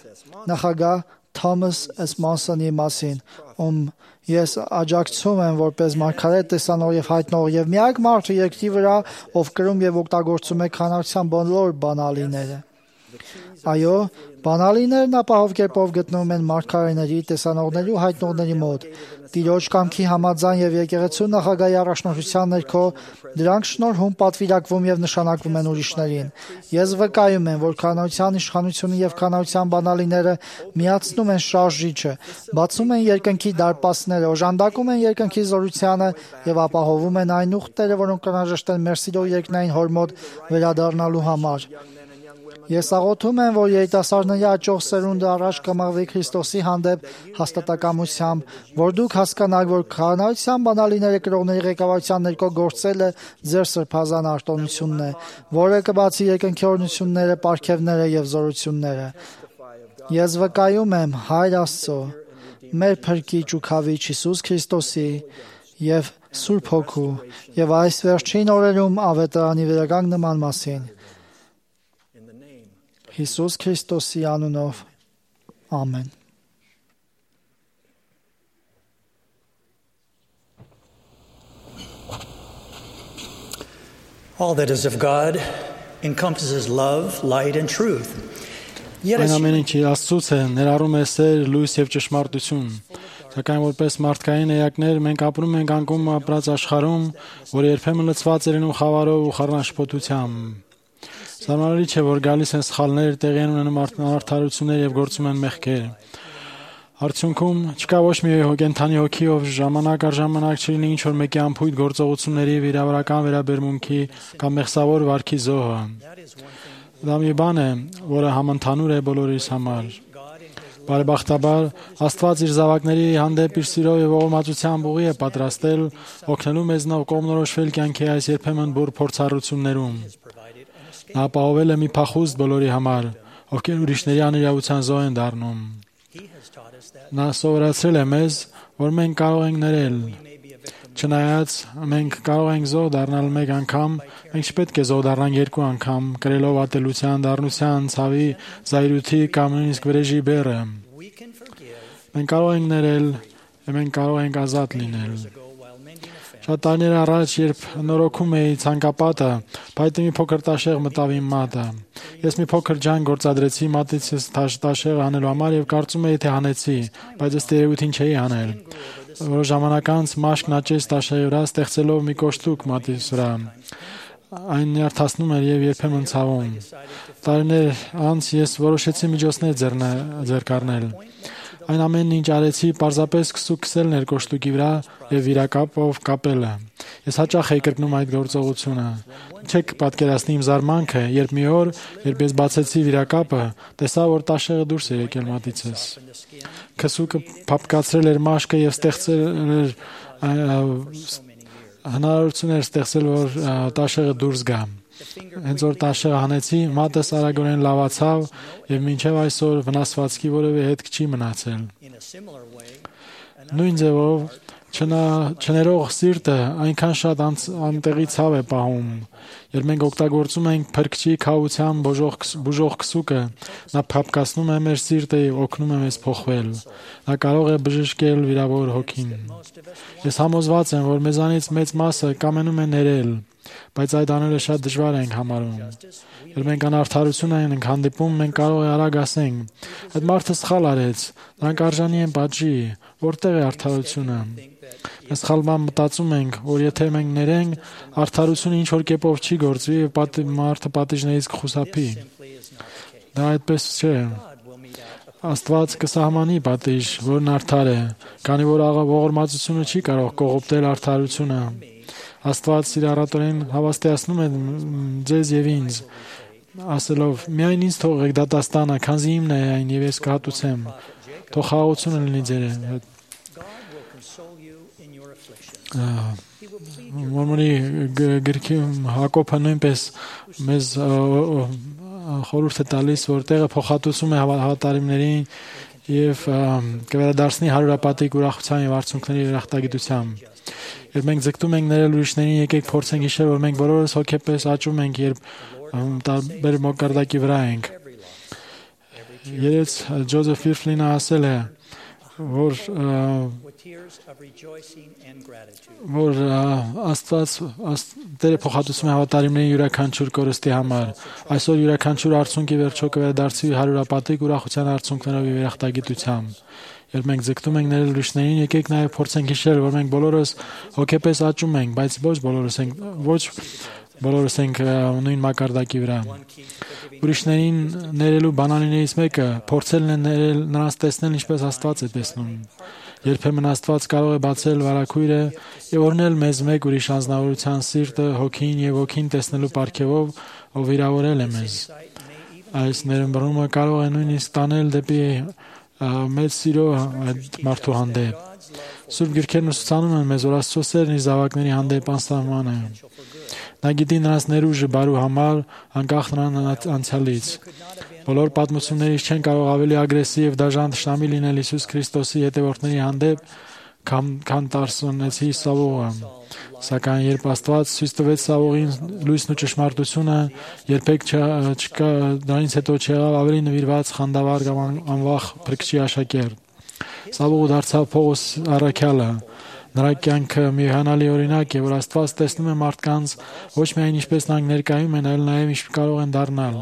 նախագահ Թոմաս Էսմոնսոնի մասին, ում ես աջակցում եմ որպես մարգարե տեսանող եւ հայտնող եւ միակ մարդը երկրի վրա, ով կրում եւ օգտագործում է քանայության բոլոր բանալիները։ Այո, բանալիներն ապահով կերպով գտնվում են մարգարեների, տեսանողների ու հայտնողների մոտ։ Տիրոջ կամքի համաձայն եւ եկեղեցու նախագահի առաջնորդության ներքո դրանք շնորհում պատվիրակվում եւ նշանակվում են ուրիշներին։ Ես վկայում եմ, որ քանայության իշխանությունը եւ քանայության բանալիները միացնում են շարժիչը, բացում են երկնքի դարպասները, օժանդակում են երկնքի զորությանը եւ ապահովում են այն ուխտերը, որոնք անհրաժեշտ են մեր սիրո երկնային Հոր մոտ վերադառնալու համար։ Ես աղոթում եմ, որ երիտասարդների աճող սերունդը առաջ կմղվի Քրիստոսի հանդեպ հաստատակամությամբ, որ դուք հասկանաք, որ քանայության բանալիները կրողների ղեկավարության ներքո գործելը ձեր սրբազան արտոնությունն է, որը կբացի երկնքի օրհնությունները, պարգևները եւ զորությունները։ Ես վկայում եմ Հայր Աստծո, մեր Փրկիչ ու Քավիչ Հիսուս Քրիստոսի եւ Սուրբ Հոգու եւ այս վերջին օրերում ավետարանի վերականգնման մասին։ Հիսուս Քրիստոսի անունով, ամեն։ All that is of God encompasses love, light and truth. Այն ամեն ինչի Աստծուց է, ներառում է սեր, լույս եւ ճշմարտություն։ Սակայն որպես մարդկային էակներ մենք ապրում ենք անկում ապրած աշխարհում, որը երբեմն լցված է լինում խավարով ու խառնաշփոթությամբ։ Սարմանալի չէ, որ գալիս են սխալներ, տեղի են ունենում անարդարություններ եւ գործում են մեղքեր։ Արդյունքում չկա ոչ մի կենդանի հոգի, ով ժամանակ առ ժամանակ չլինի ինչ-որ մեկի անփույթ գործողությունների, վիրավորական վերաբերմունքի կամ մեղսավոր վարքի զոհը։ Դա մի բան է, որը համընդհանուր է բոլորիս համար։ Բարեբախտաբար Աստված իր զավակների հանդեպ իր սիրով եւ ողորմածությամբ ուղի է պատրաստել օգնելու մեզ նոր կողմնորոշվել կյանքի այս երբեմն բուռ փորձառություններում։ Նա ապահովել է մի փախուստ բոլորի համար, ովքեր ուրիշների անիրավության զոհ են դառնում։ Նա սովորացրել է մեզ, որ մենք կարող ենք ներել։ Չնայած մենք կարող ենք զոհ դառնալ մեկ անգամ, մենք չպետք է զոհ դառնանք երկու անգամ, կրելով ատելության, դառնության, ցավի, զայրույթի կամ նույնիսկ վրեժի բեռը։ Մենք կարող ենք ներել, եւ մենք կարող ենք ազատ լինել։ Շատ տարիներ առաջ, երբ նորոգում էի ցանկապատը, փայտի մի փոքր տաշեղ մտավ իմ մատը։ Ես մի փոքր ջան գործադրեցի մատից տաշեղը հանելու համար եւ կարծում էի, թե հանեցի, բայց ըստ երևույթին չէի հանել։ Որոշ ժամանակ անց մաշկն աճեց տաշեղի վրա, ստեղծելով մի կոշտուկ մատից վրա։ Այն նյարդացնում էր եւ երբեմն ցավում։ Տարիներ անց ես որոշեցի միջոցներ ձեռք առնել։ Այն ամենն ինչ արեցի, պարզապես քսուքսելն էր կոշտուկի վրա եւ վիրակապով կապելը։ Ես հաճախ էի կրկնում այդ գործողությունը։ Չեք պատկերացնի իմ զարմանքը, երբ մի օր, երբ ես բացեցի վիրակապը, տեսա, որ տաշեղը դուրս է եկել մատիցս։ Քսուկը փափկացրել էր մաշկը եւ ստեղծել էր հնարավորություն էր ստեղծել, որ տաշեղը դուրս գա։ Հենց որ տաշեղը հանեցի, մատս արագորեն լավացավ եւ մինչեւ այսօր վնասվածքի որևէ հետք չի մնացել։ Նույն ձևով չներող սիրտը այնքան շատ անտեղի ցավ է պահում։ Երբ մենք օգտագործում ենք փրկչի քավության բուժող քսուկը, նա փափկացնում է մեր սիրտը եւ օգնում է մեզ փոխվել։ Նա կարող է բժշկել վիրավոր հոգին։ Ես համոզված եմ, որ մեզանից մեծ մասը կամենում է ներել, բայց այդ անելը շատ դժվար ենք համարում։ Երբ մենք անարդարություն ենք հանդիպում, մենք կարող է արագ ասենք. այդ մարդը սխալ արեց, նրանք արժանի են պատժի, որտեղ է արդարությունը։ Մենք սխալման մտածում ենք, որ եթե մենք ներենք, արդարությունը ինչ որ կերպով չի գործվի եւ մարդը պատիժներից կխուսափի։ Դա այդպես չէ։ Աստված կսահմանի պատիժ, որն արդար է, քանի որ ողորմածությունը չի կարող կողոպտել արդարությունը։ Աստված սիրառատորեն հավաստիացնում է ձեզ եւ ինձ, ասելով. միայն ինձ թողեք դատաստանը, քանզի իմն է այն եւ ես կհատուցեմ։ Թող խաղաղությունը լինի ձեր հետ։ Մորմոնի գրքի Հակոբը նույնպես մեզ խորհուրդ է տալիս, որ տեղը փոխհատուցում է հավատարիմներին եւ կվերադարձնի հարյուրապատիկ ուրախության եւ արցունքների երախտագիտությամբ։ Երբ մենք ձգտում ենք ներել ուրիշներին, եկեք փորձենք հիշել, որ մենք բոլորս հոգեպես աճում ենք, երբ տարբեր մակարդակի վրա ենք։ Երեց Ջոզեֆ Ֆիրֆլինը ասել է, որ որ Աստված Տերը փոխհատուցում է հավատարիմների յուրաքանչյուր կորստի համար։ Այսօր յուրաքանչյուր արցունքի վերջո կվերադարձվի հարյուրապատիկ ուրախության արցունքներով եւ երախտագիտությամբ։ Երբ մենք ձգտում ենք ներել ուրիշներին, եկեք նաև փորձենք հիշել, որ մենք բոլորս հոգեպես աճում ենք, բայց ոչ բոլորս ենք ոչ բոլորս ենք նույն մակարդակի վրա։ Ուրիշներին ներելու բանալիներից մեկը փորձելն է ներել նրանց տեսնել ինչպես Աստված է տեսնում։ Երբեմն Աստված կարող է բացել վարակույրը եւ օրհնել մեզ մեկ ուրիշ անձնավորության սիրտը, հոգին եւ հոգին տեսնելու պարգևով, ով վիրավորել է մեզ։ Այս ներմբռնումը կարող է նույնիսկ տանել դեպի մեծ սիրո այդ մարդու հանդեպ։ Սուրբ գրքերն ուսուցանում են մեզ, որ Աստծո սերն իր զավակների հանդեպ անսահման է։ Նա գիտի նրանց ներուժը բարու համար, անկախ նրանց անցյալից։ Բոլոր պատմություններից չեն կարող ավելի ագրեսիվ եւ դաժան թշնամի լինել Հիսուս Քրիստոսի հետևորդների հանդեպ, քան Տարսոնեցի Սավողը։ Սակայն երբ Աստված ցույց տվեց Սավողին լույսն ու ճշմարտությունը, երբեք չկա դրանից հետո չեղավ ավելի նվիրված, խանդավառ կամ անվախ փրկչի աշակերտ։ Սավողը դարձավ Պողոս առաքյալը։ Նրա կյանքը մի հիանալի օրինակ է, որ Աստված տեսնում է մարդկանց ոչ միայն ինչպես նրանք ներկայում են, այլ նաև ինչ կարող են դառնալ։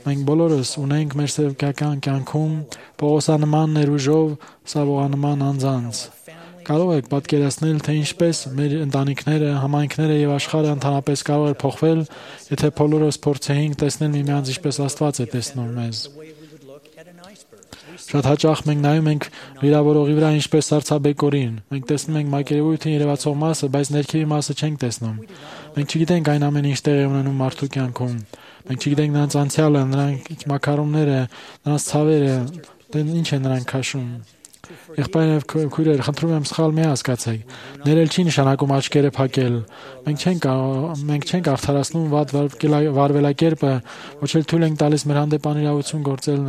Մենք բոլորս ունենք մեր սեփական կյանքում Պողոսանման ներուժով Սավողանման անձանց։ Կարող եք պատկերացնել, թե ինչպես մեր ընտանիքները, համայնքները եւ աշխարհը ընդհանրապես կարող է փոխվել, եթե բոլորս փորձեինք տեսնել միմյանց ինչպես Աստված է տեսնում մեզ։ Շատ հաճախ մենք նայում ենք վիրավորողի վրա ինչպես սառցաբեկորին։ Մենք տեսնում ենք մակերևույթին երևացող մասը, բայց ներքևի մասը չենք տեսնում։ Մենք չգիտենք այն ամենը, ինչ տեղի ունենում մարդու կյանքում։ Մենք չգիտենք նրանց անցյալը, նրանց մակարոնները, նրանց ցավերը, Դե ինչ է նրանք քաշում։ Եղբայրներ եւ քույրեր, խնդրում եմ սխալ մի հասկացեք։ Ներել չի նշանակում աչքերը փակել։ Մենք չենք մենք չենք արդարացնում վատ վարվելակերպը, ոչ էլ թույլ ենք տալիս մեր հանդեպ անիրավություն գործել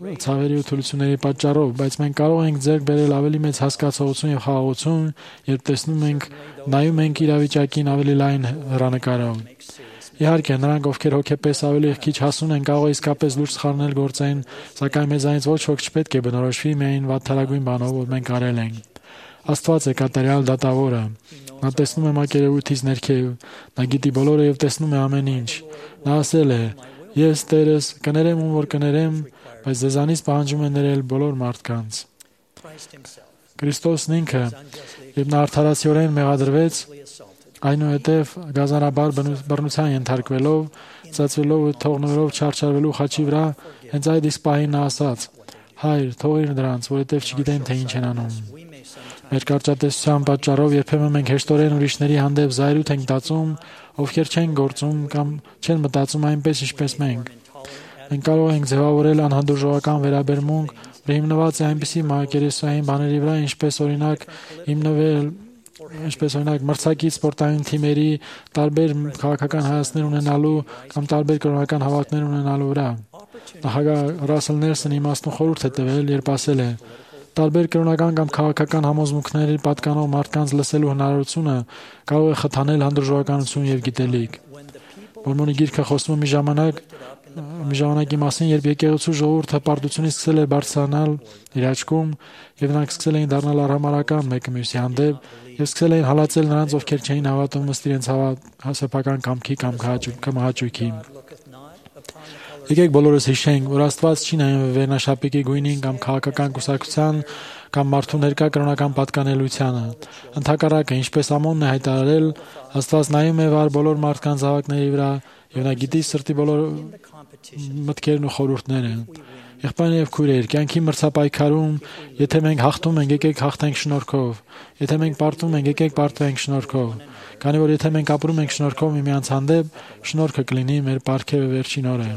ցավերի ու թուլությունների պատճառով, բայց մենք կարող ենք ձեռք բերել ավելի մեծ հասկացողություն եւ խաղաղություն, երբ տեսնում ենք, նայում ենք իրավիճակին ավելի լայն հեռանկարով։ Իհարկե, նրանք, ովքեր հոգեպես ավելի քիչ հասուն են, կարող է իսկապես լուրջ սխալներ գործեն, սակայն մեզանից ոչ ոք չպետք է բնորոշվի միայն վատթարագույն բանով, որ մենք արել ենք։ Աստված է կատարյալ դատավորը։ Նա տեսնում է մակերևույթից ներքև, նա գիտի բոլորը եւ տեսնում է ամեն ինչ։ Նա ասել է. «Ես Տերս կներեմ ում որ կներեմ, բայց ձեզանից պահանջում է ներել բոլոր մարդկանց»։ Քրիստոսն ինքը, երբ նա արդարացիորեն մեղադրվեց, այնուհետև գազանաբար բռնության ենթարկվելով, ծածվելով ու թողնելով չարչարվելու խաչի վրա, հենց այդ իսկ պահին նա ասաց. «Հայր, թողիր նրանց, որովհետև չգիտեն թե ինչ են անում»։ Մեր կարճատեսության պատճառով երբեմն մենք հեշտորեն ուրիշների հանդեպ զայրույթ ենք տածում, ովքեր չեն գործում կամ չեն մտածում այնպես, ինչպես մենք։ Մենք կարող ենք ձևավորել անհանդուրժողական վերաբերմունք, որ հիմնված է այնպիսի մակերեսային բաների վրա, ինչպես օրինակ հիմնվել ինչպես օրինակ մրցակից սպորտային թիմերի տարբեր քաղաքական հայացքներ ունենալու կամ տարբեր կրոնական հավատքներ ունենալու վրա։ Նախագահ Ռասել Նելսոնը իմաստուն խորհուրդ է տվել, երբ ասել է. տարբեր կրոնական կամ քաղաքական համոզմունքների պատկանող մարդկանց լսելու հնարավորությունը կարող է խթանել հանդուրժողականություն եւ գիտելիք։ Մորմոնի գիրքը խոսում է մի ժամանակ մի ժամանակի մասին, երբ եկեղեցու ժողովուրդը պարտությունից սկսել է բարձրանալ իր աչքում եւ նրանք սկսել էին դառնալ արհամարհական մեկը մյուսի հանդեպ եւ սկսել էին հալածել նրանց, ովքեր չէին հավատում ըստ իրենց հասարակական կամքի կամ կամահաճույքի։ Եկեք բոլորս հիշենք, որ Աստված չի նայում վերնաշապիկի գույնին կամ քաղաքական կուսակցության կամ մարդու ներկա կրոնական պատկանելությանը։ Ընդհակառակը, ինչպես Ամոնն է հայտարարել, Աստված նայում է վար բոլոր մարդկանց զավակների վրա եւ նա գիտի սրտի բոլոր մտքերն ու խորհուրդները։ Եղբայրներ եւ քույրեր, կյանքի մրցապայքարում, եթե մենք հաղթում ենք, եկեք հաղթենք շնորհքով։ Եթե մենք պարտվում ենք, եկեք պարտվենք շնորհքով։ Քանի որ եթե մենք ապրում ենք շնորհքով միմյանց հանդեպ, շնորհքը կլինի մեր պարգևը վերջին օրը։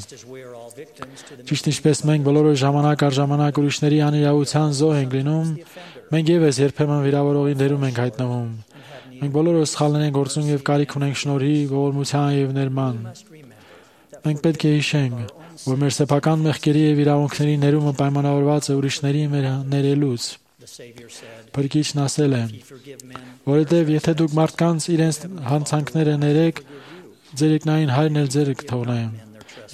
Ճիշտ ինչպես մենք բոլորը ժամանակ առ ժամանակ ուրիշների անիրավության զոհ ենք լինում, մենք եւս երբեմն վիրավորողի դերում ենք հայտնվում։ Մենք բոլորս սխալներ ենք գործում եւ կարիք ունենք շնորհի, ողորմության եւ ներման։ Մենք պետք է հիշենք, որ մեր սեփական մեղքերի եւ իրավունքների ներումը պայմանավորված է ուրիշների մեր ներելուց։ Փրկիչն ասել է. որովհետև եթե դուք մարդկանց իրենց հանցանքները ներեք, ձեր երկնային Հայրն էլ ձերը կթողնի։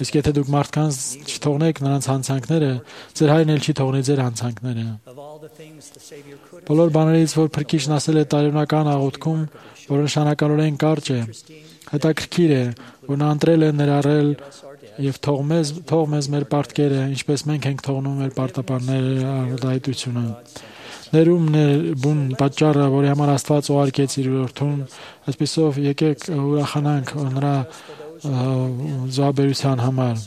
Իսկ եթե դուք մարդկանց չթողնեք նրանց հանցանքները, ձեր Հայրն էլ չի թողնի ձեր հանցանքները։ Բոլոր բաներից, որ Փրկիչն ասել է տարօրինական աղոթքում, որ նշանակալորեն կարճ է, հետաքրքիր է, որ նա ընտրել է ներառել եւ թող մեզ թող մեզ մեր պարտքերը, ինչպես մենք ենք թողնում մեր պարտապանների արտահայտությունը։ Ներումն է բուն պատճառը, որի համար Աստված ուղարկեց իր որդուն, այսպեսով եկեք ուրախանանք նրա զոհաբերության համար։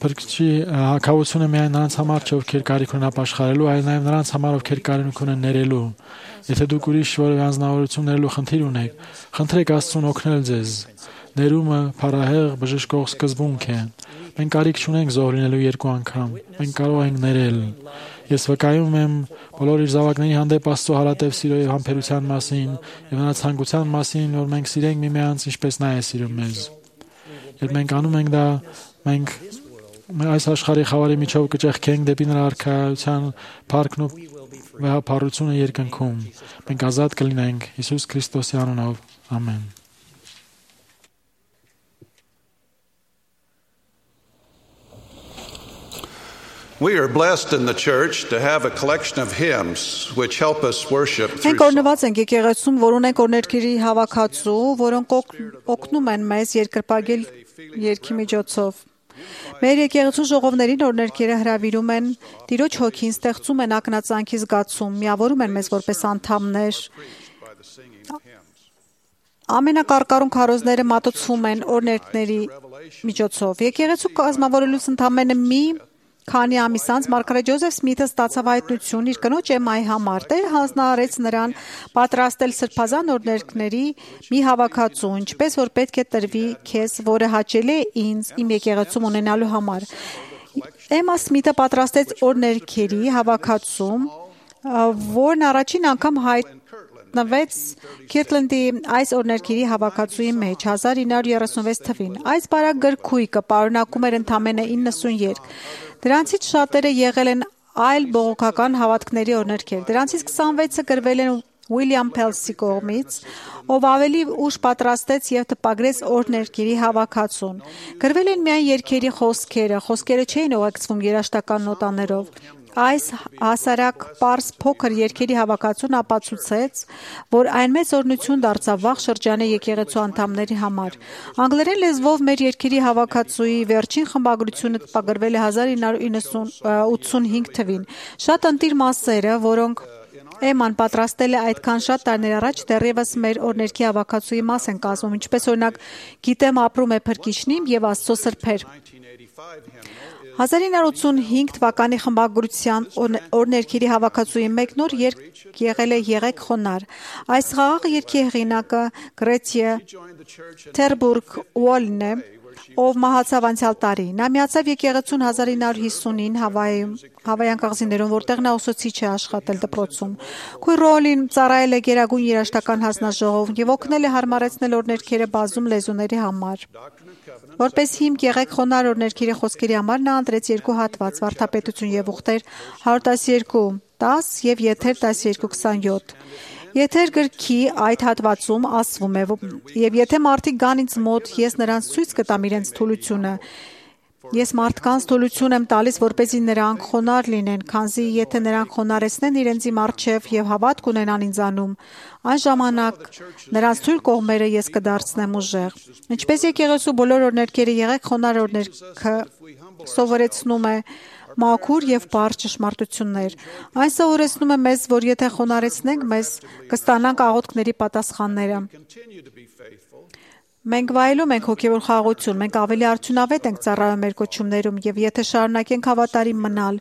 Փրկչի հակաությունը միայն նրանց համար չէ, ովքեր կարիք ունեն ապաշխարելու, այլ նաև նրանց համար, ովքեր կարիք ունեն ներելու։ Եթե դուք ուրիշ որևէ անձնավորություն ներելու խնդիր ունեք, խնդրեք Աստծուն օգնել ձեզ։ Ներումը փառահեղ բժշկող սկզբունք է։ Մենք կարիք չունենք զոհ լինելու երկու անգամ։ Մենք կարող ենք ներել։ Ես վկայում եմ բոլոր իր զավակների հանդեպ Աստծո հարատև սիրո եւ համբերության մասին եւ նրա ցանկության մասին, որ մենք սիրենք միմյանց, ինչպես նա է սիրում մեզ։ Երբ մենք անում ենք դա, մենք այս աշխարհի խավարի միջով կճեղքենք դեպի նրա արքայության փառքն ու վեհապառությունը երկնքում։ Մենք ազատ կլինենք Հիսուս Քրիստոսի անունով։ Ամեն։ We are blessed in the church to have a collection of hymns which help us worship through Մենք օրնված ենք եկեղեցում, որ ունենք օրներքերի հավաքածու, որոնք օգնում են մեզ երկրպագել երգի միջոցով։ Մեր եկեղեցու ժողովներին օրներքերը հրավիրում են Տիրոջ հոգին, ստեղծում են ակնածանքի զգացում, միավորում են մեզ որպես անդամներ։ Ամենակարկառուն քարոզները մատուցվում են օրներքների միջոցով։ Եկեղեցու կազմավորելուց ընդամենը մի Քանի ամիս անց Մարգարետ Ջոզեֆ Սմիթը ստացավ հայտնություն իր կնոջ Էմմայի համար։ Տերը հանձնարարեց նրան պատրաստել սրբազան օրհներքների մի հավաքածու, ինչպես որ պետք է տրվի քեզ, որը հաճելի է ինձ իմ եկեղեցում ունենալու համար։ Էմմա Սմիթը պատրաստեց օրներքերի հավաքածում, որն առաջին անգամ հայտնվեց Քիրտլենդի այս օրներքերի հավաքածուի մեջ հազար ինը հարյուր երեսունվեց թվին։ Այս բարակ գրքույկը պարունակում էր ընդամենը իննսուն երգ։ Դրանցից շատերը եղել են այլ բողոքական հավատքների օրներքեր։ Դրանցից քսանվեցը գրվել են Ուիլյամ Փելսի կողմից, ով ավելի ուշ պատրաստեց եւ տպագրեց օրներքերի հավաքածուն։ Գրվել են միայն երգերի խոսքերը, խոսքերը չէին ուղեկցվում երաժշտական նոտաներով։ Այս հասարակ պարզ փոքր երգերի հավաքածուն ապացուցեց, որ այն մեծ օրհնություն դարձավ վաղ շրջանի եկեղեցու անդամների համար։ Անգլերեն լեզվով մեր երգերի հավաքածուի վերջին խմբագրությունը տպագրվել է հազար ինը հարյուր ութսունհինգ թվին։ Շատ ընտիր մասերը, որոնք Էմման պատրաստել է այդքան շատ տարիներ առաջ, դեռևս մեր օրներքի հավաքածուի մաս են կազմում, ինչպես օրինակ «Գիտեմ ապրում է Փրկիչնիմ» եւ «Աստծո սրբեր»։ հազար ինը հարյուր ութսունհինգ թվականի խմբագրության օրներքերի հավաքածուի մեկ նոր երգ եղել է «Եղեք խոնարհ»։ Այս խաղաղ երգի հեղինակը Գրեթյե Թերբուրգ Ուոլն է, ով մահացավ անցյալ տարի։ Նա միացավ եկեղեցուն հազար ինը հարյուր հիսունին Հավայում, Հավայան կղզիներում, որտեղ նա ուսուցիչ է աշխատել դպրոցում։ Քույր Ռոլին ծառայել է Գերագույն երաժշտական հանձնաժողովում եւ օգնել է հարմարեցնել օրներքերը բազում լեզուների համար։ Որպես հիմք Եղեք խոնարհ օրներքերի խոսքերի համար նա ընտրեց երկու հատված՝ Վարդապետություն եւ ուխտեր հարյուր տասնյոթ դաս եւ Եթեր տասնյոթ քսանյոթ։ Եթեր գրքի այդ հատվածում ասվում է, եւ եթե մարդիկ գան ինձ մոտ, ես նրանց ցույց կտամ իրենց թուլությունը։ Ես մարդկանց թուլություն եմ տալիս, որպեսզի նրանք խոնարհ լինեն, քանզի եթե նրանք խոնարհեցնեն իրենցի առջև եւ հավատք ունենան ինձանում, այն ժամանակ նրանց թույլ կողմերը ես կդարձնեմ ուժեղ։ Ինչպես եկեղեցու բոլոր օրներքերը Եղեք խոնարհ օրներքը սովորեցնում է մաքուր եւ բարձ ճշմարտություններ։ Այն սովորեցնում է մեզ, որ եթե խոնարհեցնենք, մեզ կստանանք աղոթքների պատասխանները։ Մենք վայելում ենք հոգևոր խաղաղություն, մենք ավելի արդյունավետ ենք ծառայում մեր կոչումներում եւ եթե շարունակենք հավատարիմ մնալ,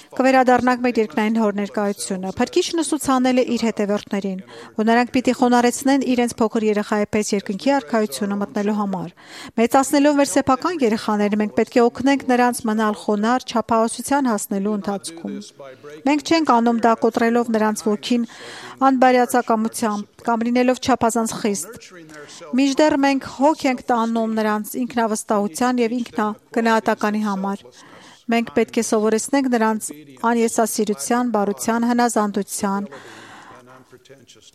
կվերադառնանք մեր երկնային հոր ներկայությունը։ Փրկիչն ուսուցանել է իր հետևորդներին, որ նրանք պիտի խոնարհեցնեն իրենց փոքր երեխայի պես երկնքի արքայությունը մտնելու համար։ Մեծացնելով մեր սեփական երեխաները, մենք պետք է օգնենք նրանց մնալ խոնարհ չափահասության հասնելու ընթացքում։ Մենք չենք անում դա կոտրելով նրանց ոգին անբարյացակամությամբ կամ լինելով չափազանց խիստ։ Մինչդեռ մենք հոգ ենք տանում նրանց ինքնավստահության եւ ինքնագնահատականի համար։ Մենք պետք է սովորեցնենք նրանց անեսասիրության, բարության, հնազանդության,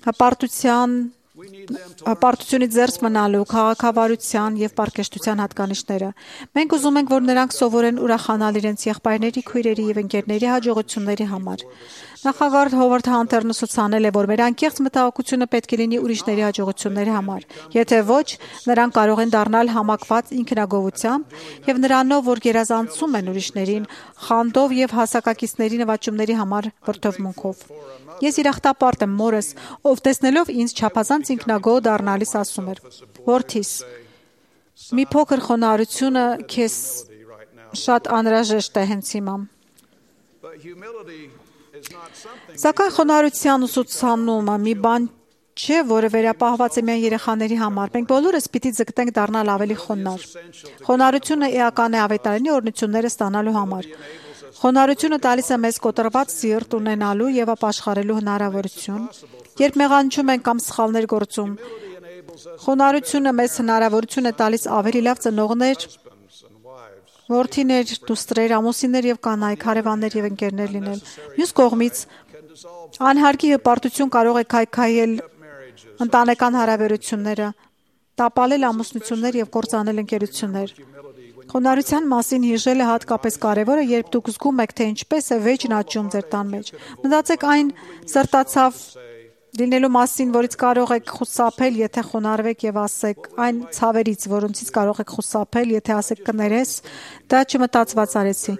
հպարտության, հպարտությունից զերծ մնալու, քաղաքավարության եւ պարկեշտության հատկանիշները։ Մենք ուզում ենք, որ նրանք սովորեն ուրախանալ իրենց եղբայրների, քույրերի եւ ընկերների հաջողությունների համար։ Նախագահ Հովարդ Հանթերն ուսուցանել է, որ մեր անկեղծ մտահոգությունը պետք է լինի ուրիշների հաջողությունների համար։ Եթե ոչ, նրանք կարող են դառնալ համակված ինքնագովությամբ եւ նրանով, որ գերազանցում են ուրիշներին, խանդով եւ հասակակիցների նվաճումների համար վրդովմունքով։ Ես իրախտապարտ եմ մորս, ով տեսնելով ինձ չափազանց ինքնագոհ դառնալիս ասում էր. «Որդիս, մի փոքր խոնարհությունը քեզ շատ անհրաժեշտ է հենց հիմա»։ Սակայն խոնարհության ուսուցանումը մի բան չէ, որը վերապահված է միայն երեխաների համար։ Մենք բոլորս պիտի ձգտենք դառնալ ավելի խոնարհ։ Խոնարհությունը էական է ավետարանի օրհնությունները ստանալու համար։ Խոնարհությունը տալիս է մեզ կոտրված սիրտ ունենալու եւ ապաշխարելու հնարավորություն, երբ մեղանչում ենք կամ սխալներ գործում։ Խոնարհությունը մեզ հնարավորություն է տալիս ավելի լավ ծնողներ, որդիներ, դուստրեր, ամուսիններ եւ կանայք, հարևաններ եւ ընկերներ լինել։ Մյուս կողմից, անհարկի հպարտություն կարող է քայքայել ընտանեկան հարաբերությունները, տապալել ամուսնություններ եւ կործանել ընկերություններ։ Խոնարհության մասին հիշելը հատկապես կարևոր է, երբ դուք զգում եք, թե ինչպես է վեճն աճում ձեր տան մեջ։ Մտածեք այն սրտացավ լինելու մասին, որից կարող եք խուսափել, եթե խոնարհվեք եւ ասեք, այն ցավերից, որոնցից կարող եք խուսափել, եթե ասեք կներես, դա չմտածված արեցի։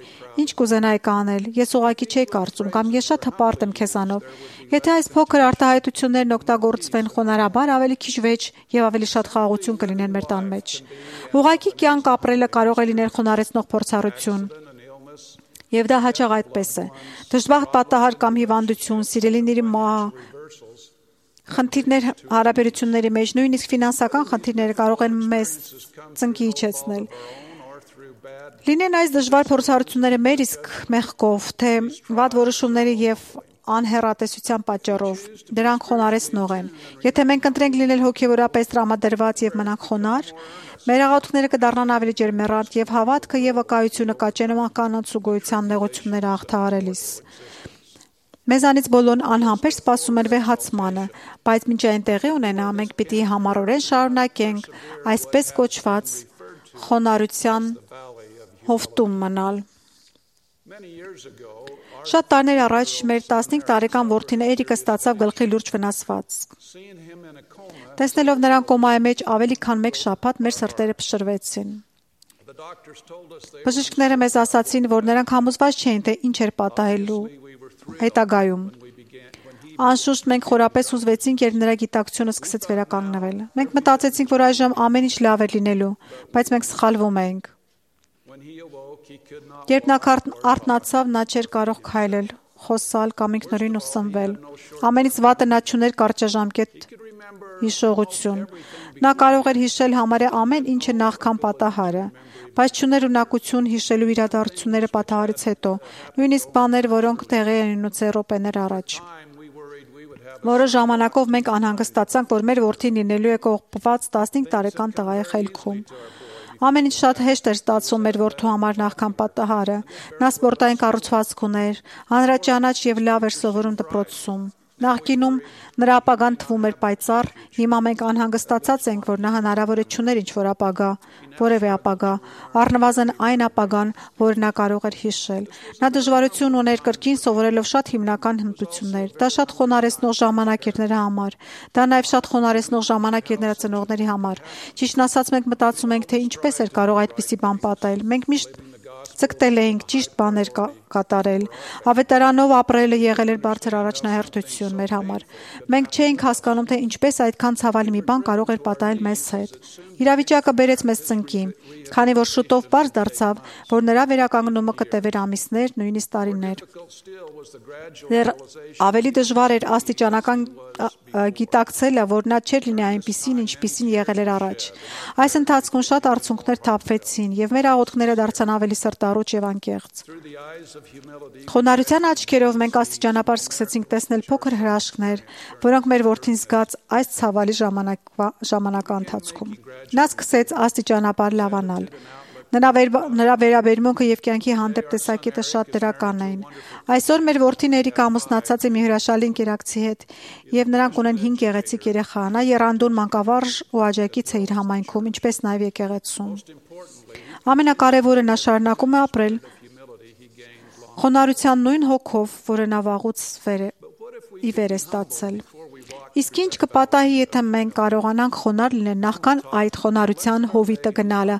Ինչ կուզենայիք անել, ես ուղղակի չէի կարծում, կամ ես շատ հպարտ եմ քեզանով։ Եթե այս փոքր արտահայտություններն օգտագործվեն խոնարհաբար, ավելի քիչ վեճ եւ ավելի շատ խաղաղություն կլինեն մեր տան մեջ։ Ուղղակի կյանք ապրելը կարող է լինել խոնարհեցնող փորձառություն։ Եվ դա հաճախ այդպես է։ Դժբախտ պատահար կամ հիվանդություն, սիրելիների մահ, խնդիրներ հարաբերությունների մեջ, նույնիսկ ֆինանսական խնդիրները կարող են մեզ ծնկի իջեցնել։ Լինեն այս դժվար փորձառությունները մեր իսկ մեղքով, թե վատ որոշումների եւ անհեռատեսության պատճառով, դրանք խոնարհեցնող են։ Եթե մենք ընտրենք լինել հոգեորապես տրամադրված եւ մնանք խոնար, մեր աղոթքները կդառնան ավելի ջերմեռանդ եւ հավատքը եւ վկայությունը կաճեն կանանց ու գոյության նեղությունները հաղթահարելիս։ Մեզանից բոլորն անհամբեր սպասում են վեհացմանը, բայց մինչ այն տեղի ունենա, մենք պիտի համառորեն շարունակենք այսպես կոչված խոնարհության հովտում մնալ։ Շատ տարիներ առաջ մեր տասնհինգ տարեկան որդին Էրիկը ստացավ գլխի լուրջ վնասված։ Տեսնելով նրան կոմայի մեջ ավելի քան մեկ շաբաթ, մեր սրտերը փշրվեցին։ Բժիշկները մեզ ասացին, որ նրանք համոզված չէին, թե ինչ էր պատահելու հետագայում։ Անշուշտ մենք խորապես հուզվեցինք, երբ նրա գիտակցությունը սկսեց վերականգնվել։ Մենք մտածեցինք, որ այժմ ամեն ինչ լավ է լինելու, բայց մենք սխալվում էինք։ Երբ նա արթնացավ, նա չէր կարող քայլել, խոսալ կամ ինքնուրույն ուսնվել։ Ամենից վատը նա չուներ կարճաժամկետ հիշողություն։ Նա կարող էր հիշել համարյա ամեն ինչը նախքան պատահարը, բայց չուներ ունակություն հիշելու իրադարձությունները պատահարից հետո, նույնիսկ բաներ, որոնք տեղի են ունեցել րոպեներ առաջ։ Որոշ ժամանակով մենք անհանգստացանք, որ մեր որդին լինելու է կողպված տասնհինգ տարեկան տղայի խելքում։ Ամեն ինչ շատ հեշտ էր ստացվում մեր որդու համար նախքան պատահարը։ Նա սպորտային կառուցվածք ուներ, հանրաճանաչ եւ լավ էր սովորում դպրոցում։ Նախկինում նրա ապագան թվում էր պայծառ, հիմա մենք անհանգստացած ենք, որ նա հնարավոր է չուներ ինչ-որ ապագա, որևէ ապագա, առնվազն այն ապագան, որ նա կարող էր հիշել։ Նա դժվարություն ուներ կրկին սովորելով շատ հիմնական հմտություններ։ Դա շատ խոնարհեցնող ժամանակ էր նրա համար։ Դա նաև շատ խոնարհեցնող ժամանակ էր նրա ծնողների համար։ Ճիշտն ասած, մենք մտածում ենք, թե ինչպես էր կարող այդպիսի բան պատահել։ Մենք միշտ ցկտել էինք ճիշտ բաներ կատարել։ Ավետարանով ապրելը եղել էր բարձր առաջնահերթություն մեր համար։ Մենք չէինք հասկանում, թե ինչպես այդքան ցավալի մի բան կարող էր պատահել մեզ հետ։ Իրավիճակը բերեց մեզ ծնկի, քանի որ շուտով պարզ դարձավ, որ նրա վերականգնումը կտևեր ամիսներ, նույնիսկ տարիներ։ Դեռ ավելի դժվար էր աստիճանական գիտակցելը, որ նա չէր լինի այնպիսին, ինչպիսին եղել էր առաջ։ Այս ընթացքում շատ արցունքներ թափվեցին, եւ մեր աղոթքները դարձան ավելի սրտառուչ եւ անկեղծ։ Խոնարհության աչքերով մենք աստիճանաբար սկսեցինք տեսնել փոքր հրաշքներ, որոնք մեր որդին զգաց այս ցավալի ժամանակվա ընթացքում։ Նա սկսեց աստիճանաբար լավանալ։ Նրա, վեր, նրա վերաբերմունքը եւ կյանքի հանդեպ տեսակետը շատ դրական էին։ Այսօր մեր որդին Էրիկը ամուսնացած է մի հրաշալի ընկերակցի հետ եւ նրանք ունեն հինգ գեղեցիկ երեխա։ Նա եռանդուն մանկավարժ ու աջակից է իր համայնքում, ինչպես նաեւ եկեղեցում։ Ամենակարևորը նա շարունակում է ապրել խոնարհության նույն հոգով, որը նա վաղուց վեր է, ի վեր է ստացել։ Իսկ ինչ կպատահի, եթե մենք կարողանանք խոնարհ լինել նախքան այդ խոնարհության հովիտը գնալը։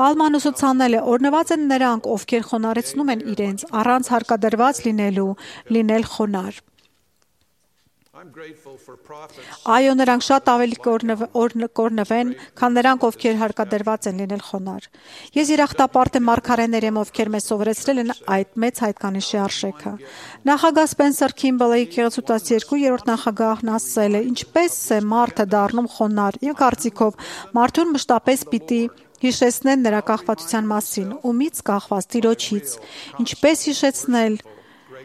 Ալման ուսուցանել է, օրնված են նրանք, ովքեր խոնարհեցնում են իրենց, առանց հարկադրված լինելու, լինել խոնարհ։ Այո, նրանք շատ ավելի կորնվեն, քան նրանք, ովքեր հարկադրված են լինել խոնարհ։ Ես երախտապարտ եմ մարգարեներ եմ, ովքեր մեզ սովորեցրել են այդ մեծ հայտկանիշի արժեքը։ Նախագահ Սպենսեր Քիմբլի եկեղեցու տասներկուերորդ նախագահն ասել է. «Ինչպես է մարդը դառնում խոնարհ, իմ կարծիքով, մարդուն մշտապես պիտի հիշեցնեն նրա կախվածության մասին, ումից կախված Տիրոջից, ինչպես հիշեցնել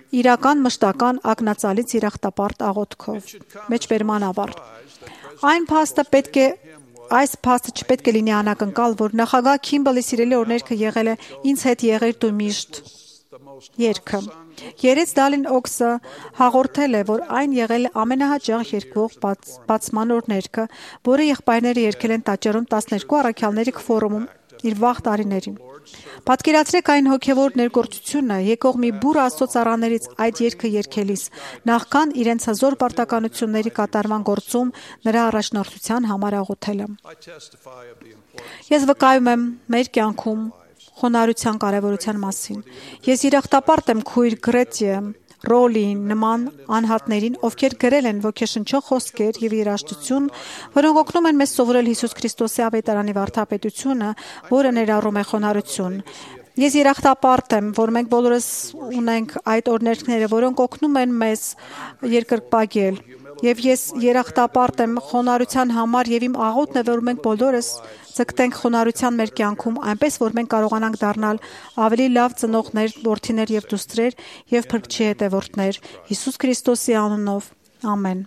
իրական մշտական ակնածալից երախտապարտ աղոթքով»։ Մեջբերման ավարտ։ Այն փաստը պետք է Այս փաստը չպետք է լինի անակնկալ, որ նախագահ Քիմբլի սիրելի օրներքը եղել է «Ինձ հետ եղիր դու միշտ» երգը։ Երեց Դալին Օքսը հաղորդել է, որ այն եղել է ամենահաճախ երգվող բաց, բացման օրներքը, որը եղբայրները երգել են տաճարում տասներկու առաքյալների քվորումում իր վաղ տարիներին։ Պատկերացրեք այն հոգևոր ներգործությունը եկող մի բուռ Աստծո ծառաներից այդ երգը երգելիս, նախքան իրենց հզոր պարտականությունների կատարման գործում նրա առաջնորդության համար աղոթելը։ Ես վկայում եմ մեր կյանքում խոնարհության կարևորության մասին։ Ես երախտապարտ եմ քույր Գրետիե Ռոլին նման անհատներին, ովքեր գրել են ոգեշնչող խոսքեր եւ երաժշտություն, որոնք օգնում են մեզ սովորել Հիսուս Քրիստոսի ավետարանի վարդապետությունը, որը ներառում է խոնարհություն։ Ես երախտապարտ եմ, որ մենք բոլորս ունենք այդ օրհներգները, որոնք օգնում են մեզ երկրպագել։ Եվ ես երախտապարտ եմ խոնարհության համար եւ իմ աղոթն է, որ մենք բոլորս ձգտենք խոնարհության մեր կյանքում, այնպես որ մենք կարողանանք դառնալ ավելի լավ ծնողներ, որդիներ եւ դուստրեր եւ փրկչի հետևորդներ Հիսուս Քրիստոսի անունով։ Ամեն։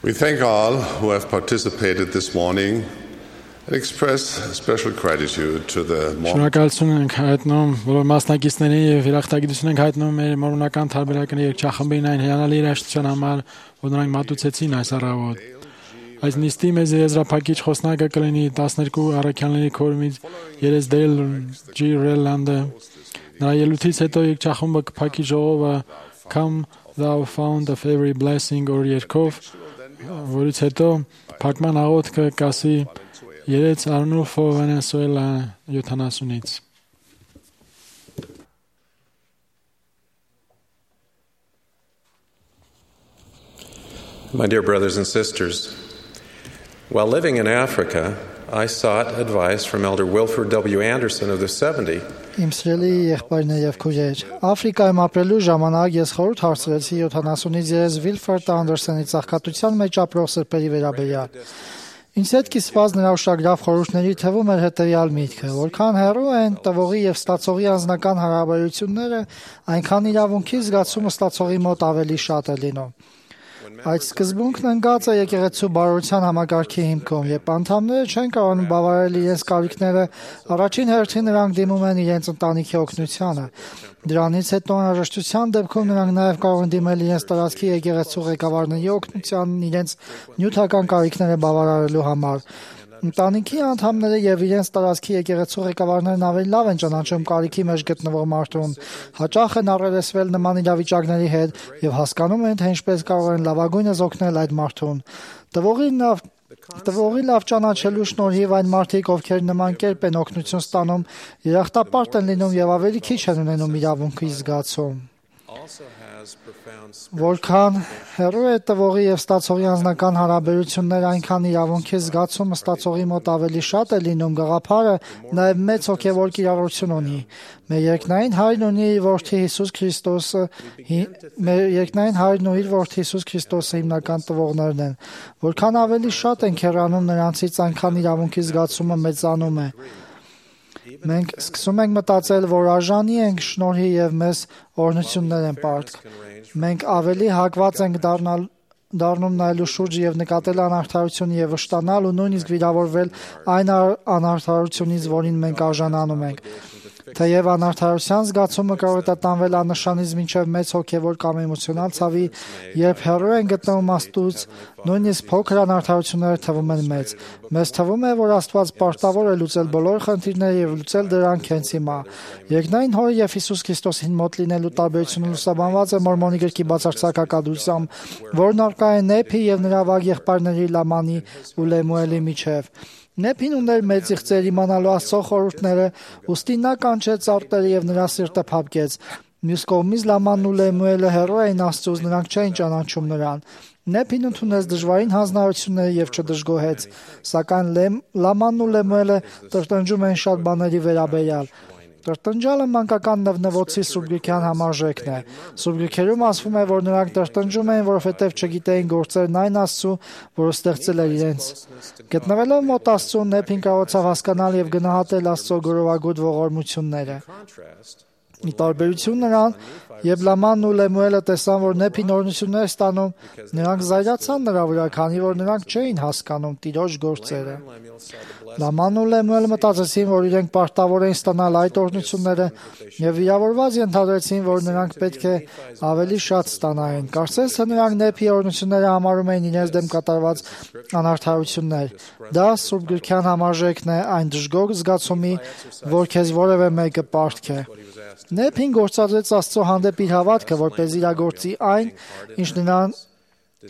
We thank all who have participated this morning and express special gratitude to the Շնորհակալություն ենք հայտնում բոլոր մասնակիցներին եւ երախտագիտություն ենք հայտնում մեր մորոնական տարբերական երգչախմբին այն հիանալի երաժշտության համար, որ նրանք մատուցեցին այս առավոտ։ Այս նիստի մեծ եզրափակիչ խոսնակը կլինի տասներկու առաքյալների քորումից Երես Դեյլ Ջի Ռելանդը։ Նրա ելույթից հետո երգչախմբը կփակի ժողովը Come Thou Fount of Every Blessing or երգով, որից հետո փակման աղոթքը կասի Երեց Արնուֆո Վենեսուելա յոթանասունից։ My dear brothers and sisters, while living in Africa, I sought advice from Elder Wilford W. Anderson of the seventy. Իմ սիրելի եղբայրներ եւ քույրեր, Աֆրիկայում ապրելու ժամանակ ես խորհուրդ հարցրեցի յոթանասունից երես Վիլֆորդ Անդերսոնի ծաղկատության մեջ ապրող սրբերի վերաբերյալ։ Ինձ հետ կիսված նրա ուշագրավ խորհուրդների թվում էր հետեւյալ միտքը, որքան հեռու են տվողի եւ ստացողի անձնական հարաբերությունները, այնքան իրավունքի զգացումը ստացողի մոտ ավելի շատ է լինում։ Այդ սկզբունքն ընկած է եկեղեցու բարօրության համակարգի հիմքում, երբ անդամները չեն կարողանում բավարարել իրենց կարիքները, առաջին հերթին նրանք դիմում են իրենց ընտանիքի օգնությանը։ Դրանից հետո անհրաժեշտության դեպքում նրանք նաև կարող են դիմել իրենց տարածքի եկեղեցու ղեկավարների օգնությանն իրենց նյութական կարիքները բավարարելու համար։ Ընտանիքի անդամները եւ իրենց տարածքի եկեղեցու ղեկավարներն ավելի լավ են ճանաչում կարիքի մեջ գտնվող մարդուն, հաճախ են առերեսվել նման իրավիճակների հետ եւ հասկանում են, թե ինչպես կարող են լավագույնս օգնել այդ մարդուն։ Տվողի լավ Տվողի լավ ճանաչելու շնորհիվ այն մարդիկ, ովքեր նման կերպ են օգնություն ստանում, երախտապարտ են լինում եւ ավելի քիչ են ունենում իրավունքի զգացում։ Որքան հեռու է տվողի եւ ստացողի անձնական հարաբերությունները, այնքան իրավունքի զգացումը ստացողի մոտ ավելի շատ է լինում, գաղափարը նաեւ մեծ հոգեվոր կիրառություն ունի։ Մեր երկնային Հայրն ունի իր որդի Հիսուս Քրիստոսը, մեր երկնային Հայրն ու իր որդի Հիսուս Քրիստոսը հիմնական տվողներն են։ Որքան ավելի շատ ենք հեռանում նրանցից, այնքան իրավունքի զգացումը մեծանում է։ Մենք սկսում ենք մտածել, որ արժանի ենք շնորհի եւ մեզ օրհնություններ են պարտք։ Մենք ավելի հակված ենք դառնալ դառնում նայելու շուրջը եւ նկատել անարդարությունը եւ վշտանալ ու նույնիսկ վիրավորվել այն անարդարությունից, որին մենք արժանանում ենք։ Թեև անարդարության զգացումը կարող է տատանվել աննշանից մինչև մեծ հոգևոր կամ էմոցիոնալ ցավի, երբ հեռու են գտնվում Աստծուց, նույնիսկ փոքր անարդարությունները թվում են մեծ։ Մեզ թվում է, որ Աստված պարտավոր է լուծել բոլոր խնդիրները եւ լուծել դրանք հենց հիմա։ Երկնային Հորը եւ Հիսուս Քրիստոսին մոտ լինելու տարբերությունը լուսաբանված է Մորմոնի գրքի բացարձակակադրությամբ, որն առկա է Նեփի եւ նրա վաղ եղբայրների Լամանի ու Լեմուելի միջև։ Նեփին ուներ մեծ իղձեր իմանալու Աստծո խորհուրդները, ուստի նա կանչեց արտերը եւ նրա սիրտը փափկեց։ Մյուս կողմից Լամանն ու Լեմուելը հեռու էին Աստծուց, նրանք չէին ճանաչում նրան։ Նեփին ընդունեց դժվարին հանձնարարությունները եւ չդժգոհեց, սակայն Լամանն ու Լեմուելը տրտնջում են շատ բաների վերաբերյալ։ Տրտնջալը մանկական նվնվոցի Սուրբ համարժեքն է։ Սուրբ գրքերում ասվում է, որ նրանք տրտնջում էին, որովհետև չգիտեին գործերն այն Աստծու, որը ստեղծել էր իրենց։ Գտնվելով մոտ Աստծուն, Նեփին կարողացավ հասկանալ եւ գնահատել Աստծո գորովագույն ողորմությունները։ Ի տարբերություն նրան, երբ Լամանն ու Լեմուելը տեսան, որ Նեփին օրհնություններ ստանում, նրանք զայրացան նրա վրա, քանի որ նրանք չէին հասկանում Տիրոջ գործերը։ Լամանն ու Լեմուելը մտածեցին, որ իրենք պարտավոր էին ստանալ այդ օրհնությունները եւ վիրավորված ենթադրեցին, որ նրանք պետք է ավելի շատ ստանային։ Կարծես թե նրանք Նեփի օրհնությունները համարում էին իրենց դեմ կատարված անարդարություններ։ Դա Սուրբ գրքյան համարժեքն է այն դժգոհ զգացումի, որ քեզ որևէ մեկը պարտք է։ Նեփին գործադրեց Աստծո հանդեպ իր հավատքը, որպես իրագործի այն, ինչ նրան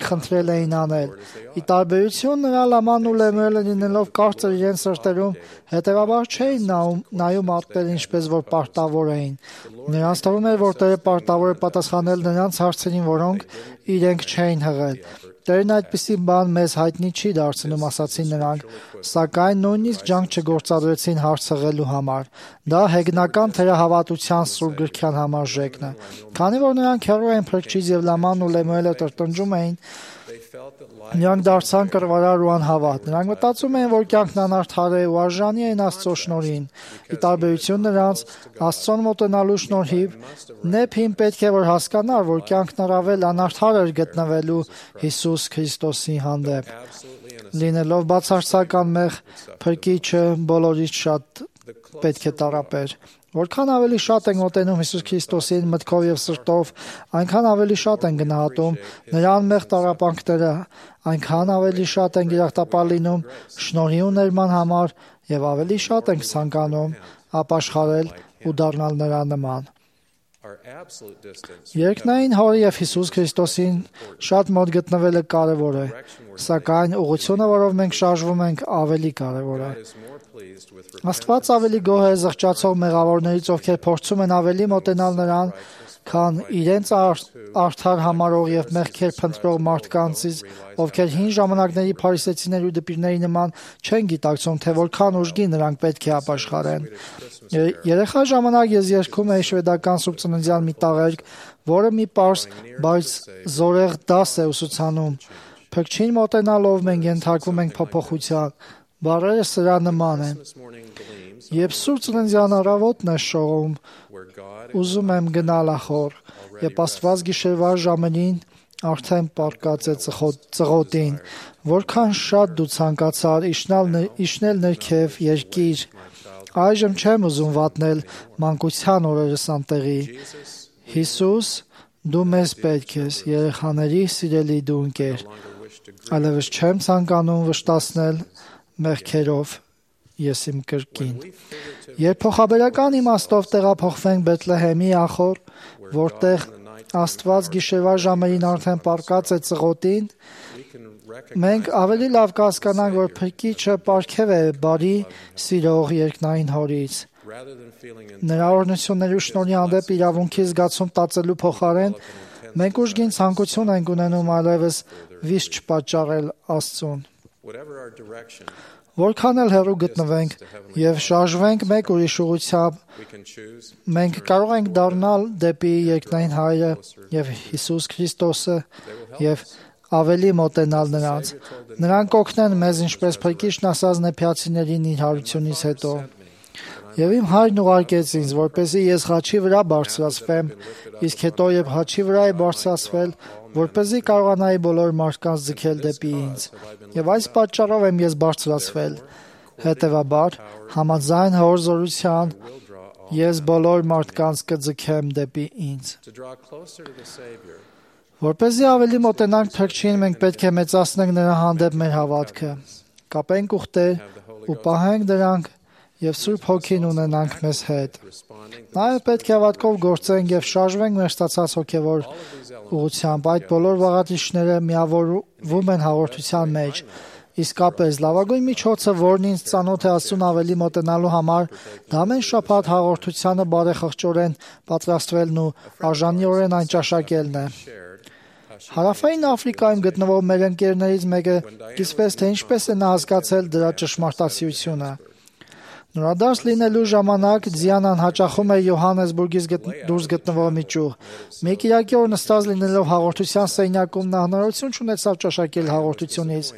խնդրել էին անել։ Ի տարբերություն նրա Լամանն ու Լեմուելը լինելով կարծր իրենց սրտերում, հետևաբար չէին նայում, նայում արտերը ինչպես որ պարտավոր էին։ Նրանց թվում էր, որ Տերը պարտավոր է պատասխանել նրանց հարցերին, որոնք իրենք չէին հղել։ Տերն այդպիսի բան մեզ հայտնի չի դարձնում, ասացին նրանք, սակայն նույնիսկ ջանք չգործադրեցին հարց հղելու համար։ Դա հեգնական թերահավատության Սուրբ գրքյան համարժեքն է։ Քանի որ նրանք հեռու էին Փրկչից եւ Լամանն ու Լեմուելը տրտնջում էին, նրանք դարձան կռվարար ու անհավատ։ Նրանք մտածում էին, որ կյանքն անարդար է ու արժանի են Աստծո շնորհին։ Ի տարբերություն նրանց, Աստծուն մոտենալու շնորհիվ Նեփին պետք է որ հասկանար, որ կյանքն առավել անարդար էր գտնվելու Հիսուս Քրիստոսի հանդեպ։ Լինելով բացարձական մեղ, Փրկիչը բոլորից շատ պետք է տառապեր։ Որքան ավելի շատ ենք մոտենում Հիսուս Քրիստոսին մտքով եւ սրտով, այնքան ավելի շատ են գնահատում նրա անմեղ տառապանքները, այնքան ավելի շատ ենք երախտապար լինում շնորհի ու ներման համար եւ ավելի շատ ենք ցանկանում ապաշխարել ու դառնալ նրա նման։ Երկնային Հորը եւ Հիսուս Քրիստոսին շատ մոտ գտնվելը կարեւոր է, սակայն ուղղությունը, որով մենք շարժվում ենք, ավելի կարեւոր է։ Աստված ավելի գոհ է զղջացող մեղավորներից, ովքեր փորձում են ավելի մոտենալ նրան, քան իրենց արդար համարող եւ մեղքեր փնտրող մարդկանցից, ովքեր հին ժամանակների փարիսեցիների ու դպիրների նման չեն գիտակցում, թե որքան ուժգին նրանք պետք է ապաշխարեն։ Երեխա ժամանակ ես երգում էի շվեդական Սուրբ Ծննդյան մի տաղերք, որը մի պարզ, բայց զորեղ դաս է ուսուցանում։ Փրկչին մոտենալով մենք ենթարկվում ենք փոփոխության։ Բառերը սրա նման են։ Երբ Սուրբ Ծննդյան առավոտն է շողում, ուզում եմ գնալ ախոր, երբ Աստված գիշերվա ժամերին արդեն պառկած է ծղոտին, որքան շատ դու ցանկացար իջնել ներքև երկիր, այժմ չեմ ուզում վատնել մանկության օրերս անտեղի։ Հիսուս, դու մեզ պետք ես, երեխաների սիրելի դու ընկեր, այլևս չեմ ցանկանում վշտացնել մեղքերով ես իմ կրկին։ Երբ փոխաբերական իմաստով տեղափոխվենք Բեթլեհեմի ախոր, որտեղ Աստված գիշերվա ժամերին արդեն պառկած է ծղոտին, մենք ավելի լավ կհասկանանք, որ Փրկիչը պարգև է բարի սիրող երկնային Հորից։ Նրա օրհնությունների ու շնորհի հանդեպ իրավունքի զգացում տածելու փոխարեն մենք ուժգին ցանկություն ենք ունենում այլևս վիշտ չպատճառել Աստծուն։ Որքան էլ հեռու գտնվենք եւ շարժվենք մեկ ուրիշ ուղղությամբ, մենք կարող ենք դառնալ դեպի երկնային Հայրը եւ Հիսուս Քրիստոսը եւ ավելի մոտենալ նրանց։ Նրանք կօգնեն մեզ, ինչպես Փրկիչն ասաց նեփյացիներին իր հարությունից հետո։ Եվ իմ Հայրն ուղարկեց ինձ, որպեսզի ես խաչի վրա բարձրացվեմ, իսկ հետո երբ խաչի վրա է բարձրացվել, որպեսզի կարողանայի բոլոր մարդկանց ձգել դեպի ինձ։ Եվ այս պատճառով եմ ես բարձրացվել։ Հետևաբար, համաձայն Հոր զորության, ես բոլոր մարդկանց կձգեմ դեպի ինձ։ Որպեսզի ավելի մոտենանք Փրկչին, մենք պետք է մեծացնենք նրա հանդեպ մեր հավատքը։ Կապենք ուխտեր ու պահենք դրանք եւ Սուրբ Հոգին ունենանք մեզ հետ։ Նաեւ պետք է հավատքով գործենք եւ շարժվենք մեր ստացած հոգեվոր ուղղությամբ։ Այդ բոլոր բաղադրիչները միավորվում են հաղորդության մեջ։ Իսկապես, լավագույն միջոցը, որն ինձ ծանոթ է Աստծուն ավելի մոտենալու համար, դա ամեն շաբաթ հաղորդությանը բարեխղճորեն պատրաստվելն ու արժանիորեն այն ճաշակելն է։ Հարավային Աֆրիկայում գտնվող մեր ընկերներից մեկը կիսվեց, թե ինչպես է նա հասկացել դրա ճշմարտացիությունը։ Նորադարձ լինելու ժամանակ Դիանան հաճախում էր Յոհաննեսբուրգից դուրս գտնվող մի ճյուղ։ Մի կիրակի օր նստած լինելով հաղորդության սենյակում նա հնարավորություն չունեցավ ճաշակել հաղորդությունից,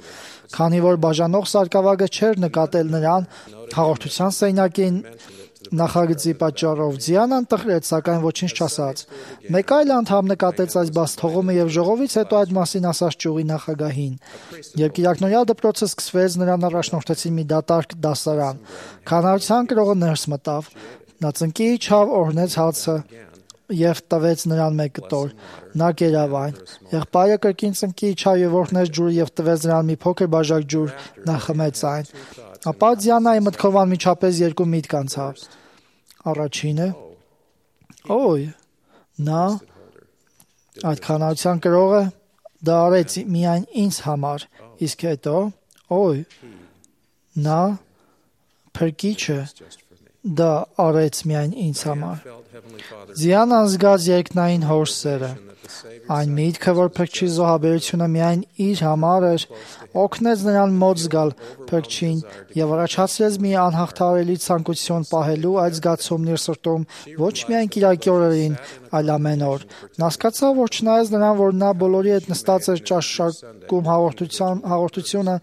քանի որ բաժանող սարկավագը չէր նկատել նրան հաղորդության սենյակին նախագծի պատճառով։ Դիանան տխրեց, սակայն ոչինչ չասաց։ Մեկ այլ անդամ նկատեց այս բաց թողումը եւ ժողովից հետո այդ մասին ասաց ճյուղի նախագահին։ Երբ կիրակնօրյա դպրոցը սկսվեց, նրան առաջնորդեցին մի դատարկ դասարան։ Քանարության կրողը ներս մտավ։ Նա ծնկի իջավ, օրհնեց հացը եւ տվեց նրան մեկ կտոր։ Նա կերավ այն։ Եղբայրը կրկին ծնկի իջավ եւ օրհնեց ջուրը եւ տվեց նրան մի փոքր բաժակ ջուր։ Նա խմեց այն։ Ապա Դիանայի մտքով անմիջապես երկու միտք անցավ։ Առաջինը. Օй, նա այդ քանարության կրողը դա արեց միայն ինձ համար, իսկ հետո, օй, նա Փրկիչը դա արեց միայն ինձ համար։ Դիանան զգաց երկնային Հոր սերը։ Այն միտքը, որ Փրկչի զոհաբերությունը միայն իր համար էր, օգնեց նրան մոտ զգալ Փրկչին եւ առաջացրեց մի անհաղթահարելի ցանկություն պահելու այդ զգացումն իր սրտում ոչ միայն կիրակի օրերին, այլ ամեն օր։ Նա հասկացավ, որ չնայած նրան, որ նա բոլորի հետ նստած էր ճաշակում հաղորդության հաղորդությունը,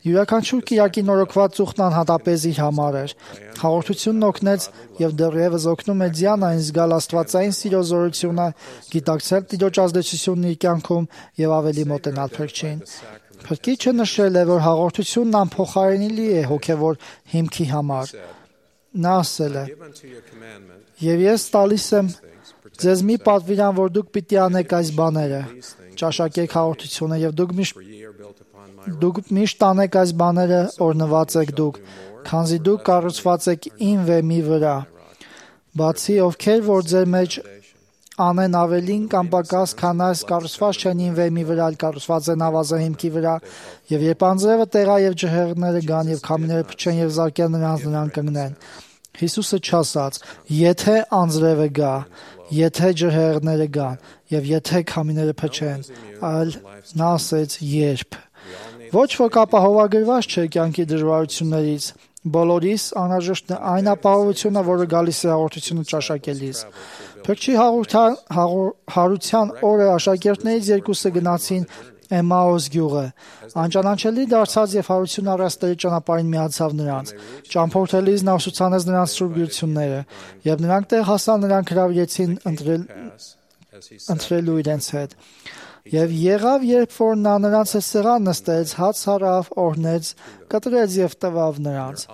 յուրաքանչյուր կիրակի նորոգված ծուխն անհատապես իր համար էր։ Հաղորդությունն օգնեց եւ դեռևս օգնում է Դիանային զգալ աստվածային սիրո զորությունը, գիտակցել Տիրոջ ազդեցությունն իր կյանքում եւ ավելի մոտենալ Փրկչին։ Փրկիչը նշել է, որ հաղորդությունն անփոխարինելի է հոգեվոր հիմքի համար։ Նա ասել է. «Եվ ես տալիս եմ ձեզ մի պատվիրան, որ դուք պիտի անեք այս բաները. ճաշակեք հաղորդությունը եւ դուք միշտ դուք միշտ անեք այս բաները, օրհնված եք դուք, քանզի դուք կառուցված եք իմ վեմի վրա։ Բացի ովքեր որ ձեր մեջ անեն ավելին կամ պակաս, քան այս կառուցված չեն իմ վեմի վրա, այլ կառուցված են ավազը հիմքի վրա, եւ երբ անձրևը տեղա եւ ջհեղները գան եւ քամիները փչեն եւ զարկեն նրանց, նրանք կընկնեն»։ Հիսուսը չասաց. «Եթե անձրևը գա, եթե ջհեղները գան եւ եթե քամիները փչեն», այլ նա ասեց. «Երբ»։ Ոչ ոք ապահովագրված չէ կյանքի դժվարություններից։ Բոլորիս անհրաժեշտ է այն ապահովությունը, որը գալիս է հաղորդությունը ճաշակելիս։ Փրկչի հարության օրը աշակերտներից երկուսը գնացին Էմաուս գյուղը։ Անճանաչելի դարձած եւ հարություն առած Տերի ճանապարհին միացավ նրանց։ Ճամփորդելիս նա ուսուցանեց նրանց սուրբ գրությունները, եւ նրանք տեղ հասան, նրանք հրավիրեցին ընտրել ընտրելու իրենց հետ։ Եվ եղավ, երբ որ նա նրանց հետ սեղան նստեց, հաց հարավ, օրհնեց, կտրեց եւ տվավ նրանց։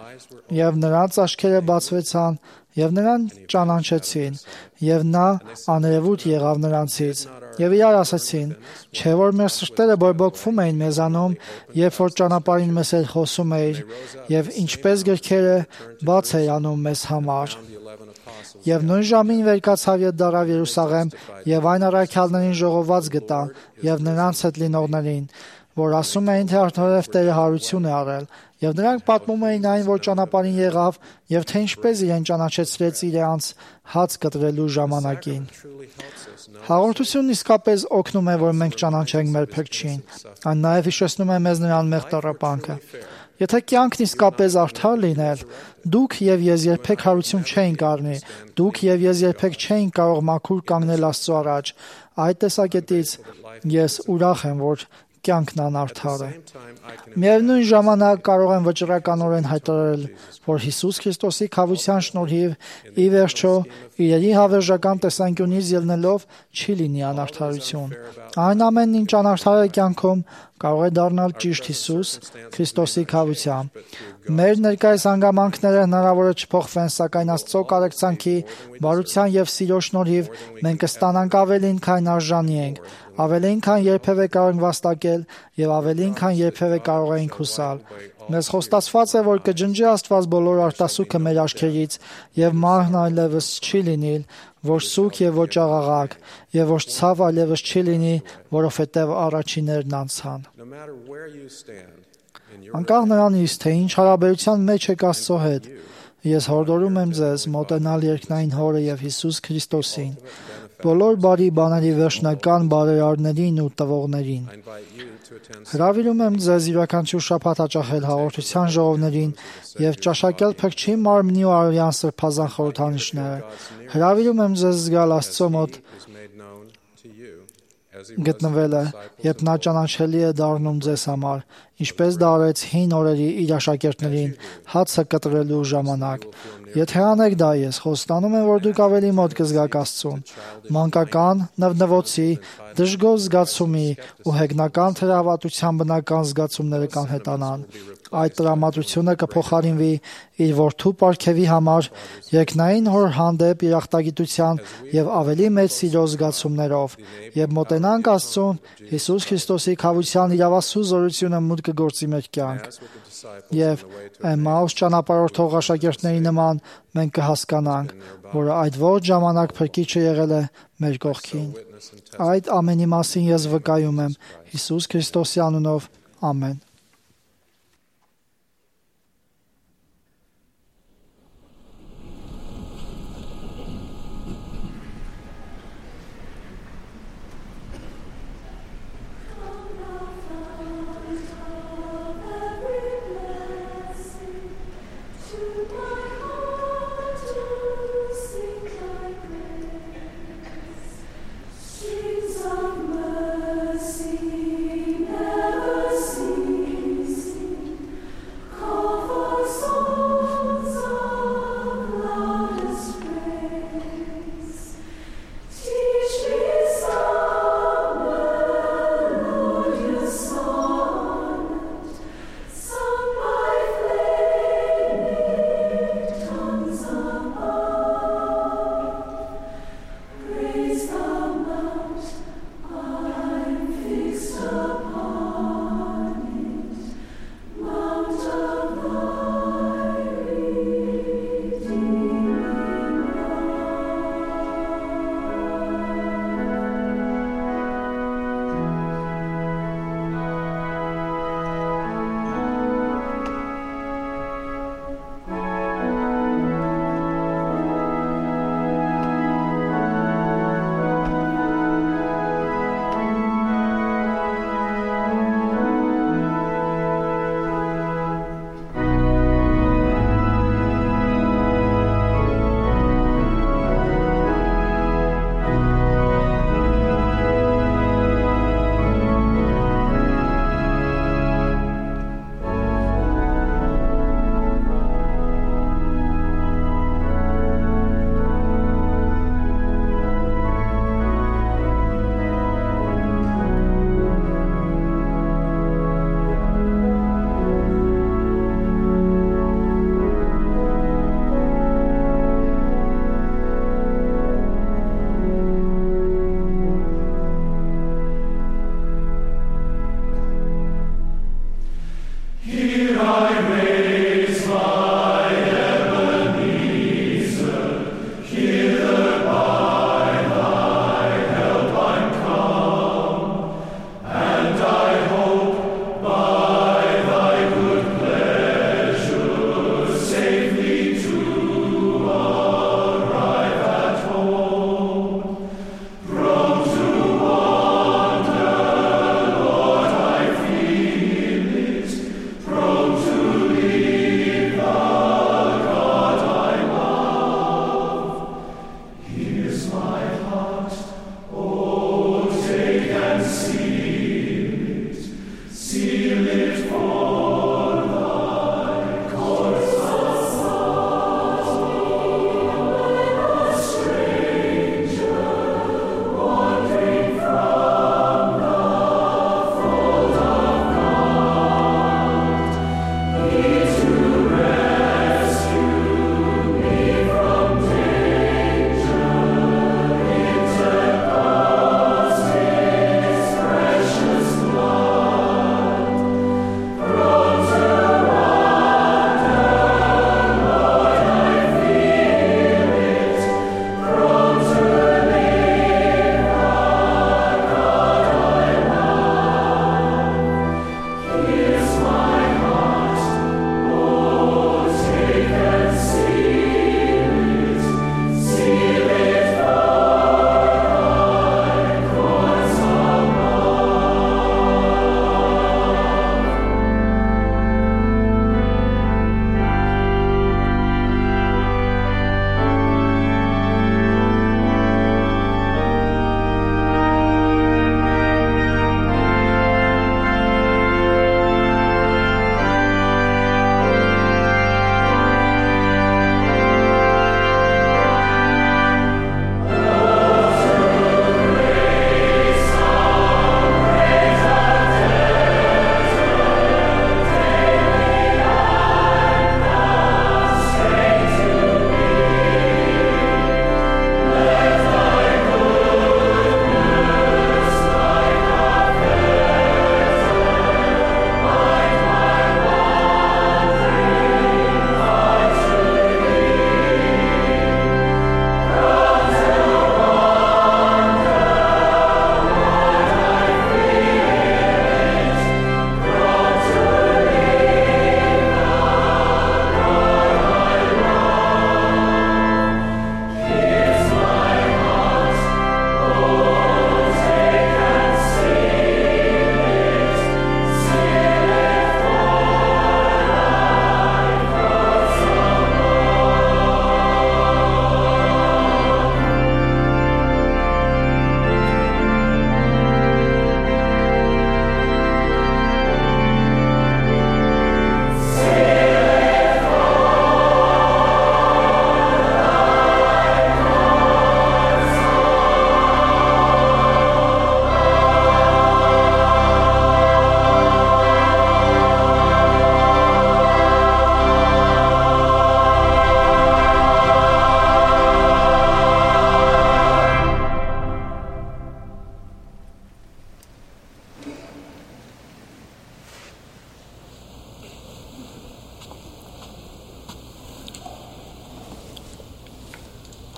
Եվ նրանց աչքերը բացվեցան, եւ նրան ճանաչեցին, եւ նա աներևույթ եղավ նրանցից։ Եվ իրար ասացին. չէ՞ որ մեր սրտերը բորբոքվում էին մեզանում, երբ որ ճանապարհին մեզ հետ խոսում էիր, եւ ինչպես գրքերը բաց էր անում մեզ համար։ Եվ նույն ժամին վեր կացավ եւ դարավ Երուսաղեմ, եւ այն առաքյալներին ժողոված գտա, եւ նրանց հետ լինողներին, որ ասում էին, թե արդարև Տերը հարություն է արել, եւ նրանք պատմում էին այն, որ ճանապարհին եղավ, եւ թե ինչպես իրեն ճանաչեցրեց իրանց հաց կտրելու ժամանակին։ Հաղորդությունն իսկապես օգնում է, որ մենք ճանաչենք մեր Փրկչին։ Այն նաեւ հիշեցնում է մեզ նրան մեղ տառապանքը։ Եթե կյանքն իսկապես արդար լիներ, դուք եւ ես երբեք հարություն չէինք առնի, դուք եւ ես երբեք չէինք կարող մաքուր կանգնել Աստծո առաջ։ Այդ տեսակետից ես ուրախ եմ, որ կյանքն անարդար է։ Միևնույն ժամանակ կարող եմ վճռականորեն հայտարարել, որ Հիսուս Քրիստոսի քավության շնորհիվ ի վերջո իրերի հավերժական տեսանկյունից ելնելով չի լինի անարդարություն։ Այն ամենն, ինչ անարդար է կյանքում, կարող է դառնալ ճիշտ Հիսուս Քրիստոսի քավությամբ։ Մեր ներկայիս հանգամանքները հնարավոր է չփոխվեն, սակայն Աստծո կարեկցանքի, բարության եւ սիրո շնորհիվ մենք կստանանք ավելին, քան արժանի ենք, ավելին, քան երբևէ կարող ենք վաստակել եւ ավելին, քան երբևէ կարող ենք հուսալ։ Մեզ խոստացված է, որ կջնջի Աստված բոլոր արտասուքը մեր աչքերից եւ մահն այլևս չի լինի, որ սուգ եւ ոչ աղաղակ, եւ որ ցավ այլևս չի լինի, որովհետեւ առաջիներն անցան։ Անկախ նրանից, թե ինչ հարաբերության մեջ եք Աստծո հետ, ես հորդորում եմ ձեզ մոտենալ երկնային Հորը եւ Հիսուս Քրիստոսին, բոլոր բարի բաների վերջնական բարերարներին ու տվողներին։ Հրավիրում եմ ձեզ յուրաքանչյուր շաբաթ հաճախել հաղորդության ժողովներին եւ ճաշակել Փրկչի մարմնի ու արյան սրբազան խորհրդանիշները։ Հրավիրում եմ ձեզ զգալ Աստծո մոտ գտնվելը, երբ նա ճանաչելի է դառնում ձեզ համար, ինչպես դա արեց հին օրերի իր աշակերտներին հացը կտրելու ժամանակ։ Եթե անեք դա, ես խոստանում եմ, որ դուք ավելի մոտ կզգաք Աստծուն։ Մանկական, նվնվոցի, դժգոհ զգացումի ու հեգնական թերահավատության բնական զգացումները կանհետանան։ Այդ տրամադրությունը կփոխարինվի իր որդու պարգևի համար երկնային Հոր հանդեպ երախտագիտության եւ ավելի մեծ սիրո զգացումներով, եւ մոտենանք Աստծուն Հիսուս Քրիստոսի քավության իրավասու զորությունը մուտք կգործի մեր կյանք։ Եվ Էմմաուս ճանապարհորդող աշակերտների նման մենք կհասկանանք, որ այդ ողջ ժամանակ Փրկիչը եղել է մեր կողքին։ Այդ ամենի մասին ես վկայում եմ Հիսուս Քրիստոսի անունով։ Ամեն։ Streams of mercy never cease.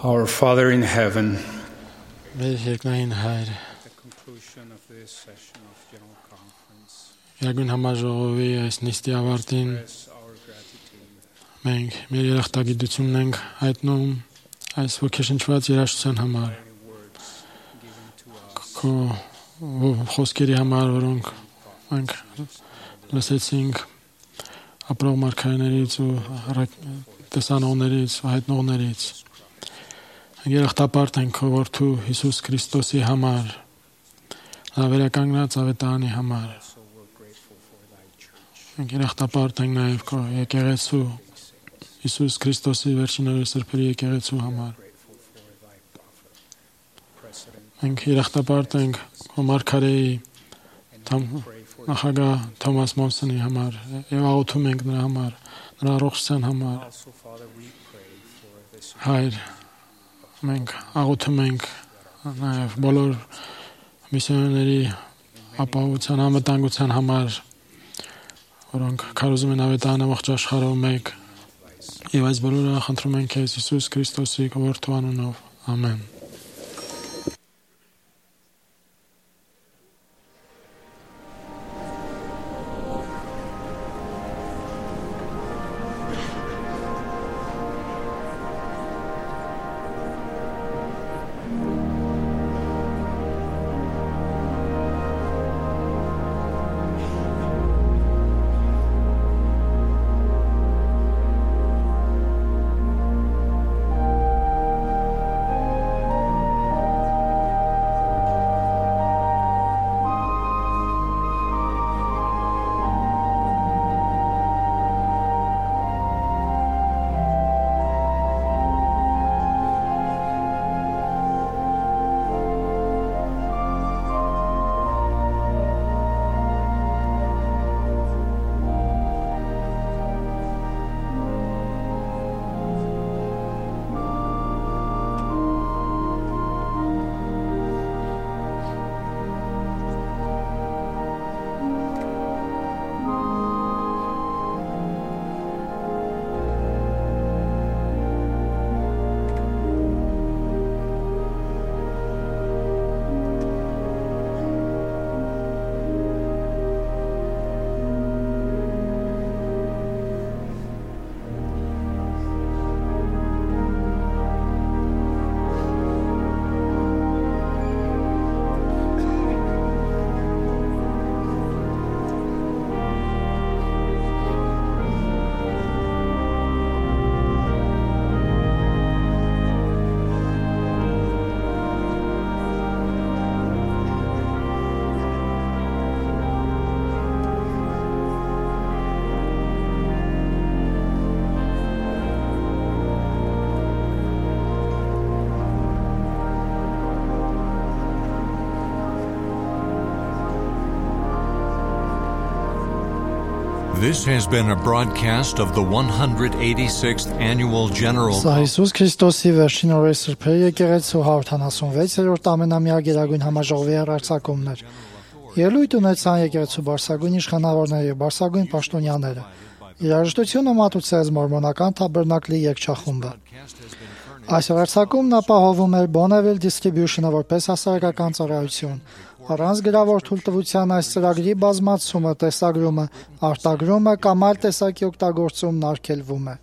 Our Father in heaven, Մեր երկնային Հայր, Երագույն համաժողովի այս նիստի ավարտին մենք մեր երախտագիտությունն ենք հայտնում այս ոգեշնչված երաժշտության համար, քո խոսքերի համար, որոնք մենք լսեցինք ապրող մարգարեներից ու տեսանողներից ու հայտնողներից։ Երախտապարտ ենք քո որդու Հիսուս Քրիստոսի համար, նա վերականգնած ավետարանի համար։ Մենք երախտապարտ ենք նաև քո եկեղեցու Հիսուս Քրիստոսի վերջին օրերի սրբերի եկեղեցու համար։ Մենք երախտապարտ ենք քո մարգարեի նախագահ Թոմաս Մոնսոնի համար եւ աղոթում ենք նրա համար, նրա առողջության համար։ Հայր, մենք աղոթում ենք նաև բոլոր միսիոներների ապահովության, անվտանգության համար, որոնք քարոզում են ավետարանը ողջ աշխարհով մեկ, եւ այս բոլորը խնդրում ենք քեզ Հիսուս Քրիստոսի որդու անունով։ Ամեն։ This has been a broadcast of the one hundred eighty-sixth Annual General Սա Հիսուս Քրիստոսի վերջին օրերի սրբերի եկեղեցու հարյուր ութանասունվեցերորդ ամենամյա գերագույն համաժողովի հեռարձակումն էր։ Ելույթ ունեցան եկեղեցու բարձրագույն իշխանավորները եւ բարձրագույն պաշտոնյաները։ Երաժշտությունը մատուցեց մորմոնական Թաբերնակլի երգչախումբը։ Այս հեռարձակումն ապահովում էր Bonneville Distribution-ը որպես հասարակական ծառայություն։ Առանց գրավոր թույլտվության այս ծրագրի բազմացումը, տեսագրումը, արտագրումը կամ այլ տեսակի օգտագործումն արգելվում է։